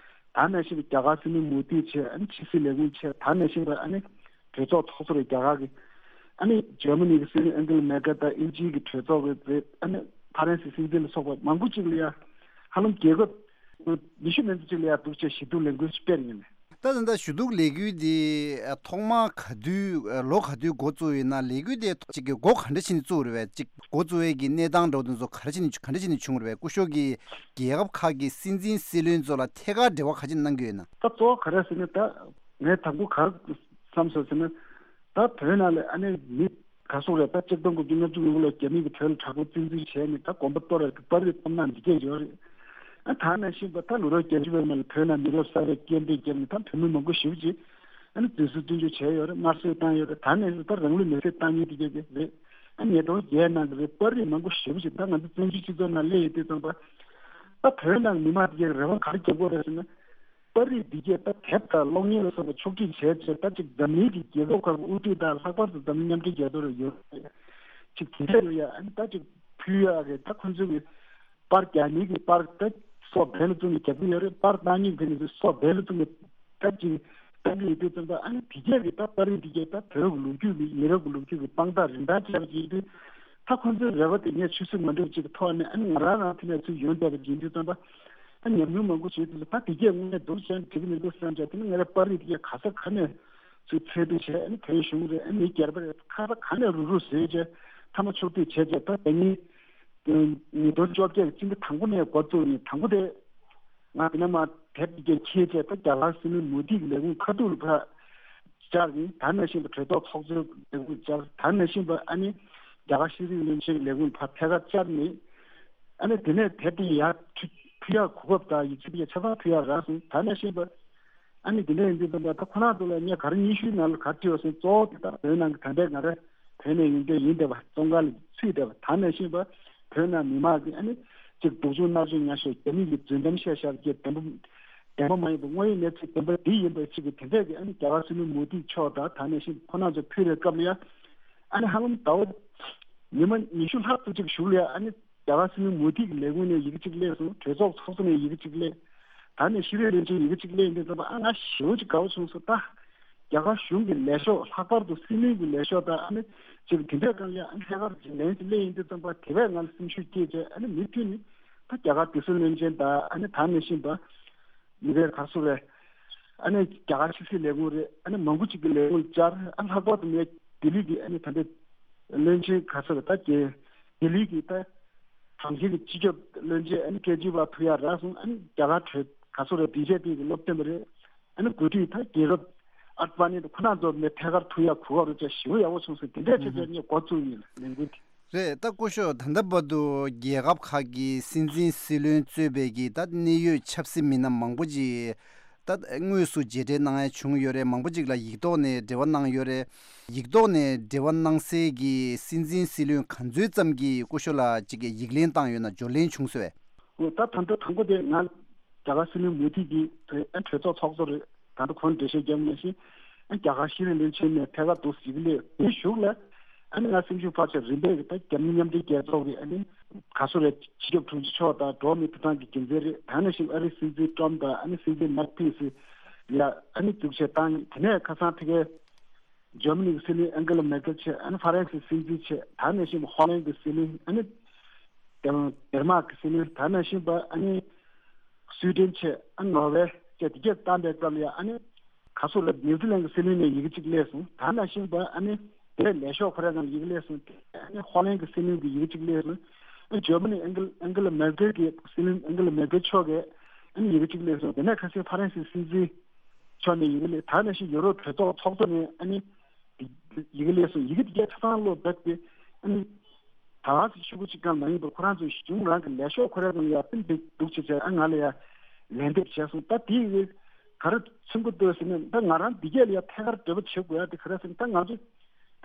ད་ནང་བཞིན་རྒྱ་གར་སྲིད་བློན་མོ་དི་བྱས། ཨ་ནི་ཕྱི་སྲིད་ལས་ཁུངས་བྱས། ད་ནང་བཞིན་པ་ཨ་ནི་གྲོས་ཚོགས་ཚོགས་གཙོ་རེད་རྒྱ་གར་གྱི། ཨ་ནི་འཇར་མ་ནི་གི་སྲིད་བློན་ཨན་ཀེ་ལ་མེར་ཀེལ་དང་། དབྱིན་ཇིའི་གི་གྲོས་ཚོགས་རེད། ཨ་ནི་ཧྥ་རན་སི་སྲིད་འཛིན་ལ་སོགས་པ་མང་པོ་ཅིག་ལ་ཡ་ཧ་ལམ་རྒྱལ་ཁབ་ཉི་ཤུ་མན་ཙམ་ཅིག་ལ་ཡ་འདུག་བྱས་ཞུ་གཏུག་ལས་འགུལ་སྤེལ་ཡོད་ནས། ད་ད་ལྟ་ཞུ་གཏུག་ལས་འགུལ་འདི་ཐོག་མར་ག་དུས་ལོ་ག་དུས་འགོ་བཙུགས་ཡོད་ན། ལས་འགུལ་དེ་གཅིག་གི་འགོ་ག་འདྲ་བྱས་ནས་བཙུགས་རེད་པས། གཅིག་འགོ་བཙུགས་ཡས་ཀྱི་གནས་སྟངས་འདྲ་བོ་དེ་ཚོ་ག་རེ་བྱས་ནས་ག་འདྲ་བྱས་ནས་བྱུང་རེད་པས། སྐུ་ཞབས་ཀྱིས་རྒྱལ་ཁབ་ཁག་གི་སྲིད་འཛིན་སྲིད་བློན་ཚོ་ལ་ཐད་ཀར་འབྲེལ་བ་ག་ཅིག་གནང་གི་ཡོད་ན། ད་གཙོ་བོ་ག་རེ་ཟེར་ན། ད་ངས་དང་པོ་ག་རེ་བསམ་སོང་ཟེར་ན། ད་བོད་ནང་ལ་ཨ་ནི་མི་ག་ཚོད་རེད། ད་གཅིག་སྟོང་དགུ་བརྒྱ་ལྔ་བཅུ་ང་དགུ་ལོར་རྒྱ་མི་གིས་བོད་ལ་དྲག་པོ་བཙན་འཛུལ་བྱས་ནས་ད་དགོན་པ་གཏོར་བ་དང་པར་རིས་བཏབ་གནང་འདི་སྐད་ཡོད་རེད། ཨ་ད་ནང་བཞིན་པ་ད་ལོ་རབས་བརྒྱད་ཅུ་བའི་མ་ལ་བོད་ནང་མི་རབས་གསར་པའི་སྐད་འབོད་བརྒྱབ་ནས་ད་བོད་མི་མང་པོ་ཞེ་པོ་ཅིག་ཨ་ནི་འཛིན་བཟུང་བཙོན་འཇུག་བྱས་ཡོད་རེད། དམར་གསོད་བཏང་ཡོད་རེད། ད་ནང་བཞིན་ད་རང་ལུས་མེར་སྲེག་བཏང་མཁན་དེ་ག་གི་རེད། ཨ་ཉིས་སྟོང་བརྒྱད་ནང་གི་རེད། པར་རིས་མང་པོ་ཞེ་པོ་ཅིག་ད་ང་ཚོ་བཙན་བྱོལ་སྤྱི་ཚོགས་ནང་སླེབས་ཡོད་དུས་ཙམ་པ། ད་བོད་ནང་མི་མང་དེ་གའི་རེ་བ་ག་རེ་རྒྱབ་དགོས་རེད་ཟེར་ན། པར་རིས་འདི་གས་ད་དེབ་དང་གློག་བརྙན་ལ་སོགས་པ་ཕྱོགས་སྒྲིག་བྱས་བྱས། ད་ཅིག་འཛམ་གླིང་གི་རྒྱལ་ཁབ་ཁག་གི་དབུ་ཁྲིད་དང་། ལྷག་པར་དུ་འཛམ་གླིང་མཉམ་འབྲེལ་རྒྱལ་ཚོགས་ལ་ཡོད་ཅིག་དེ་འདྲ་ཡོད་ཡ། ཨ་ནི་ད་ཅིག་ཕུལ་ཡག་གི་ད་ཁོང་ཚོ་གི་པར་རྒྱག་མཁན་གྱི་པར་ད་སོ་བལ་བཙུགས་ནས་རྒྱག་གི་ཡོད་རེད། པར་བཏང་མཁན་གྱི་ནི་སོ་བལ་བཙུགས་ནས་ད་ཅིག་བཏང་གི་ཡོད་དུས་ཙམ་པ། ཨ་ནི་དེ་གས་ཀྱི་ད་པར་རིས་འདི་གས་ད་བོད་ཀྱི་ལོ་རྒྱུས་ཀྱི་མི་རབས་ཀྱི་ལོ་རྒྱུས་ཀྱི་དཔང་རྟགས་རིན་ཐང་ཆེ་བ་ཅིག་ཡིན་དུས། ད་ཁོང་ཚོའི་རེ་བ་དེ་ངས་ཆུད་ཟོས་མ་འགྲིག་ཅིག་གི་ཐོག་ནས། ཨ་ནི་ང་རང་རང་དེ་ནས་ཚུར་ཡོང་བསྡད་པ་ཡིན་དུས་ཙམ་པ། ཨ་ཉམས་མྱོང་མང་པོ་བྱས་དུས་ད་དེ་གས་དངོས་གནས་འདུག་བྱས་ན་འགྲིག་གི་མི་འདུག་བསམ་བྱས། དེ་ནི་ང་རའི་པར་རིས་དེ་གས་ག་ས་ག་ནས་ཚུར་འཚོལ་སྡུད་བྱས། ཨ་ནི་བོད་གཞུང་རེད། ཨ་མི་སྒེར་པ་རེད། ག་ས་ག་ནས་རུག་རུག་བཟོས་བྱས་མཐའ་མ་ཕྱོགས་སྒྲིག་བྱས་བྱས། ད་ད་ནི་ཉིས་སྟོང་བཅོ་བརྒྱད་ཀྱི་སྤྱི་ཟླ་དང་པོ་ནས་འགོ་བཙུགས་ནས། དང་པོ་དེ་ང་དེ་ནས་མར་དེབ་དེ་གས་འཁྱེར་བྱས་ད་རྒྱ་གར་སྲིད་བློན་མོ་དི་གི་ལས་ཁུངས་ཁ་ཐུག་ལ་ཕར་བཅར་ནས། ད་ནང་བཞིན་པ་གྲོས་ཚོགས་ཚོགས་གཙོའི་ལས་ཁུངས་བཅར། ད་ནང་བཞིན་པ་ཨ་ནི་རྒྱ་གར་ཤེས་རིག་བློན་ཆེན་གྱི་ལས་ཁུངས་ལ་ཕར་ཐད་ཀར་བཅར་ནས། ཨ་ནི་དེ་ནས་དེབ་དེ་ཡར་ཕུལ་ཕུལ་ཡག་གོ་སྐབས་དང་ཡིག་ཆ་དེ་ཆ་ཚང་ཕུལ་ཡག་རག་སོང་། ད་ནང་བཞིན་པ་ཨ་ནི་དེ་འདྲ་ཡིན་དུས་ཙམ་པ། ད་ཁོ་རང་ཚོ་ལ་ངས་ག་རེ་སྙན་ཞུའི་ནང་ལ་ག་རེ་བྲིས་པ་ཟེར་ན། གཙོ་བོ་དེ་ད་བོད་ནང་གི་ད་ལྟའི་ང་རང་བོད་ནས་ཡོང་མཁན་ཡིན་བསྡད་པ། བཙོན་ཁང་ལ་ཚུད་བསྡད་པ། ད་ནང་བཞིན་པ་བོད་ནང་མི་མང་གིས་ཨ་ནི་ཅིག་སྡུག་སྦྱོང་མནར་གཅོད་མྱངས་བཞག་རྒྱ་མི་གིས་རྫུན་གཏམ་བཤད་བཞག་རྒྱུ། བདེན་པ་བདེན་པ་མ་ཡིན་པ། དངོས་ཡོད་གནས་ཚུལ་བདེན་པ་འདི་ཡིན་པ་ཅིག་གི་དེ་འདྲས་ཀྱི་ཨ་ནི་རྒྱ་གར་སྲིད་བློན་མོ་དི་མཆོག་དང་། ད་ནང་བཞིན་ཁོ་རང་ཚོ་ཕུལ་བའི་སྐབས་ལ་ཡ། ཨ་ནི་ཧ་ལམ་ཟླ་བ་ཉི་མ་ཉི་ཤུ་ལྷག་ཙམ་ཅིག་གཞུག་ལ་ཡ། ཨ་ནི་རྒྱ་གར་སྲིད་བློན་མོ་དི་གི་ལས་ཁུངས་ནས་ཡི་གེ་གཅིག་སླེབས་སོང་། གྲོས་ཚོགས་ཚོགས་གཙོ་ནས་ཡི་གེ་གཅིག་སླེབས། ད་ནས་ཤེས་རིག་བློན་ཆེན་ཡི་གེ་གཅིག་སླེབས་ཡིན་དུས་ཙམ་པ། ཨ་ང་ཞེ་པོ་ཅིག་དགའ་པོ་བྱུང་སོང་། ད་རྒྱ་གར་གཞུང་གི་ལས་ཤོག་ལྷག་པར་དུ་སྲིད་བློན་གྱི་ལས་ཤོག་དང་། ཨ་ནི་ཅིག་དེ་འདྲའི་སྒང་ལ་ཨ་ནི་ཐད་ཀར་ཅིག་ལན་ཅིག་སླེབས་ཡིན་དུས་ཙམ་པ། དེ་བས་ང་ལ་སེམས་ཤུགས་སྐྱེས་བྱས། ཨ་ནི་མུ་མཐུད་ནས་ད་རྒྱ་གར་དུད་སོལ་བློན་ཆེན་དང་། ཨ་ནི་ད་ནང་བཞིན་པ་མི་སྒེར་ག་ཚོད་རེད། ཨ་ནི་རྒྱ་གར་ཕྱི་སྲིད་ལས་ཁུངས་རེད། ཨ་ནི་མང་པོ་ཅིག་གི་ལས་ཁུངས་ལ་བཅར། ཨ་ལྷག་པར་དུ་ངས་ལྡི་ལི་གི་ཨ་ནི་ད་ལྟའི་བློན་ཆེན་ག་ཚོད་རེད། ད་རྒྱ་ལྡི་ལི་གི་ད་གྲོང་ཁྱེར་གྱི་སྤྱི་ཁྱབ་བློན་ཆེན་ཨ་ནི་ཀེ་ཇི་ཝལ་ཐུག་ཡག་རག་སོང་། ཨ་ནི་རྒྱ་གར་གྲོས་ག་ཚོད་རེད། བི་ཇེ་པི་གི་སློབ་སྟོན་པ་རེད། ཨ་ནི་འགོ་ཁྲིད་ད་རྒྱལ་རབས་ཨ་ཌི་ཝ་ནི་དང་ཁོ་རང་ཚོ་ནས་ཐད་ཀར་ཐུག་ཡག་གོ་སྐབས་རེད་བྱས། ཞེ་པོ་ཡག་པོ་བྱུང་སོང་། དེ་འདྲས་བྱས་བྱས་ངས་འགོ་བཙུགས་ཡིན་ལ་ལས་འགུལ་དེ། རེད། ད་སྐུ་ཞབས་ད་ལྟ་བར་དུ་རྒྱལ་ཁབ་ཁག་གི་སྲིད་འཛིན་སྲིད་བློན་གཙོས་པའི་གི་ད་གནད་ཡོད་ཆབ་སྲིད་མི་སྣ་མང་པོ་ཅིག་ད་དངོས་སུ་མཇལ་འཕྲད་གནང་ཡ་བྱུང་ཡོད་རེད། མང་པོ་ཅིག་ལ་ཡིག་ཐོག་ནས་འབྲེལ་བ་གནང་ཡོད་རེད། ཡིག་ཐོག་ནས་འབྲེལ་བ་གནང་སའི་གི་སྲིད་འཛིན་སྲིད་བློན་ག་ཚོད་ཙམ་གྱིས་སྐུ་ཞབས་ལ་ཅིག་གི་ཡིག་ལན་བཏང་ཡོད་ན། འབྱོར་ལན་བྱུང་སོང་བས། འོ་ད་ད་ལྟ་དང་པོ་དེ་ང་རྒྱ་གར་སྲིད་བློན་མོ་དི་གི་ཨ་གྲོས་ཚོགས་ཚོགས་གཙོ་རེད། ད་ལྟ་ཁོང་འགྲེལ་བཤད་བརྒྱབ་ནང་བཞིན། ཨ་རྒྱ་གར་ཤེས་རིག་བློན་ཆེན་ནས་ཐད་ཀར་འདུག་ཟེར་གི་ལས། དེའི་གཞུག་ལ་ཨ་ནི་ང་སེམས་ཤུགས་འཕར་བྱས་རིམ་པས་ཀྱི་ད་རྒྱ་མི་མཉམ་འབྲེལ་རྒྱལ་ཚོགས་ཀྱི་ཨ་ནི་ ག་སུ་རེད། སྤྱི་ཁྱབ་དྲུང་ཆེ་མཆོག་དང་འགྲོ་བ་མིའི་ཐོབ་ཐང་གི་འགན་འཛིན་རེད། ད་ནང་བཞིན་ཨ་རིའི་སྲིད་འཛིན་ཏྲམ་དང་ཨ་ནི་སྲིད་འཛིན་མེག་ཕེན་སི་ལ་ཨ་ནི་འཛུགས་བྱས་བཏང་། དེ་ནས་ཁ་སང་ཕ་གིའི་འཇར་མ་ནི་གི་སྲིད་བློན་ཨན་གེ་ལ་མེར་ཀེལ་བྱས། ཨ་ནི་ཧྥ་རན་སིའི་སྲིད་འཛིན་བྱས། ད་ནང་བཞིན་ཧོ་ལན་གྱི་སྲིད་བློན། ཨ་ནི་ཌེན་མཱག་གི་སྲིད་བློན། ད་ནང་བཞིན་པ་ཨ་ནི་སུའི་ཌེན་བྱས། ཨ་ནི་ནོར་ཝེ་བཅས་དེ་གས་བཏང་པའི་སྐབས་ལ་ཡང་ཨ་ནི་ག་སོགས་ལ་ནིའུ་ཛི་ལན་གྱི་སྲིད་བློན་ནས་ཡི་གེ་གཅིག་སླེབས་སོང་། ད་ནང་བཞིན་པ་ཨ་ནི་དེ་ལས་ཤོག་ཁོ་རའི་ནང་ཡི་གེ་སླེབས་སོང་། ཨ་ནི་ཧོ་ལན་གྱི་སྲིད་བློན་གྱི་ཡི་གེ་གཅིག་སླེབས་སོང་། ཨ་ནི་འཇར་མ་ནི་ཨན་གེ་ལ་ཨན་གེ་ལ་མེར་ཀེལ་གྱི་སྲིད་བློན་ཨན་གེ་ལ་མེར་ཀེལ་མཆོག་གིས་ཨ་ནི་ཡི་གེ་གཅིག་སླེབས་སོང་། དེ་ནས་ཁ་སང་ཧྥ་རན་སིའི་སྲིད་འཛིན་མཆོག་ནས་ཡི་གེ་སླེབས། ད་ནང་བཞིན་ཡུ་རོབ་གྲོས་ཚོགས་ཚོགས་གཙོ་ནས་ཨ་ནི་ཡི་གེ་སླེབས་སོང་། ཡི་གེ་དེ་གས་ཆ་ཚང་ཀློག་བསྡད་དེ་ཨ་ནི་ད་ག་སེ་ཤོག་གུ་གཅིག་ཀྱང་མ་ཡིན་པར་ཁོ་རང་ཚོའི་གཞུང་རང་གི་ལས་ཤོག་ཁོ་རའི་ནང་ཡར་ཕུལ་བསྡད་འདུག་བྱས་བྱས། ཨ་ང་ལ་ཡར་ལན་འདེབས་བྱས་སོང་། ད་དེ་ཡི་གེ་ག་རེ་མཚོན་གྱི་འདུག་ཟེར་ན། ད་ང་རང་འདི་གས་ལ་ཡར་ཐད་ཀར་འབྲེལ་བ་བྱེད་དགོས་ཡ་དེ་ག་རེ་ཟེར་ན། ད་ང་ཚོ་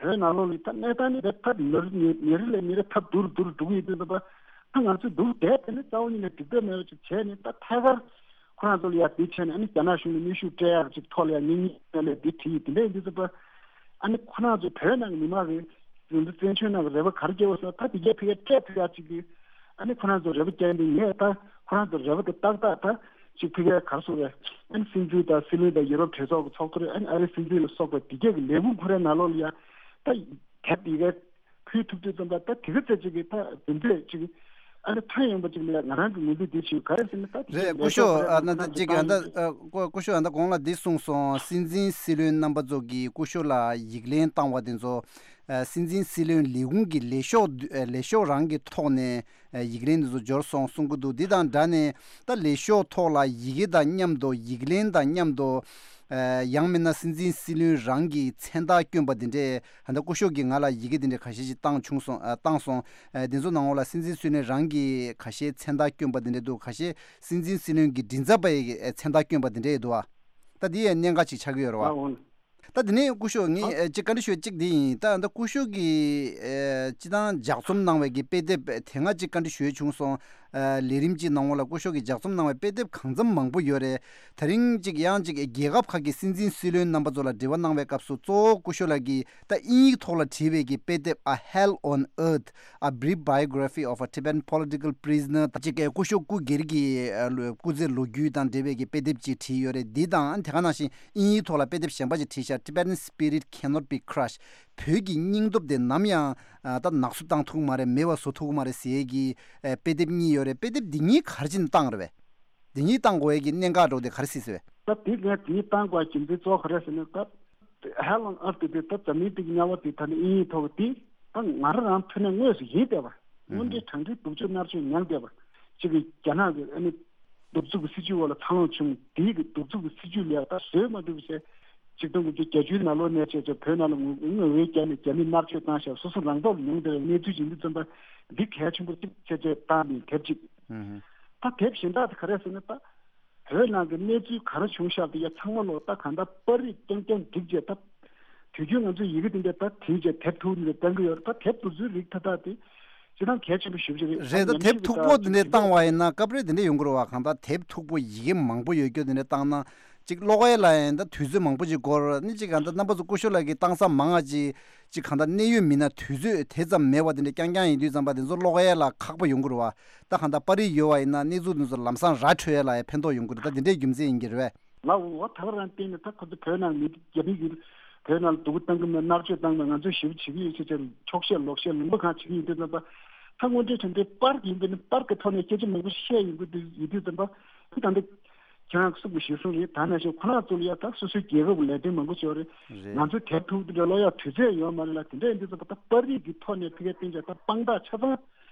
བོད་ནང་ལོགས་ལ་ད་གནས་སྟངས་ནི་ད་ཐབས་ཉེ་རིང་ལས་ཉེ་རིང་ལས་ཉེ་རིང་ཐབས་སྡུག་རུ་སྡུག་རུ་འགྲོ་གི་ཡོད་དུས་ཙམ་པ། ད་ང་ཚོ་འདུག་བསྡད་དེ་ནི་རྩ་བ་ཉིད་ནས་འགྲིག་འདོད་མེད་པ་ཅིག་བྱས་ནས། ད་ཐད་ཀར་ཁོ་རང་ཚོ་ལ་ཡར་འདི་བྱས་ནས་ཨ་ནི་རྒྱ་ནག་གཞུང་ལ་གནོན་ཤུགས་སྤྲད་ཡག་ཅིག་ཐོག་ལ་ཡར་ངེས་ངེས་ལས་འདི་བྲིས་ཡིན། དེ་འདྲ་ཡིན་དུས་ཙམ་པ་ཨ་ནི་ཁོ་རང་ཚོ་བོད་ནང་གི་མི་མང་གི་འཛིན་གྲྭ་བཙན་བྱོལ་ནང་གི་རེ་བ་ག་རེ་སྐྱེ་བ་ཟེར་ན། ད་དེ་གས་ཕ་གིར་སྤྲད་ཐུབ་ཡག་ཅིག་གི་ཨ་ནི་ཁོ་རང་ཚོ་རེ་བ་བསྐྱལ་འདུག་ངས་ད་ཁོ་རང་ཚོ་རེ་བ་དེ་ཏག་ཏག་ད་ཅིག་ཕ་གིར་ག་རེ་ཟེར་རེད། ཨ་ནི་སྲིད་འཛིན་དང་སྲིད་བློན་དང་ཡུ་རོབ་གྲོས་ཚོགས་ཀྱི་ཚོགས་གཙོ་རེད། ཨ་ནི་ཨ་རིའི་སྲིད་འཛིན་ལ་སོགས་པ་དེ་གས་ཀྱི་ལས་ཁུངས་ཁོ་རའི་ནང་ལོགས་ལ་ཡ་ད་དེབ་དེ་གས་ཕུལ་ཐུབ་དུས་ཙམ་པ། ད་དེ་ག་ཚད་ཅིག་གི་ད་དེ་འདྲས་ཅིག་གི་ཨ་ནི་ཐོན་ཡོང་པ་ཅིག་ལ་ང་རང་གི་ངོས་འཛིན་འདི་བྱེད། ག་རེ་ཟེར་ན་ད་དེ་རེད། སྐུ་ཞབས་ཨ་ན་ད་ཅིག་ཨ་ད་ཨ་སྐུ་སྐུ་ཞབས་ཨ་ད་གོང་ལ་འདི་གསུངས་སོང་། སྲིད་འཛིན་སྲིད་བློན་རྣམ་པ་ཚོ་གིས་སྐུ་ཞབས་ལ་ཡིག་ལན་བཏང་བ་དེ་ཚོ་ཨ་སྲིད་འཛིན་སྲིད་བློན་ལས་ཁུངས་ཀྱི་ལས་ཤོག་ཨ་ལས་ཤོག་རང་གི་ཐོག་ནས་ཨ་ཡིག་ལན་དེ་ཚོ་འབྱོར་སོང་གསུང་གི་འདུག་འདི་དང་སྦྲགས་ནས་ད་ལས་ཤོག་ཐོག་ལ་ཡི་གེ་དང་མཉམ་དུ་ཡིག་ལན་དང་མཉམ་དུ་ཨ་ཡང་མིན་ན་སྲིད་འཛིན་སྲིད་བློན་རང་གི་མཚན་རྟགས་བསྐྱོན་པ་འདི་འདྲས། ཨ་ད་སྐུ་ཞབས་ཀྱིས་ང་ལ་ཡི་གེ་འདི་འདྲས་ཁ་ཤས་ཤིག་བཏང་བྱུང་སོང་། ཨ་བཏང་སོང་། ཨ་འདི་ཚོ་ནང་ལོགས་ལ་སྲིད་འཛིན་སྲིད་བློན་རང་གི་ཁ་ཤས་མཚན་རྟགས་བསྐྱོན་པ་འདི་འདྲས་འདུག་ཁ་ཤས་སྲིད་འཛིན་སྲིད་བློན་གྱི་མགྲིན་ཚབ་པ་ཡི་གི་མཚན་རྟགས་བསྐྱོན་པ་འདི་འདྲས་འདུག་ཨ་ད་འདི་ཡང་གནད་འགག་ཅིག་ཆགས་ཀྱི་ཡོད་རེད་བ། ཨོ། ད་འདི་ནས་སྐུ་ཞབས་ངས་ཨ་ཅིག་བཀའ་འདྲི་ཞུ་ཡ་གཅིག་འདི་ཡིན། ད་ད་སྐུ་ཞབས་ཀྱིས་ཨ་སྤྱི་བཏང་ལྗགས་རྩོམ་གནང་བའི་གི་དཔེ་དེབ་དེ་སྔ་ཅིག་བཀའ་འདྲི་ཞུ་ཡ་བྱུང་སོང་། ཨ་ལས་རིམ་གཅིག་ནང་ལོགས་ལ་སྐུ་ཞབས་ཀྱིས་ལྗགས་རྩོམ་གནང་བའི་དཔེ་དེབ་གང་འཚམ་མང་པོ་ཡོད་རེད། ད་རིང་གཅིག་ཡང་གཅིག་རྒྱལ་ཁབ་ཁག་གི་སྲིད་འཛིན་སྲིད་བློན་རྣམ་པ་ཚོ་ལ་འབྲེལ་བ་གནང་བའི་སྐབས་སུ་གཙོ་བོ་སྐུ་ཞབས་ལགས་ཀྱིས་ད་དབྱིན་ཡིག་ཐོག་ལ་བྲིས་པའི་གི་དཔེ་དེབ་A Hell on Earth, A Brief Biography of a Tibetan Political Prisoner ད་ཅིག་སྐུ་ཞབས་སྐུ་སྒེར་གྱི་ཨ་ལོ་སྐུ་ཚེ་ལོ་རྒྱུས་དང་འབྲེལ་བའི་གི་དཔེ་དེབ་ཅིག་བྲིས་ཡོད་རེད། འདི་དང་དེ་ག་ནང་བཞིན་དབྱིན་ཡིག་ཐོག་ལ་དཔེ་དེབ་གཞན་པ་ཅིག་བྲིས་ཤག Tibetan Spirit Cannot Be Crushed. བོད་ཀྱི་སྙིང་སྟོབས་དེ་ནམ་ཡང་ཨ་ད་ནག་བསུབ་བཏང་ཐུབ་ཀྱི་མ་རེད། མེད་པ་བཟོ་ཐུབ་ཀྱི་མ་རེད་ཟེར་ཡས་ཀྱི་ཨ་དཔེ་དེབ་གཉིས་ཡོད་རེད། དཔེ་དེབ་འདི་གཉིས་ག་རེ་བྱས་ནས་བཏང་རེད་པས། འདི་གཉིས་བཏང་དགོས་ཡས་ཀྱི་གནད་འགག་འདྲ་བོ་དེ་ག་རེ་སྲིད་ཟེར་བས། ད་དེ་ངས་དེ་གཉིས་བཏང་དགོས་རྒྱུ་མཚན་གཙོ་བོ་ག་རེ་ཟེར་ན། ད་Hell on Earth དེ་ད་འཛམ་གླིང་སྟེང་གི་དམྱལ་བ་དེ་ད་ནི་དབྱིན་ཡིག་ཐོག་གི་དེ་ད་ང་རང་རང་ཕུལ་ནས་དངོས་སུ་ཡིན་བསྡད་པ། དངོས་འབྲེལ་དྲང་འབྲེལ་སྡུག་སྦྱོང་མནར་གཅོད་མྱངས་བསྡད་པ། གཅིག་གི་རྒྱ་ནག་གི་ཨ་ནི་གདུག་རྩུབ་ཀྱི་སྲིད་བྱུས་འོག་ལ་འཚར་ལོངས་བྱུང་། དེའི་གི་གདུག་རྩུབ་ཀྱི་སྲིད་བྱུས་ལ་ད་བཟོད་མ་ཐུབ་པ་བྱས། ཆིག་སྟོང་དགུ་བརྒྱ་བརྒྱད་ཅུའི་ནང་ལོགས་ནས་བྱས་བྱས་བོད་ནང་ལ་ངོ་ངོ་བོས་བརྒྱབ་ནས་རྒྱ་མིས་མནར་གཅོད་བཏང་བཞག་སོ་སོ་རང་ཐོག་ལ་མྱོང་བསྡད་པའི་གནས་ཚུལ་ཅིག་ཡིན་དུས་ཙམ་པ། འདི་གལ་ཆེན་པོ་གཅིག་བྱས་བྱས་བཏང་ནས་དེབ་གཅིག་ད་དེབ་གཞན་དག་དེ་ག་རེ་ཟེར་ན། ད་བོད་ནང་གི་གནས་ཚུལ་ག་རེ་བྱུང་ཤག་དེ་ཡ་ཚང་མ་ལོག་ད་གང་ལྟར་པར་རིས་རྐྱང་རྐྱང་བསྒྲིགས་བྱས། ད་དུས་རྒྱུན་ང་ཚོས་ཡི་གེ་དེ་འདྲ་ད་བྲིས་བྱས་དེབ་ཐུག་འདི་འདྲ་བཏང་གི་ཡོད་རེད། ད་དེབ་དེ་ཚོའི་རིགས་ད་ལྟ་དེ་ཅི་ཐང་གལ་ཆེན་པོ་ཞེ་པོ་ཅིག་རེད། རེད། ད་ཉམས་དེབ་ཞིབ་མཐུག་པོ་དེ་འདྲ་བཏང་བ་ཡིན་ན་སྐབས་རེ་དེ་འདྲ་ཡོང་གི་རེད་བ། གང་ལྟར་དེབ་མཐུག་པོ་ཡི་གེ་མང་པོ་ཡོད་རྒྱུ་དེ་འདྲ་བཏང་ན་ཅིག་ཀློག་ཡས་ལ་ཡིན་ད་དུས་ཚོད་མང་པོ་ཅིག་འགོར། ནི་ཅིག་གང་ལྟར་རྣམ་པ་ཚོ་སྐུ་ཞབས་ལགས་ཀྱིས་བཏང་ས་མང་ང་ཅིག་ཅིག་གང་ལྟར་གནད་ཡོད་མི་སྣ་དུས་ཚོད་དེ་ཙམ་མེད་པ་དེ་འདྲ་རྐྱང་རྐྱང་ཡིན་དུས་ཙམ་པ་དེ་ཚོ་ཀློག་ཡས་ལ་ཁག་པོ་ཡོང་གི་རེད་བ། ད་གང་ལྟར་པར་རིས་ཡོད་བ་ཡིན་ན་གནས་ཚུལ་དེ་ཚོ་ལམ་སང་ར་འཕྲོད་ཡས་ལ་ཡང་ཕན་ཐོགས་ཡོང་གི་རེད། ད་དེ་འདྲའི་རྒྱུ་མཚན་ཡིན་གྱི་རེད་བས། ལགས་འོ། ད་ག་རང་བལྟས་ནས་ད་ཁོ་ཚོ་བོད་ནང་མི་རྒྱ་མི་གིས་བོད་ནང་ལ་སྡུག་པོ་བཏང་གི་མེད། མནར་གཅོད་བཏང་གི་མེད། ང་ཚོས་ཞེ་པོ་བྱེད་ཀྱི་ཡོད་ཅེས་བྱས་འཁྱོག་བཤད་ལོག་བཤད་ལུང་པ་གང་བྱེད་ཀྱི་ཡོད་དུས་ཙམ་པ། ད་དངོས་འབྲེལ་དྲང་འབྲེལ་པར་གྱི་ཡིན་པས་ནི་པར་གྱི་ཐོག་ནས་སྐད་ཆ་མང་པོ་བཤད་ཡོང་གི་འདུག་ཡོད་དུས་ཙམ་པ། ད་ལྟ་ཁྱེད་རང་གི་གསུང་གི་ཞུ་སོང་རེད། ད་ནང་བཞིན་ཁོ་རང་ཚོ་ལ་ཡ་ད་སོ་སོའི་རྒྱལ་ཁབ་ལས་དོན་མང་པོ་བྱས་རེད། རེད། ང་ཚོའི་དེབ་ཐུག་འདི་འདྲ་ཀློག་ཡ་དུས་ཚོད་ཡོད་མ་རེད་ལ། དེ་འདྲ་ཡིན་དུས་ཙམ་པ་ད་པར་རིས་ཀྱི་ཐོག་ནས་ཕ་གིར་བསྟན་བྱས་ད་དཔང་རྟགས་ཆ་ཚང་བོད་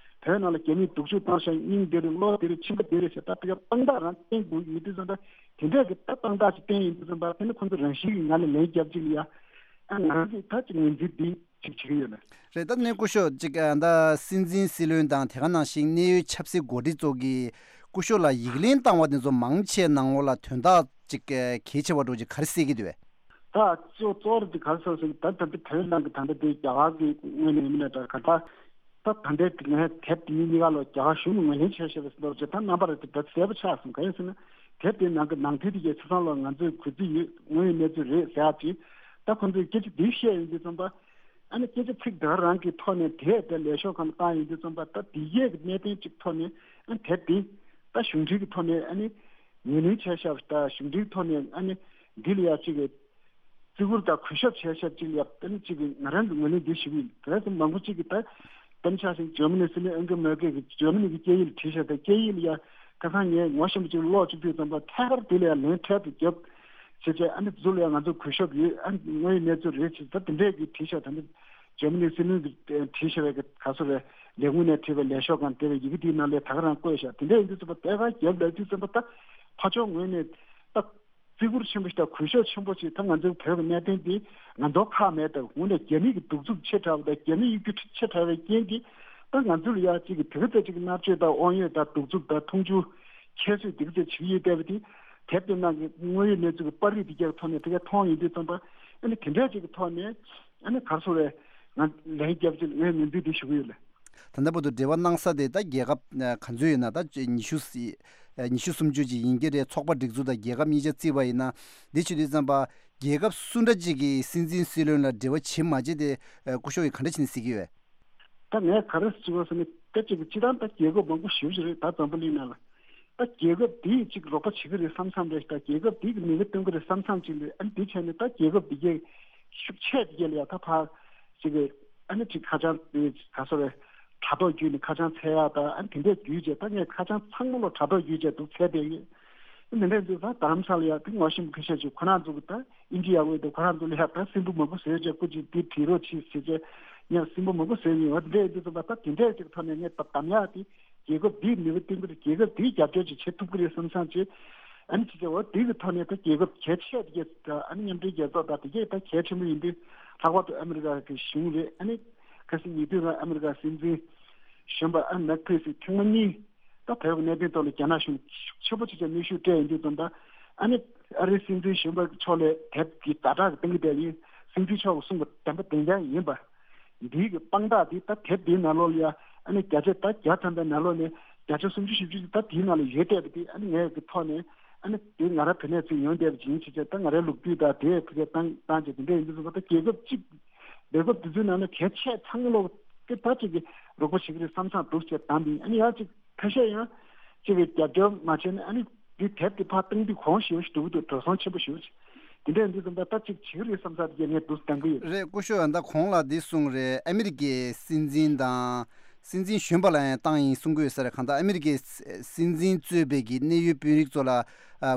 ནང་ལ་རྒྱ་མིས་སྡུག་སྦྱོང་བཏང་ཤག་སྙིང་བདེ་རེད། བློ་བདེ་རེད། ཁྱིམ་པ་བདེ་རེད་ཟེར་ད་ཕ་གིར་དཔང་རྟགས་རང་བསྟན་དགོས་ཡོད་དུས་ཙམ་པ། དེ་འདྲ་གི་ད་དཔང་རྟགས་ཅིག་བསྟན་ཡིན་དུས་ཙམ་པ་དེ་ནི་ཁོང་ཚོ་རང་བཞིན་གྱིས་ང་ལ་ལན་རྒྱབ་ཅིག་ལ་ཡ། ཨ་ང་རང་གིས་ད་ཅིག་ངོས་འཛིན་འདི་ཅིག་བྱེད་ཀྱི་ཡོད་ལ། རེད། ད་ནས་སྐུ་ཞབས་ཅིག་ཨ་ད་སྲིད་འཛིན་སྲིད་བློན་དང་དེ་ག་ནང་བཞིན་གནད་ཡོད་ཆབ་སྲིད་འགོ་ཁྲིད་ཚོ་གིས་སྐུ་ཞབས་ལ་ཡིག་ལན་བཏང་བ་དེ་ཚོ་མང་ཆེ་ནང་ལོགས་ལ་དོན་དག་ཅིག་གལ་ཆེ་བ་འདྲ་ཅིག་ག་རེ་གསལ་གྱི་འདུག་བས། ད་གཙོ་གཙོ་བོ་དེ་ག་རེ་ཟེར་ཟེར་ན། ད་ད་ལྟ་བོད་ནང་གི་ད་ལྟ་དེ་རྒྱ་གར་གྱི་ངོས་ནས་ཡིན་ན་འདྲ་ག་ད་ད་ད་ལྟའི་ངས་དེབ་དེ་གཉིས་གཉིས་ཀ་ལ་རྒྱ་གར་གཞུང་ནས་ངོས་ལེན་བྱས་བཞག་པ་ཟེར་འདྲ་ཅིག་ད་རྣམ་པ་རེ་དེ་ད་གསལ་པོ་ཆགས་སོང་། ག་རེ་ཟེར་ན་དེབ་དེའི་ནང་གི་ནང་དོན་དེ་གའི་ཆ་ཚང་ལ་ང་ཚོས་གུས་བརྩི་ཡོད། དངོས་ཡོད་གནས་ཚུལ་རེད་ཟེར་ཡག་ཅིག་ད་ཁོང་ཚོས་སྐད་ཆ་འདི་བཤད་ཡོང་དུས་ཙམ་པ། ཨ་ནི་སྐད་ཆ་ཚིག་དེ་ག་རང་གི་ཐོག་ནས་དེ་དེ་ལས་ཤོག་སྒང་ལ་བཏང་ཡོང་དུས་ཙམ་པ། ད་དེ་གས་ཀྱི་གནད་དོན་གཅིག་ཐོག་ནས་ཨ་ནི་དེབ་དེ་ད་གཞུང་འབྲེལ་གྱི་ཐོག་ནས་ཨ་ནི་ངོས་ལེན་བྱས་བཞག་པ་དང་། གཞུང་འབྲེལ་ཐོག་ནས་ཨ་ནི་འདི་ལ་ཡ་གཅིག་གི་བརྩི་བཀུར་དང་གུས་ཞབས་བྱས་བཞག་ཅིག་ལ་ཡ། ཨ་ནི་གཅིག་གི་ང་རང་གི་ངོས་ནས་འདི་ཞུ་གི་ཡིན། དེ་ཚོ་མང་པོ་གཅིག་གིས་ད་དཔེར་ན་ཆ་བཞག་ན་ཇར་མ་ནི་སྲིད་བློན་ཨན་གྷེ་ལ་མེར་ཀེལ་གྱིས་ཇར་མ་ནི་གི་སྐད་ཡིག་ལ་བྲིས་བཞག་ད་སྐད་ཡིག་ལ་ཡ་ཁ་སང་ངས་ངོ་ཤེས་པ་ཅིག་ཀློག་བཅུག་དུས་ཙམ་པ། ཐད་ཀར་དེ་ལ་ཡ་ལན་འཕྲལ་དུ་རྒྱབ་བྱས་བྱས། ཨ་ནི་འདི་ཚོ་ལ་ཡ་ང་ཚོ་གུས་ཞབས་ཡོད། ཨ་ནི་དངོས་ཡོད་གནས་ཚུལ་རེད་ཅེས་ད་དེ་འདྲས་ཀྱི་བྲིས་བཞག་ད་ནི་ཇར་མ་ནི་སྲིད་བློན་གྱིས་བྲིས་བཞག་པའི་ག་ཚོད་རེད། ལས་ཁུངས་ནས་བྲིས་པའི་ལས་ཤོག་སྒང་དེ་བའི་ཡི་གེ་དེའི་ནང་ལ་ད་ག་རང་བཀོད་བཞག་དེ་འདྲས་ཡིན་དུས་ཙམ་པ་ཐད་ཀར་རྒྱབ་ལབ་དུས་ཙམ་པ། ད་ཕར་ཕྱོགས་ངོས་ནས་ད་བརྩི་བཀུར་ཆེན་པོ་ཞིག་དང་གུས་ཞབས་ཆེན་པོ་ཞིག་ད་ང་ཚོའི་བོད་ཀྱི་གནད་དོན་འདི་ང་ཚོ་ཁག་མེད། ད་དངོས་གནས་རྒྱ་མི་གི་གདུག་རྩུབ་ཆེ་དྲགས་པ་དང་རྒྱ་མི་གཡོ་སྒྱུ་ཆེ་དྲགས་པའི་རྐྱེན་གྱིས་ད་ང་ཚོ་ལ་ཡ་གཅིག་གི་དེ་ག་ཚོད་ཅིག་གི་མནར་གཅོད་དང་དབང་ཡོད་དང་གདུག་རྩུབ་དང་མཐོང་ཆུང་ཁྱད་གསོད་དེ་ག་ཚོད་བྱེད་ཀྱི་ཡོད་བསྡད་པ་དེ། དེབ་དེ་ནང་གི་དངོས་ཡོད་གནས་ཚུལ་གྱི་པར་རིས་དེ་གའི་ཐོག་ནས་དེ་ག་མཐོང་ཡོང་དུས་ཙམ་པ། ཨ་ནི་དེ་འདྲས་ཅིག་གི་ཐོག་ནས་ཨ་ནི་ག་རེ་ཟེར་རེད། ང་ལན་རྒྱབ་ཅིག་ངས་ངོས་འཛིན་དེ་ཞུ་གི་ཡོད་ལ། ད་ལྟ་བར་དུ་འབྲེལ་བ་གནང་ས་དེ་ད་རྒྱལ་ཁབ་ཨ་ག་ཚོད་ཡོད་ན། ད་ཉི་ཤུ་ཨ་ཉི་ཤུ་སུམ་ཅུ་ཅིག་ཡིན་གྱི་རེད། ཚོགས་པ་སྒྲིག་འཛུགས་དང་རྒྱལ་ཁབ་གཉིས་ཆ་བརྩིས་པ་ཡིན་ན། འདི་བྱེད་དུས་ཙམ་པ་རྒྱལ་ཁབ་སུ་འདྲ་ཅིག་གིས་སྲིད་འཛིན་སྲིད་བློན་ལ་འབྲེལ་བ་བྱེད་མ་བྱེད་དེ་ཨ་སྐུ་ཞབས་ཀྱིས་ག་འདྲ་བྱས་ནས་གཟིགས་ཀྱི་ཡོད། ད་ངས་ག་རེ་ཞུ་དགོས་ཟེར་ན། ད་ཅིག་སྤྱིར་བཏང་ད་རྒྱལ་ཁབ་མང་པོ་ཞེ་པོ་ཅིག་རེད། ད་འཛམ་བུ་གླིང་ནང་ལ་ད་རྒྱལ་ཁབ་འདིས་ཅིག་རོགས་པ་བྱེད་ཀྱི་རེད་བསམ་བསམ་རེད། ད་རྒྱལ་ཁབ་འདི་གིས་མིག་དཔེ་སྟོན་གྱི་རེད་བསམ་བསམ་ཅིག་རེད། ཨ་ནི་འདི་བྱས་ནས་ད་རྒྱལ་ཁབ་འདི་གའི་ཤུགས་ཆེ་འདི་གའི་ལ་ཡ་ད་ཕར་ཅིག་གི་ཨ་ནི་ཅིག་ཁ་བྱང་དེ་ག་ཚོད་རེད། དྲ་ཐོག་བརྒྱུད་ནས་ཁ་བྱང་འཚོལ་ཡག་དང་། ཨ་ནི་དེ་འདྲས་བརྒྱུད་བྱས་ད་ངས་ཁ་བྱང་ཚང་མ་ལོ་དྲ་ཐོག་བརྒྱུད་བྱས་འདུག་འཚོལ་བསྡད་ཡོད། ཨ་ནི་འདི་འདྲས་འདུག་ད་རྡ་རམ་ས་ལ་ཡ་དེ་ངོ་ཤེས་པ་ཁ་ཤས་ཅིག་ཁོ་རང་ཚོ་གི་ད་དབྱིན་ཇི་ཡག་པོ་འདུག་ཁོ་རང་ཚོ་ལ་ཡ་ད་སྲིན་འབུ་མང་པོ་བཟོས་བྱས་སྐུ་མཁྱེན་འདི་བྲིས་རོགས་གྱིས་ཟེར་བྱས་ངས་སྲིན་འབུ་མང་པོ་བཟོས་ཡོད། འོ་དེ་འདྲས་ཡིན་དུས་ཙམ་པ་ད་དེ་འདྲས་ཅིག་ཐོག་ནས་ངས་ད་གདམ་ཡག་དེ། རྒྱལ་ཁབ་འདིའི་ནུས་པ་བསྟན་གྱི་རེད། རྒྱལ་ཁབ་འདིའི་རྒྱབ་སྐྱོར་ཅིག་བྱེད་ཐུབ་ཀྱི་རེད་བསམ་བསམ་བྱས། ཨ་ནི་ཅི་བྱ་བ་འདི་གི་ཐོག་ནས་ད་རྒྱལ་ཁབ་གལ་ཆེ་དེ་གས་ད་ཨ་ནི་མཉམ་འབྲེལ་རྒྱལ་ཚོགས་དང་དེ་གས་ད་གལ་ཆེན་པོ་ཡིན་དུས། ལྷག་པར་དུ་ཨ་མི་རི་ཀ་གི་གཞུང་རེད། ཨ་ནི་ཁ་སང་ཉེ་དུས་ལ་ཨ་མི་རི་ཀ་སྲིད་འཛིན་གཞོན་པ་ཨ་མེག་ཕེན་སི་ཐེངས་མ་གཉིས་ད་བོད་ཀྱི་གནད་དོན་ཐོག་ལ་རྒྱ་ནག་གཞུང་ཤུགས་ཆེན་པོ་ཅིག་ཀྱང་གནོན་ཤུགས་སྤྲད་ཡོང་དུས་ཙམ་པ། ཨ་ནི་ཨ་རིའི་སྲིད་འཛིན་གཞོན་པ་ཕྱོགས་ལ་དེབ་ཀྱི་ཛ་དྲག་གི་གཏོང་གི་བསྡད་ཡིན། སྲིད་འཛིན་མཆོག་གིས་གསུངས་པ་བདེན་པ་བདེན་རྐྱང་ཡིན་པ། འདིའི་གི་དཔང་རྟགས་འདི་ད་དེབ་འདིའི་ནང་ལོགས་ལ་ཡ། ཨ་ནི་བརྒྱ་ཆ་ད་བརྒྱ་ཐམ་པའི་ནང་ལོགས་ནས་བརྒྱ་ཆ་སུམ་ཅུ་བཞི་བཅུ་ད་དེའི་ནང་ལ་ཡོད་བསྡད་པ་དེ། ཨ་ནི་ངས་གི་ཐོག་ནས་ཨ་ནི་དེ་ང་རང་བོད་ནས་ཚུར་ཡོང་བསྡད་པ་ཅིག་ཡིན་ཕྱིན་ཆད། ད་ང་རའི་ལོ་རྒྱུས་དང་དེ་ཕ་གིར་བཏང་བཏང་བྱས་དེ་འདྲ་ཡིན་དུས་ཙམ་པ། ད་རྒྱལ་ཁབ་གཅིག་རྒྱལ་ཁབ་དེ་ཚོའི་ནང་ནས་གལ་ཆེ་ཚང་མ་ལོག་དེ་ད་ཅིག་གི་རོགས་པ་བྱེད་ཀྱི་རེད་བསམ་བསམ་འདུག་བྱས་བཏང་པ་ཡིན། ཨ་ནི་ཡང་ཅིག་ཁ་ཤས་ཡང་ཅིག་གི་རྒྱབ་སྐྱོར་མ་བྱས་ན། ཨ་ནི་འདི་དེབ་དེ་ཕར་བཏང་དུས་གོང་ཞེ་པོ་ཞིག་འགྲོ་གི་འདུག་འགྲོ་སོང་ཆེན་པོ་ཞེ་པོ་ཅིག་དེ་འདྲ་ཡིན་དུས་ཙམ་པ་ད་ཅིག་བྱེད་ཀྱི་རེད་བསམ་ས་དེ་གས་ངས་འདུག་བཏང་གི་ཡོད། རེད། སྐུ་ཞབས་ཡང་ད་གོང་ལ་འདི་གསུངས་རེད། ཨ་མི་རི་ཀའི་སྲིད་འཛིན་དང་སྲིད་འཛིན་གཞོན་པ་ལ་ཡང་བཏང་ཡིན་གསུང་གི་ཡོད་ས་རེད། གང་ལྟར་ཨ་མི་རི་ཀའི་སྲིད་འཛིན་གཙོས་པའི་གི་གནད་ཡོད་དཔོན་རིགས་ཚོ་ལ་ཨ་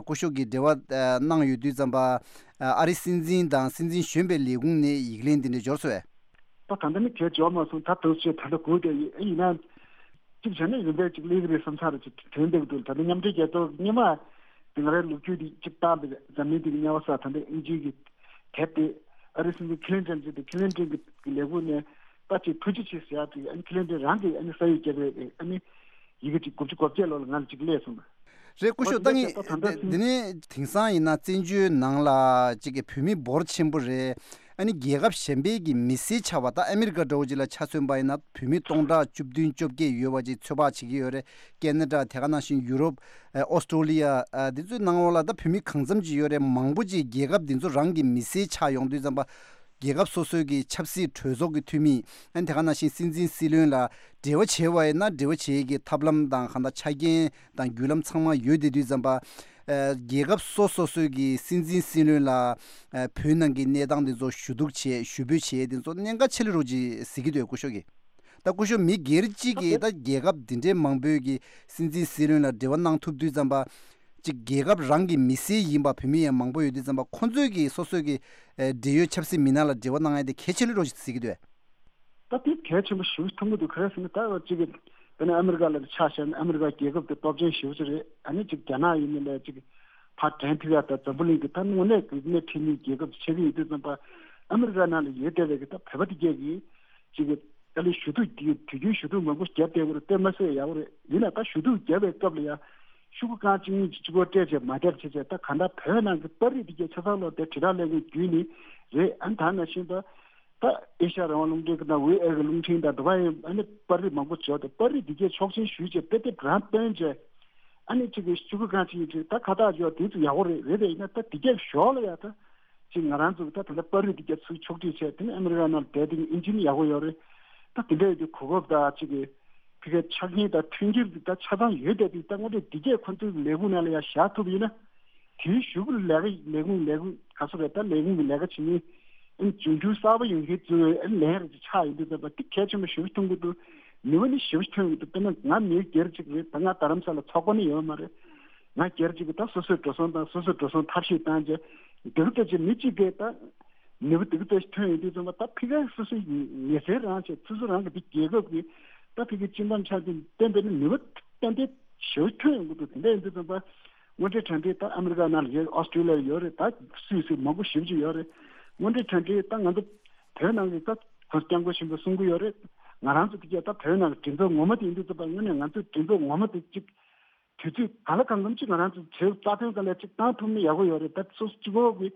སྐུ་ཞབས་ཀྱིས་འབྲེལ་བ་ཨ་གནང་ཡོད་དུས་ཙམ་པ། ཨ་ཨ་རིའི་སྲིད་འཛིན་དང་སྲིད་འཛིན་གཞོན་པའི་ལས་ཁུངས་ནས་ཡིག་ལན་འདི་འདྲ་འབྱོར་སོང་བས། ད་ད་ལྟ་ནི་གས་འབྱོར་མ་སོང་། ད་དུང་ཆེ་ད་ལྟ་སྒུག་བསྡད་ཡོད། ཨེ་ཡིན་ན། གཅིག་བྱས་ན་ཡོན་ཏན་གཅིག་སླེབས་ཀྱི་རེད་བསམ་ས་རེད། ཅིག་དྲན་བསྡད་ཀྱི་འདུག་ད་ལྟ་མཉམ་འབྲེལ་རྒྱལ་ཚོགས་སྔོན་མ་དེ་ང་རའི་ལོ་རྒྱུས་དེ་གཅིག་བཏང་བས། འཛམ་གླིང་དེ་གི་དམྱལ་བ་ས་ད་ལྟ་དབྱིན་ཇི་གི་དེབ་དེ་ཨ་རིའི་སྲིད་འཛིན་ཁི་ལིན་ཏོན་ཅིག་དེ་ཁི་ལིན་ཏོན་གི་ལས་ཁུངས་ནས་ད་ཅིག་ཐུགས་རྗེ་ཆེ་ཟེར་ཡག་ཅིག་ཨ་ནི་ཁི་ལིན་ཏོན་རང་གིས་ཨ་ནི་ས་ཡིག་བརྒྱབ་པའི་ཨ་ནི་ཡི་གེ་ཅིག་དགུ་བཅུ་གོ་བརྒྱད་ལོ་ལ་ང་ལ་ཅིག་སླེབས་སོང་། རེད། སྐུ་ཞབས། ད་ངས་འོ་དེ་འདྲ་ད་ད་འདི་ད་འདི་ནས་དེང་སང་ཡིན་ན་བཙན་བྱོལ་ནང་ལ་ཅིག་གི་བོད་མི་འབོར་ཆེན་པོ་རེད། ཨ་ནི་རྒྱལ་ཁབ་གཞན་པའི་གི་མི་སེར་ཆགས་པ། ད་ཨ་མི་རི་ཀ་འདྲ་བོ་ཅིག་ལ་ཆ་མཚོན་པ་ཡིན་ན་བོད་མི་སྟོང་ཕྲག་བཅུ་བདུན་བཅོ་བརྒྱད་ཡོད་པ་ཅིག་ཚོད་དཔག་བྱེད་ཀྱི་ཡོད་རེད། ཁེ་ན་ཌ། དེ་ག་ནང་བཞིན་ཡུ་རོབ། ཨ་ཨོ་སི་ཀྲོ་ལི་ཡ། ཨ་འདི་ཚོའི་ནང་ལོགས་ལ་ད་བོད་མི་གང་འཚམ་ཅིག་ཡོད་རེད། མང་པོ་ཅིག་རྒྱལ་ཁབ་འདི་ཚོ་རང་གི་མི་སེར་ཆགས་ཡོང་དུས་ཙམ་པ། རྒྱལ་ཁབ་སོ་སོའི་གི་ཆབ་སྲིད་གྲོས་ཚོགས་ཀྱི་འཐུས་མི། ཨ་ནི་དེ་ག་ནང་བཞིན་སྲིད་འཛིན་སྲིད་བློན་ལ་འབྲེལ་བ་བྱས་པ་ཡིན་ན་འབྲེལ་བ་བྱེད་ཀྱི་ཐབས་ལམ་དང་གང་ལྟར་ཆ་རྐྱེན་དང་བརྒྱུད་ལམ་ཚང་མ་ཡོད་བསྡད་དུས་ཙམ་པ། ཨ་རྒྱལ་ཁབ་སོ་སོ་སོའི་གི་སྲིད་འཛིན་སྲིད་བློན་ལ་ཨ་བོད་ནང་གི་གནས་སྟངས་དེ་ཚོ་ཞུ་གཏུག་བྱས། ཞུ་འབོད་བྱས། དེ་ཚོ་གནད་འགག་ཆེ་ལོས་རོགས་ཅིག་གཟིགས་ཀྱི་འདུག་སྐུ་ཞབས་ཀྱིས། ད་སྐུ་ཞབས་མི་སྒེར་གཅིག་གིས་ད་རྒྱལ་ཁབ་འདི་འདྲའི་མང་པོའི་གི་སྲིད་འཛིན་སྲིད་བློན་ལ་འབྲེལ་བ་གནང་ཐུབ་དུས་ཙམ་པ། ཅིག་རྒྱལ་ཁབ་རང་གི་མི་སེར་ཡིན་པ་བོད་མི་ཡང་མང་པོ་ཡོད་དུས་ཙམ་པ། ཁོང་ཚོས་ཀྱི་སོ་སོའི་གི་ཨེ་འབྲེལ་ཡོད་ཆབ་སྲིད་མི་སྣ་ལ་འབྲེལ་བ་གནང་ཡ་དེ་གལ་ཆེ་ལོས་རོགས་ཅིག་གཟིགས་ཀྱི་འདུག་ད་དེ་གལ་ཆེན་པོ་ཞེ་པོ་མཐོང་གི་འདུག་ག་རེ་ཟེར་ན་ད་གཅིག་གི་དཔེར་ན་ཨ་མི་རི་ཀ་ལ་ཆ་བཞག་ན་ཨ་མི་རི་ཀ་རྒྱལ་ཁབ་དེ་སྟོབས་ཆེན་ཞེ་པོ་ཅིག་རེད། ཨ་ནི་ཅིག་རྒྱ་ནག་ཡིན་ནའི་ལས་ཅིག་ཕར་འགྲན་ཐུབ་ཡ་ད་འཛམ་བུ་གླིང་གི་ད་དངོས་གནས་ཀྱི་སྣེ་ཁྲིད་མཁན་རྒྱལ་ཁབ་ཆགས་ཀྱི་ཡོད་དུས་ཙམ་པ། ཨ་མི་རི་ཀ་ནང་ལ་ཡོད་བསྡད་པའི་གི་ད་བོད་པ་དེ་གས་ཀྱིས་ཅིག་གི་ཨ་ལས་ཞུ་གཏུག་དེ་དུས་རྒྱུན་ཞུ་གཏུག་མང་པོ་བརྒྱབ་བསྡད་ཀྱི་རེད། དཔེ་མ་སྲིད་ཡག་པོ་རེད། ཡིན་ན་ད་ཞུ་གཏུག་བརྒྱབ་པའི་སྐབས་ལ་ཡ་ཤོག་གུ་རྐང་གཅིག་གཉིས་ཀྱི་གཅིག་པོ་སྤྲད་བྱས་མ་བསྡད་བྱས་བྱས། ད་གང་ལྟར་བོད་ནང་གི་པར་རིས་དེ་གས་ཆ་ཚང་ལོག་དེ་དྲིལ་བསྒྲགས་ལས་ཁུངས་བརྒྱུད་ནས་རེད། ཨ་ནི་ད་ནང་བཞིན་ད་ད་ཨེ་ཤ་ཡ་རང་དབང་རླུང་འཕྲིན་གྱི་ནང་ཝི་ཨེ་གི་རླུང་འཕྲིན་དང་འགྲོ་བ་ཡིན། ཨ་ནི་པར་རིས་མང་པོ་འབྱོར་ཏེ་པར་རིས་དེ་གས་ཆོག་མཆན་ཞུས་བྱས་དེ་དེ་རང་བཏོན་བྱས། ཨ་ནི་གཅིག་གི་ཤོག་གུ་རྐང་གཅིག་གཉིས་བྲིས་ད་ཁ་བཏགས་འཇོག་དེ་ཚོ་ཡག་པོ་རེད། རེད་དེ་ཡིན་ན་ད་དེ་གས་ཞོར་ལ་ཡ་ད་ ཅིག་ང་རང་ཚོ་ད་དེ་འདྲ་པར་རིས་འདི་རྒྱ་ཚུལ་ཕྱོགས་སྒྲིག་བྱས། དེ་ནས་ཨ་མི་རི་ཀ་ནང་བསྡད་དེ་ཨིན་ཇི་ནི་ཡག་པོ་ཡོད་རེད། ད་དེ་འདྲ་ཡོད་དུས་གོ་སྐབས་དང་ཅིག་གི་ཕ་གིའི་ཆ་རྐྱེན་དང་མཐུན་འགྱུར་འདི་ད་ཆ་ཚང་ཡོད་བསྡད་དུས། ད་དངོས་འབྲེལ་འདི་གས་ཁོ་ཚོའི་ལས་ཁུངས་ནང་ལ་ཡར་བཞག་ཐུབ་ཡིན་ན། དེའི་གཞུག་གུ་ལས་ཀ་ལས་ཁུངས་ལས་ཁུངས་ག་ཚོད་རེད། ད་ལས་ཁུངས་ཀྱི་ལས་ཀ་བྱེད་མཁན་ཨ་ནི་འབྱུང་འགྱུར་གསར་པ་ཡོང་མཁན་ཚོའི་ཨ་ནི་ལན་རེ་ཅིག་ཆགས་ཡོང་དུས་ཙམ་པ་འདི་གལ་ཆེན་པོ་ཞེ་པོ་མཐོང་གི་འདུག་ནུས་པ་ནི་ཞེ་པོ་ཐོན་ཡོང་གི་འདུག་དཔེར་ན་ང་མི་སྒེར་གཅིག་རེད། ད་ང་རྡ་རམ་ས་ལ་ཚོགས་པ་ནི་ཡོད་མ་རེད། ང་སྒེར་གཅིག་གིས་ད་སོ་སོའི་འགྲོ་སོང་དང་སོ་སོའི་འགྲོ་སོང་ཐབས་ཤེས་བཏང་བྱས་འདི་རུ་ལྟ་ཅིག་མི་གཅིག་གིས་ད་ནུས་པ་འདི་ག་ལྟ་ཞིག་ཐོན་ཡོང་དུས་ཙམ་པ། ད་ཕ་གིའི་སོ་སོའི་ཉེ་སྲིང་རང་བྱས། སོ་སོ་རང་གི་འདི་རྒྱལ་ཁབ་ཀྱི་ད་ཕ་གིའི་སྤྱི་འདོམས་ཆགས་དུས་བསྟན་པའི་ནི་ནུས་པ་ཏན་ཏན་ཞེ་པོ་ཐོན་ཡོང་གི་འདུག་དེ་འདྲ་ཡིན་དུས་ཙམ་པ་དངོས་འབྲེལ་གྲ་སྒྲིག་ད་ཨ་མི་རི་ཀ་ནང་ལ་ཡོད། ཨོ་སི་ཀྲི་ལི་ཡ་ཡོད་རེད། ད་སུད་སི་མང་པོ་ཞེ་པོ་ཅིག་ཡོད་རེད། དངོས་འབྲེལ་གྲ་སྒྲིག་ད་ང་ཚོ་བོད་ནང་གི་ད་གོང་ས་སྐྱབས་མགོན་ཆེན་པོས་གསུང་གི་ཡོད་རེད། ང་རང་ཚོ་དེ་གས་ད་བོད་ནང་གི་མགྲིན་ཚབ་ངོ་མ་དེ་ཡིན་དུས་ཙམ་པ་དངོས་གནས་ང་ཚོའི་མགྲིན་ཚབ་ངོ་མ་དེ་གཅིག་དུས་ཚོད་གང་ལ་གང་འཚམ་ཅིག་ང་རང་ཚོ་བོད་རྩ་དོན་སྒང་ལ་ཅིག་བཏང་ཐུབ་ན་ཡག་པོ་ཡོད་རེད། ད་སོ་སོ་གཅིག་པོ་གི་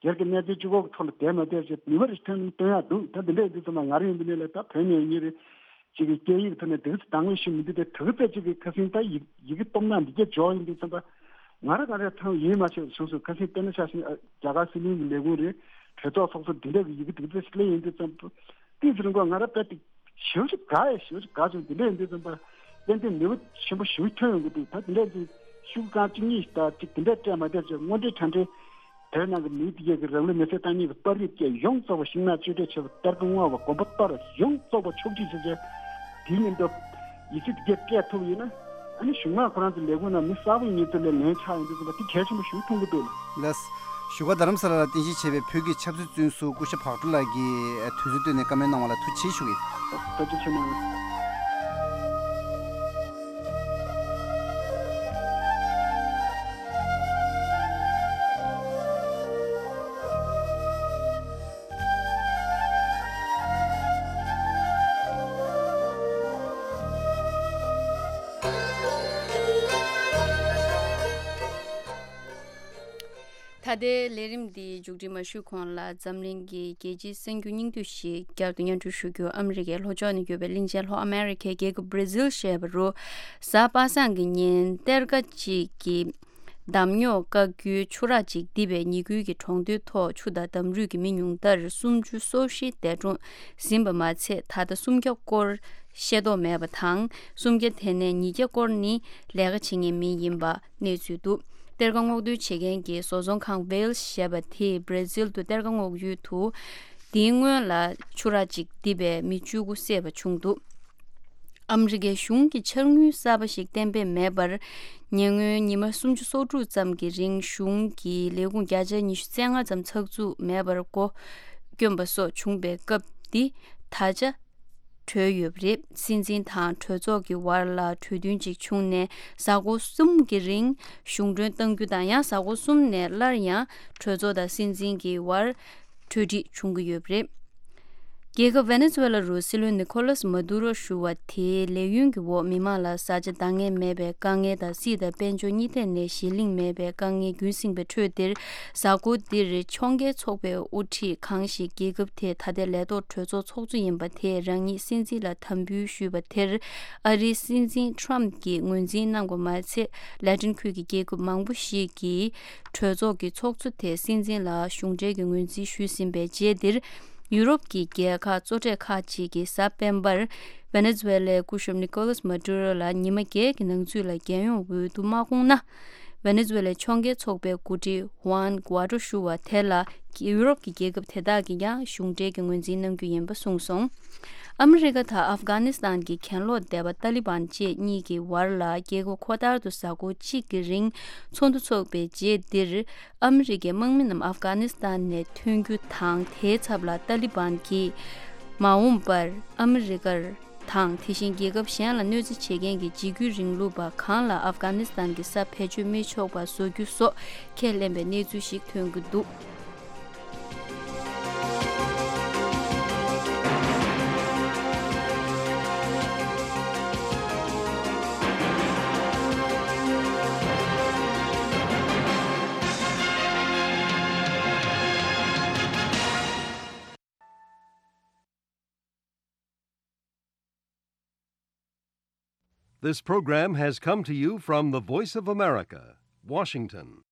སྒེར་གྱི་གནས་ཚུལ་གཅིག་པོ་གི་ཐོག་ལ་བསྡད་མ་བསྡད་ཅིག་ནུས་པ་རེ་ཐོན་སྟོན་ཡག་འདུག་ད་འདི་འདྲ་ཡིན་དུས་ཙམ་པ་ང་རང་ཡིན་པ་ནས་ལ་ད་བོད་ནས་ཡིན་རེད། ཅིག་གི་སྐད་ཡིག་ཐོག་ནས་དེ་ག་ཚོད་དང་བའི་ཤེས་མི་འདུག་དེ་དེ་ག་ཚོད་ཅིག་གི་ཁ་སང་ད་ཡི་ཡི་གེ་གཏོང་ན་འདི་གས་འཇོག་ཡིན་དུས་ཙམ་པ་ང་རང་ག་རེ་ཐང་ཡིན་མ་ཆེ་བ་བྱུང་སོང་། ཁ་སང་དཔེར་ན་ཆ་བཞག་ན་རྒྱ་གར་སྲིད་བློན་གྱི་ལས་ཁུངས་རེད། གྲོས་ཚོགས་ཚོགས་གཙོ་འདི་འདྲ་གི་ཡི་གེ་དེ་ག་ཚོད་ཅིག་སླེབས་ཡོང་དུས་ཙམ་པ་དེ་ཚོ་རིང་པོ་ང་རང་དཔེ་དེ་ཞེ་པོ་ཅིག་དགའ་ཡ། ཞེ་པོ་ཅིག་དགའ་བྱུང་། དེ་འདྲ་ཡིན་དུས་ཙམ་པ་ཏན་ཏན་ནུས་པ་ཆེན་པོ་ཞེ་པོ་ཐོན་ཡོང་གི་འདུག་ད་དེ་འདྲ་ཡིན་དུས་ཤུགས་རྐང་གཅིག་གཉིས་ད་ཅིག་དེ་འདྲ་སྤྲད་མ་བསྡད་ཅིག་དངོས་འབྲེལ་གྲ་སྒྲིག་བོད་ནང་གི་མི་དེ་གས་ཀྱི་རང་ལུས་མེར་སྲེག་བཏང་མཁན་གྱི་པར་རིས་བཅས་ཡོངས་རྫོགས་པ་ཤིང་ནགས་གཅོད་འབྲེག་བྱས་པ། གཏེར་ཁ་སྔོག་པ། དགོན་པ་གཏོར་བ་ཡོངས་རྫོགས་པ་ཕྱོགས་སྒྲིག་བྱས་བྱས་དེའི་མཉམ་དུ་ཡིག་ཆ་དེ་གས་སྤྲད་ཐུབ་ཡིན་ན། ཨ་ནི་གཞུང་མང་ཁོ་རང་ཚོའི་ལས་ཁུངས་ནང་མི་གསར་པ་ཡིན་ཚུལ་ལ་ལན་ཆགས་ཡོང་དུས་ཙམ་པ་དེ་གལ་ཆེན་པོ་ཞིག་མཐོང་གི་འདུག་ལགས། བཞུགས་སྒར་རྡ་རམ་ས་ལ་ལ་རྟེན་གཞི་བྱས་པའི་བོད་ཀྱི་ཆབ་སྲིད་བཙོན་ཟུར་སྐུ་ཞབས་བག་གྲོ་ལགས་ཀྱིས་དུས་ཚོད་བཏོན་ནས་བཀའ་མོལ་གནང་བ་ལ་ཐུགས་རྗེ་ཆེ་ཞུ་གི་ཡིན། ཐུགས་རྗེ་ཆེ་གནང་། ད་ལྟའི་ལས་རིམ་འདི་མཇུག་སྒྲིལ་མ་ཞུས་གོང་ལ་འཛམ་གླིང་གི་རྒྱལ་སྤྱིའི་གསར་འགྱུར་སྙིང་བསྡུས་ཤིག་བསྐྱར་དུ་སྙན་སྒྲོན་ཞུ་རྒྱུ། ཨ་མི་རི་ཀའི་ལྷོ་ཕྱོགས་ནས་ཡོད་པའི་གླིང་ཆེན་ལྷོ་ཨ་མེ་རི་ཁའི་རྒྱལ་ཁབ་བྷར་ཛིལ་ཞེས་པ་རུ་གཟའ་པ་སངས་ཀྱི་ཉིན་གཏེར་ཁ་ཅིག་གིས་འདམ་རྙོག་བཀག་རྒྱུའི་ཆུ་རགས་ཅིག་རྡིབ་པས་ཉིན་དགུན་གྱི་གྲོང་སྡེའི་ཐོག་ཆུ་དང་འདམ་རུད་ཀྱིས་མི་ཉུང་མཐར་སུམ་ཅུ་སོ་བཞི་འདས་གྲོངས་ཟིན་པ་མ་ཚད། ད་ལྟ་སུམ་བརྒྱ་སྐོར་ཤེས་རྟོགས་མེད་པ་དང་། སུམ་བརྒྱ་དེ་ནས་ཉིས་བརྒྱ་སྐོར་ནི་ལས་ཀ་བྱེད་མཁན་མི་ཡིན་པ་གནས་ཚུལ་འདུག་གཏེར་ཁ་སྔོག་འདོན་བྱེད་མཁན་གྱི་བཟོ་ཚོང་ཁང་ཝེལ་ཞེས་པ་དེས་བྷར་ཛིལ་དུ་གཏེར་ཁ་སྔོག་ཡུལ་དུ་དེའི་སྔོན་ལ་ཆུ་རགས་ཅིག་རྡིབ་པས་མི་བཅུ་དགུ་བསད་པ་བྱུང་འདུག་ཨ་མི་རི་ཀའི་གཞུང་གིས་འཆར་དངུལ་གསར་པ་ཞིག་གཏན་འབེབས་མེད་པར། ཉེ་སྔོན་ཉི་མ་སུམ་ཅུ་སོ་དྲུག་ཙམ་གྱི་རིང་གཞུང་གི་ལས་ཁུངས་བརྒྱ་ཆ་ཉི་ཤུ་རྩ་ལྔ་ཙམ་ཚགས་ཚུད་མེད་པར་སྒོ་བསྐྱོན་པ་སོགས་བྱུང་བའི་སྐབས་འདི་ད་ཆ་གྲོལ་ཡོད་པ་རེད། སྲིད་འཛིན་དང་གྲོས་ཚོགས་ཀྱི་བར་ལ་གྲོས་མཐུན་ཅིག་བྱུང་ནས་གཟའ་འཁོར་གསུམ་གྱི་རིང་གཞུང་གྲོན་གཏང་རྒྱུ་དང་། ཡང་གཟའ་འཁོར་གསུམ་ནས་སླར་ཡང་གྲོས་ཚོགས་དང་སྲིད་འཛིན་གྱི་བར་གྲོས་འགྲིག་བྱུང་གི་ཡོད་པ་རེད། རྒྱལ་ཁབ་ཝེ་ནེ་ཛུ་ཝེ་ལ་རུ་སྲིད་བློན་ནི་ཁོ་ལཱས་མ་དུ་རོ་ཞུ་བ་དེའི་ལས་ཡུན་གྱི་འོག་མི་མང་ལ་བཟའ་བཅའ་འདང་ངེས་མེད་པའི་དཀའ་ངལ་དང་། སྲིད་དང་དཔལ་འབྱོར་གཉིས་ཐད་ནས་གཞི་གླིང་མེད་པའི་དཀའ་ངལ་རྒྱུན་བསྲིངས་པའི་ཁྲོད་འདིར། གཟའ་འཁོར་འདིར་ཕྱོགས་འགལ་ཚོགས་པའི་དབུ་ཁྲིད་གང་ཞིག་རྒྱལ་ཁབ་དེའི་ད་ལྟའི་ལས་ཐོག་གྲོས་ཚོགས་ཚོགས་གཙོ་ཡིན་པ་དེས་རང་ཉིད་སྲིད་འཛིན་ལ་དམ་འབུལ་ཞུས་པ་དེར། ཨ་རིའི་སྲིད་འཛིན་ཊམ་གྱིས་ངོས་འཛིན་གནང་བ་མ་ཚད། ལ་ཏིན་ཁུལ་གྱི་རྒྱལ་ཁབ་མང་པོ་ཞིག་གིས་གྲོས་ཚོགས་ཀྱི་ཚོགས་གཙོ་དེ་སྲིད་འཛིན་ལ་གཞུང་འབྲེལ་གྱི་ངོས་འཛིན་ཞུས་ཟིན་པའི་རྗེས་འདིར། ཡུ་རོབ་ཀྱི་རྒྱལ་ཁག་གཙོ་གྲས་ཁག་ཅིག་གིས་གཟའ་སྤེན་པར་ཝེ་ནེ་ཛུ་ཝེ་ལའི་སྐུ་ཞབས་ནི་ཀོ་ལཱས་མ་ཏུ་རོ་ལ་ཉི་མ་བརྒྱད་ཀྱི་ནང་ཚུད་ལ་རྒྱལ་ཡོངས་འོས་བསྡུ་མ་བསྐོངས་ན། ཝེ་ནེ་ཛུ་ཝེ་ལའི་ཕྱོགས་འགལ་ཚོགས་པའི་འགོ་ཁྲིད་ཧུའན་གུ་ཨ་ཏྲོ་ཞུ་བ་དེ་ལ་ཡུ་རོབ་ཀྱི་རྒྱལ་ཁབ་དེ་དག་གིས་ཀྱང་གཞུང་འབྲེལ་གྱི་ངོས་འཛིན་གནང་རྒྱུ་ཡིན་པ་གསུངས་སོང་། ཨ་མི་རི་ཀ་དང་ཨབ་གྷ་ནི་སི་ཐན་གྱི་གྱེན་ལོག་སྡེ་པ་ཏཱ་ལི་བན་བཅས་གཉིས་ཀྱི་བར་ལ་རྒྱལ་ཁབ་ཁོ་ཐར་དུ་གཟའ་འཁོར་གཅིག་གི་རིང་ཚོགས་འདུ་འཚོགས་པའི་རྗེས་འདིར། ཨ་མི་རི་ཀའི་དམག་མི་རྣམས་ཨབ་གྷ་ནི་སི་ཐན་ནས་ཐོན་རྒྱུ་དང་། དེའི་ཚབ་ལ་ཏཱ་ལི་བན་གྱིས་མ་འོངས་པར་ཨ་མི་རི་ཀར་དང་། དེ་བཞིན་རྒྱལ་ཁབ་གཞན་ལ་གནོད་འཚེ་བྱེད་མཁན་གྱི་འཇིགས་སྐུལ་རིང་ལུགས་པ་གང་ལ་ཨབ་གྷ་ནི་སི་ཐན་གྱི་ས་བེད་སྤྱོད་མི་ཆོག་པ་བཟོ་རྒྱུ་སོགས་ཁས་ལེན་པའི་གནས་ཚུལ་ཞིག་ཐོན་གྱི་འདུག This program has come to you from the Voice of America, Washington.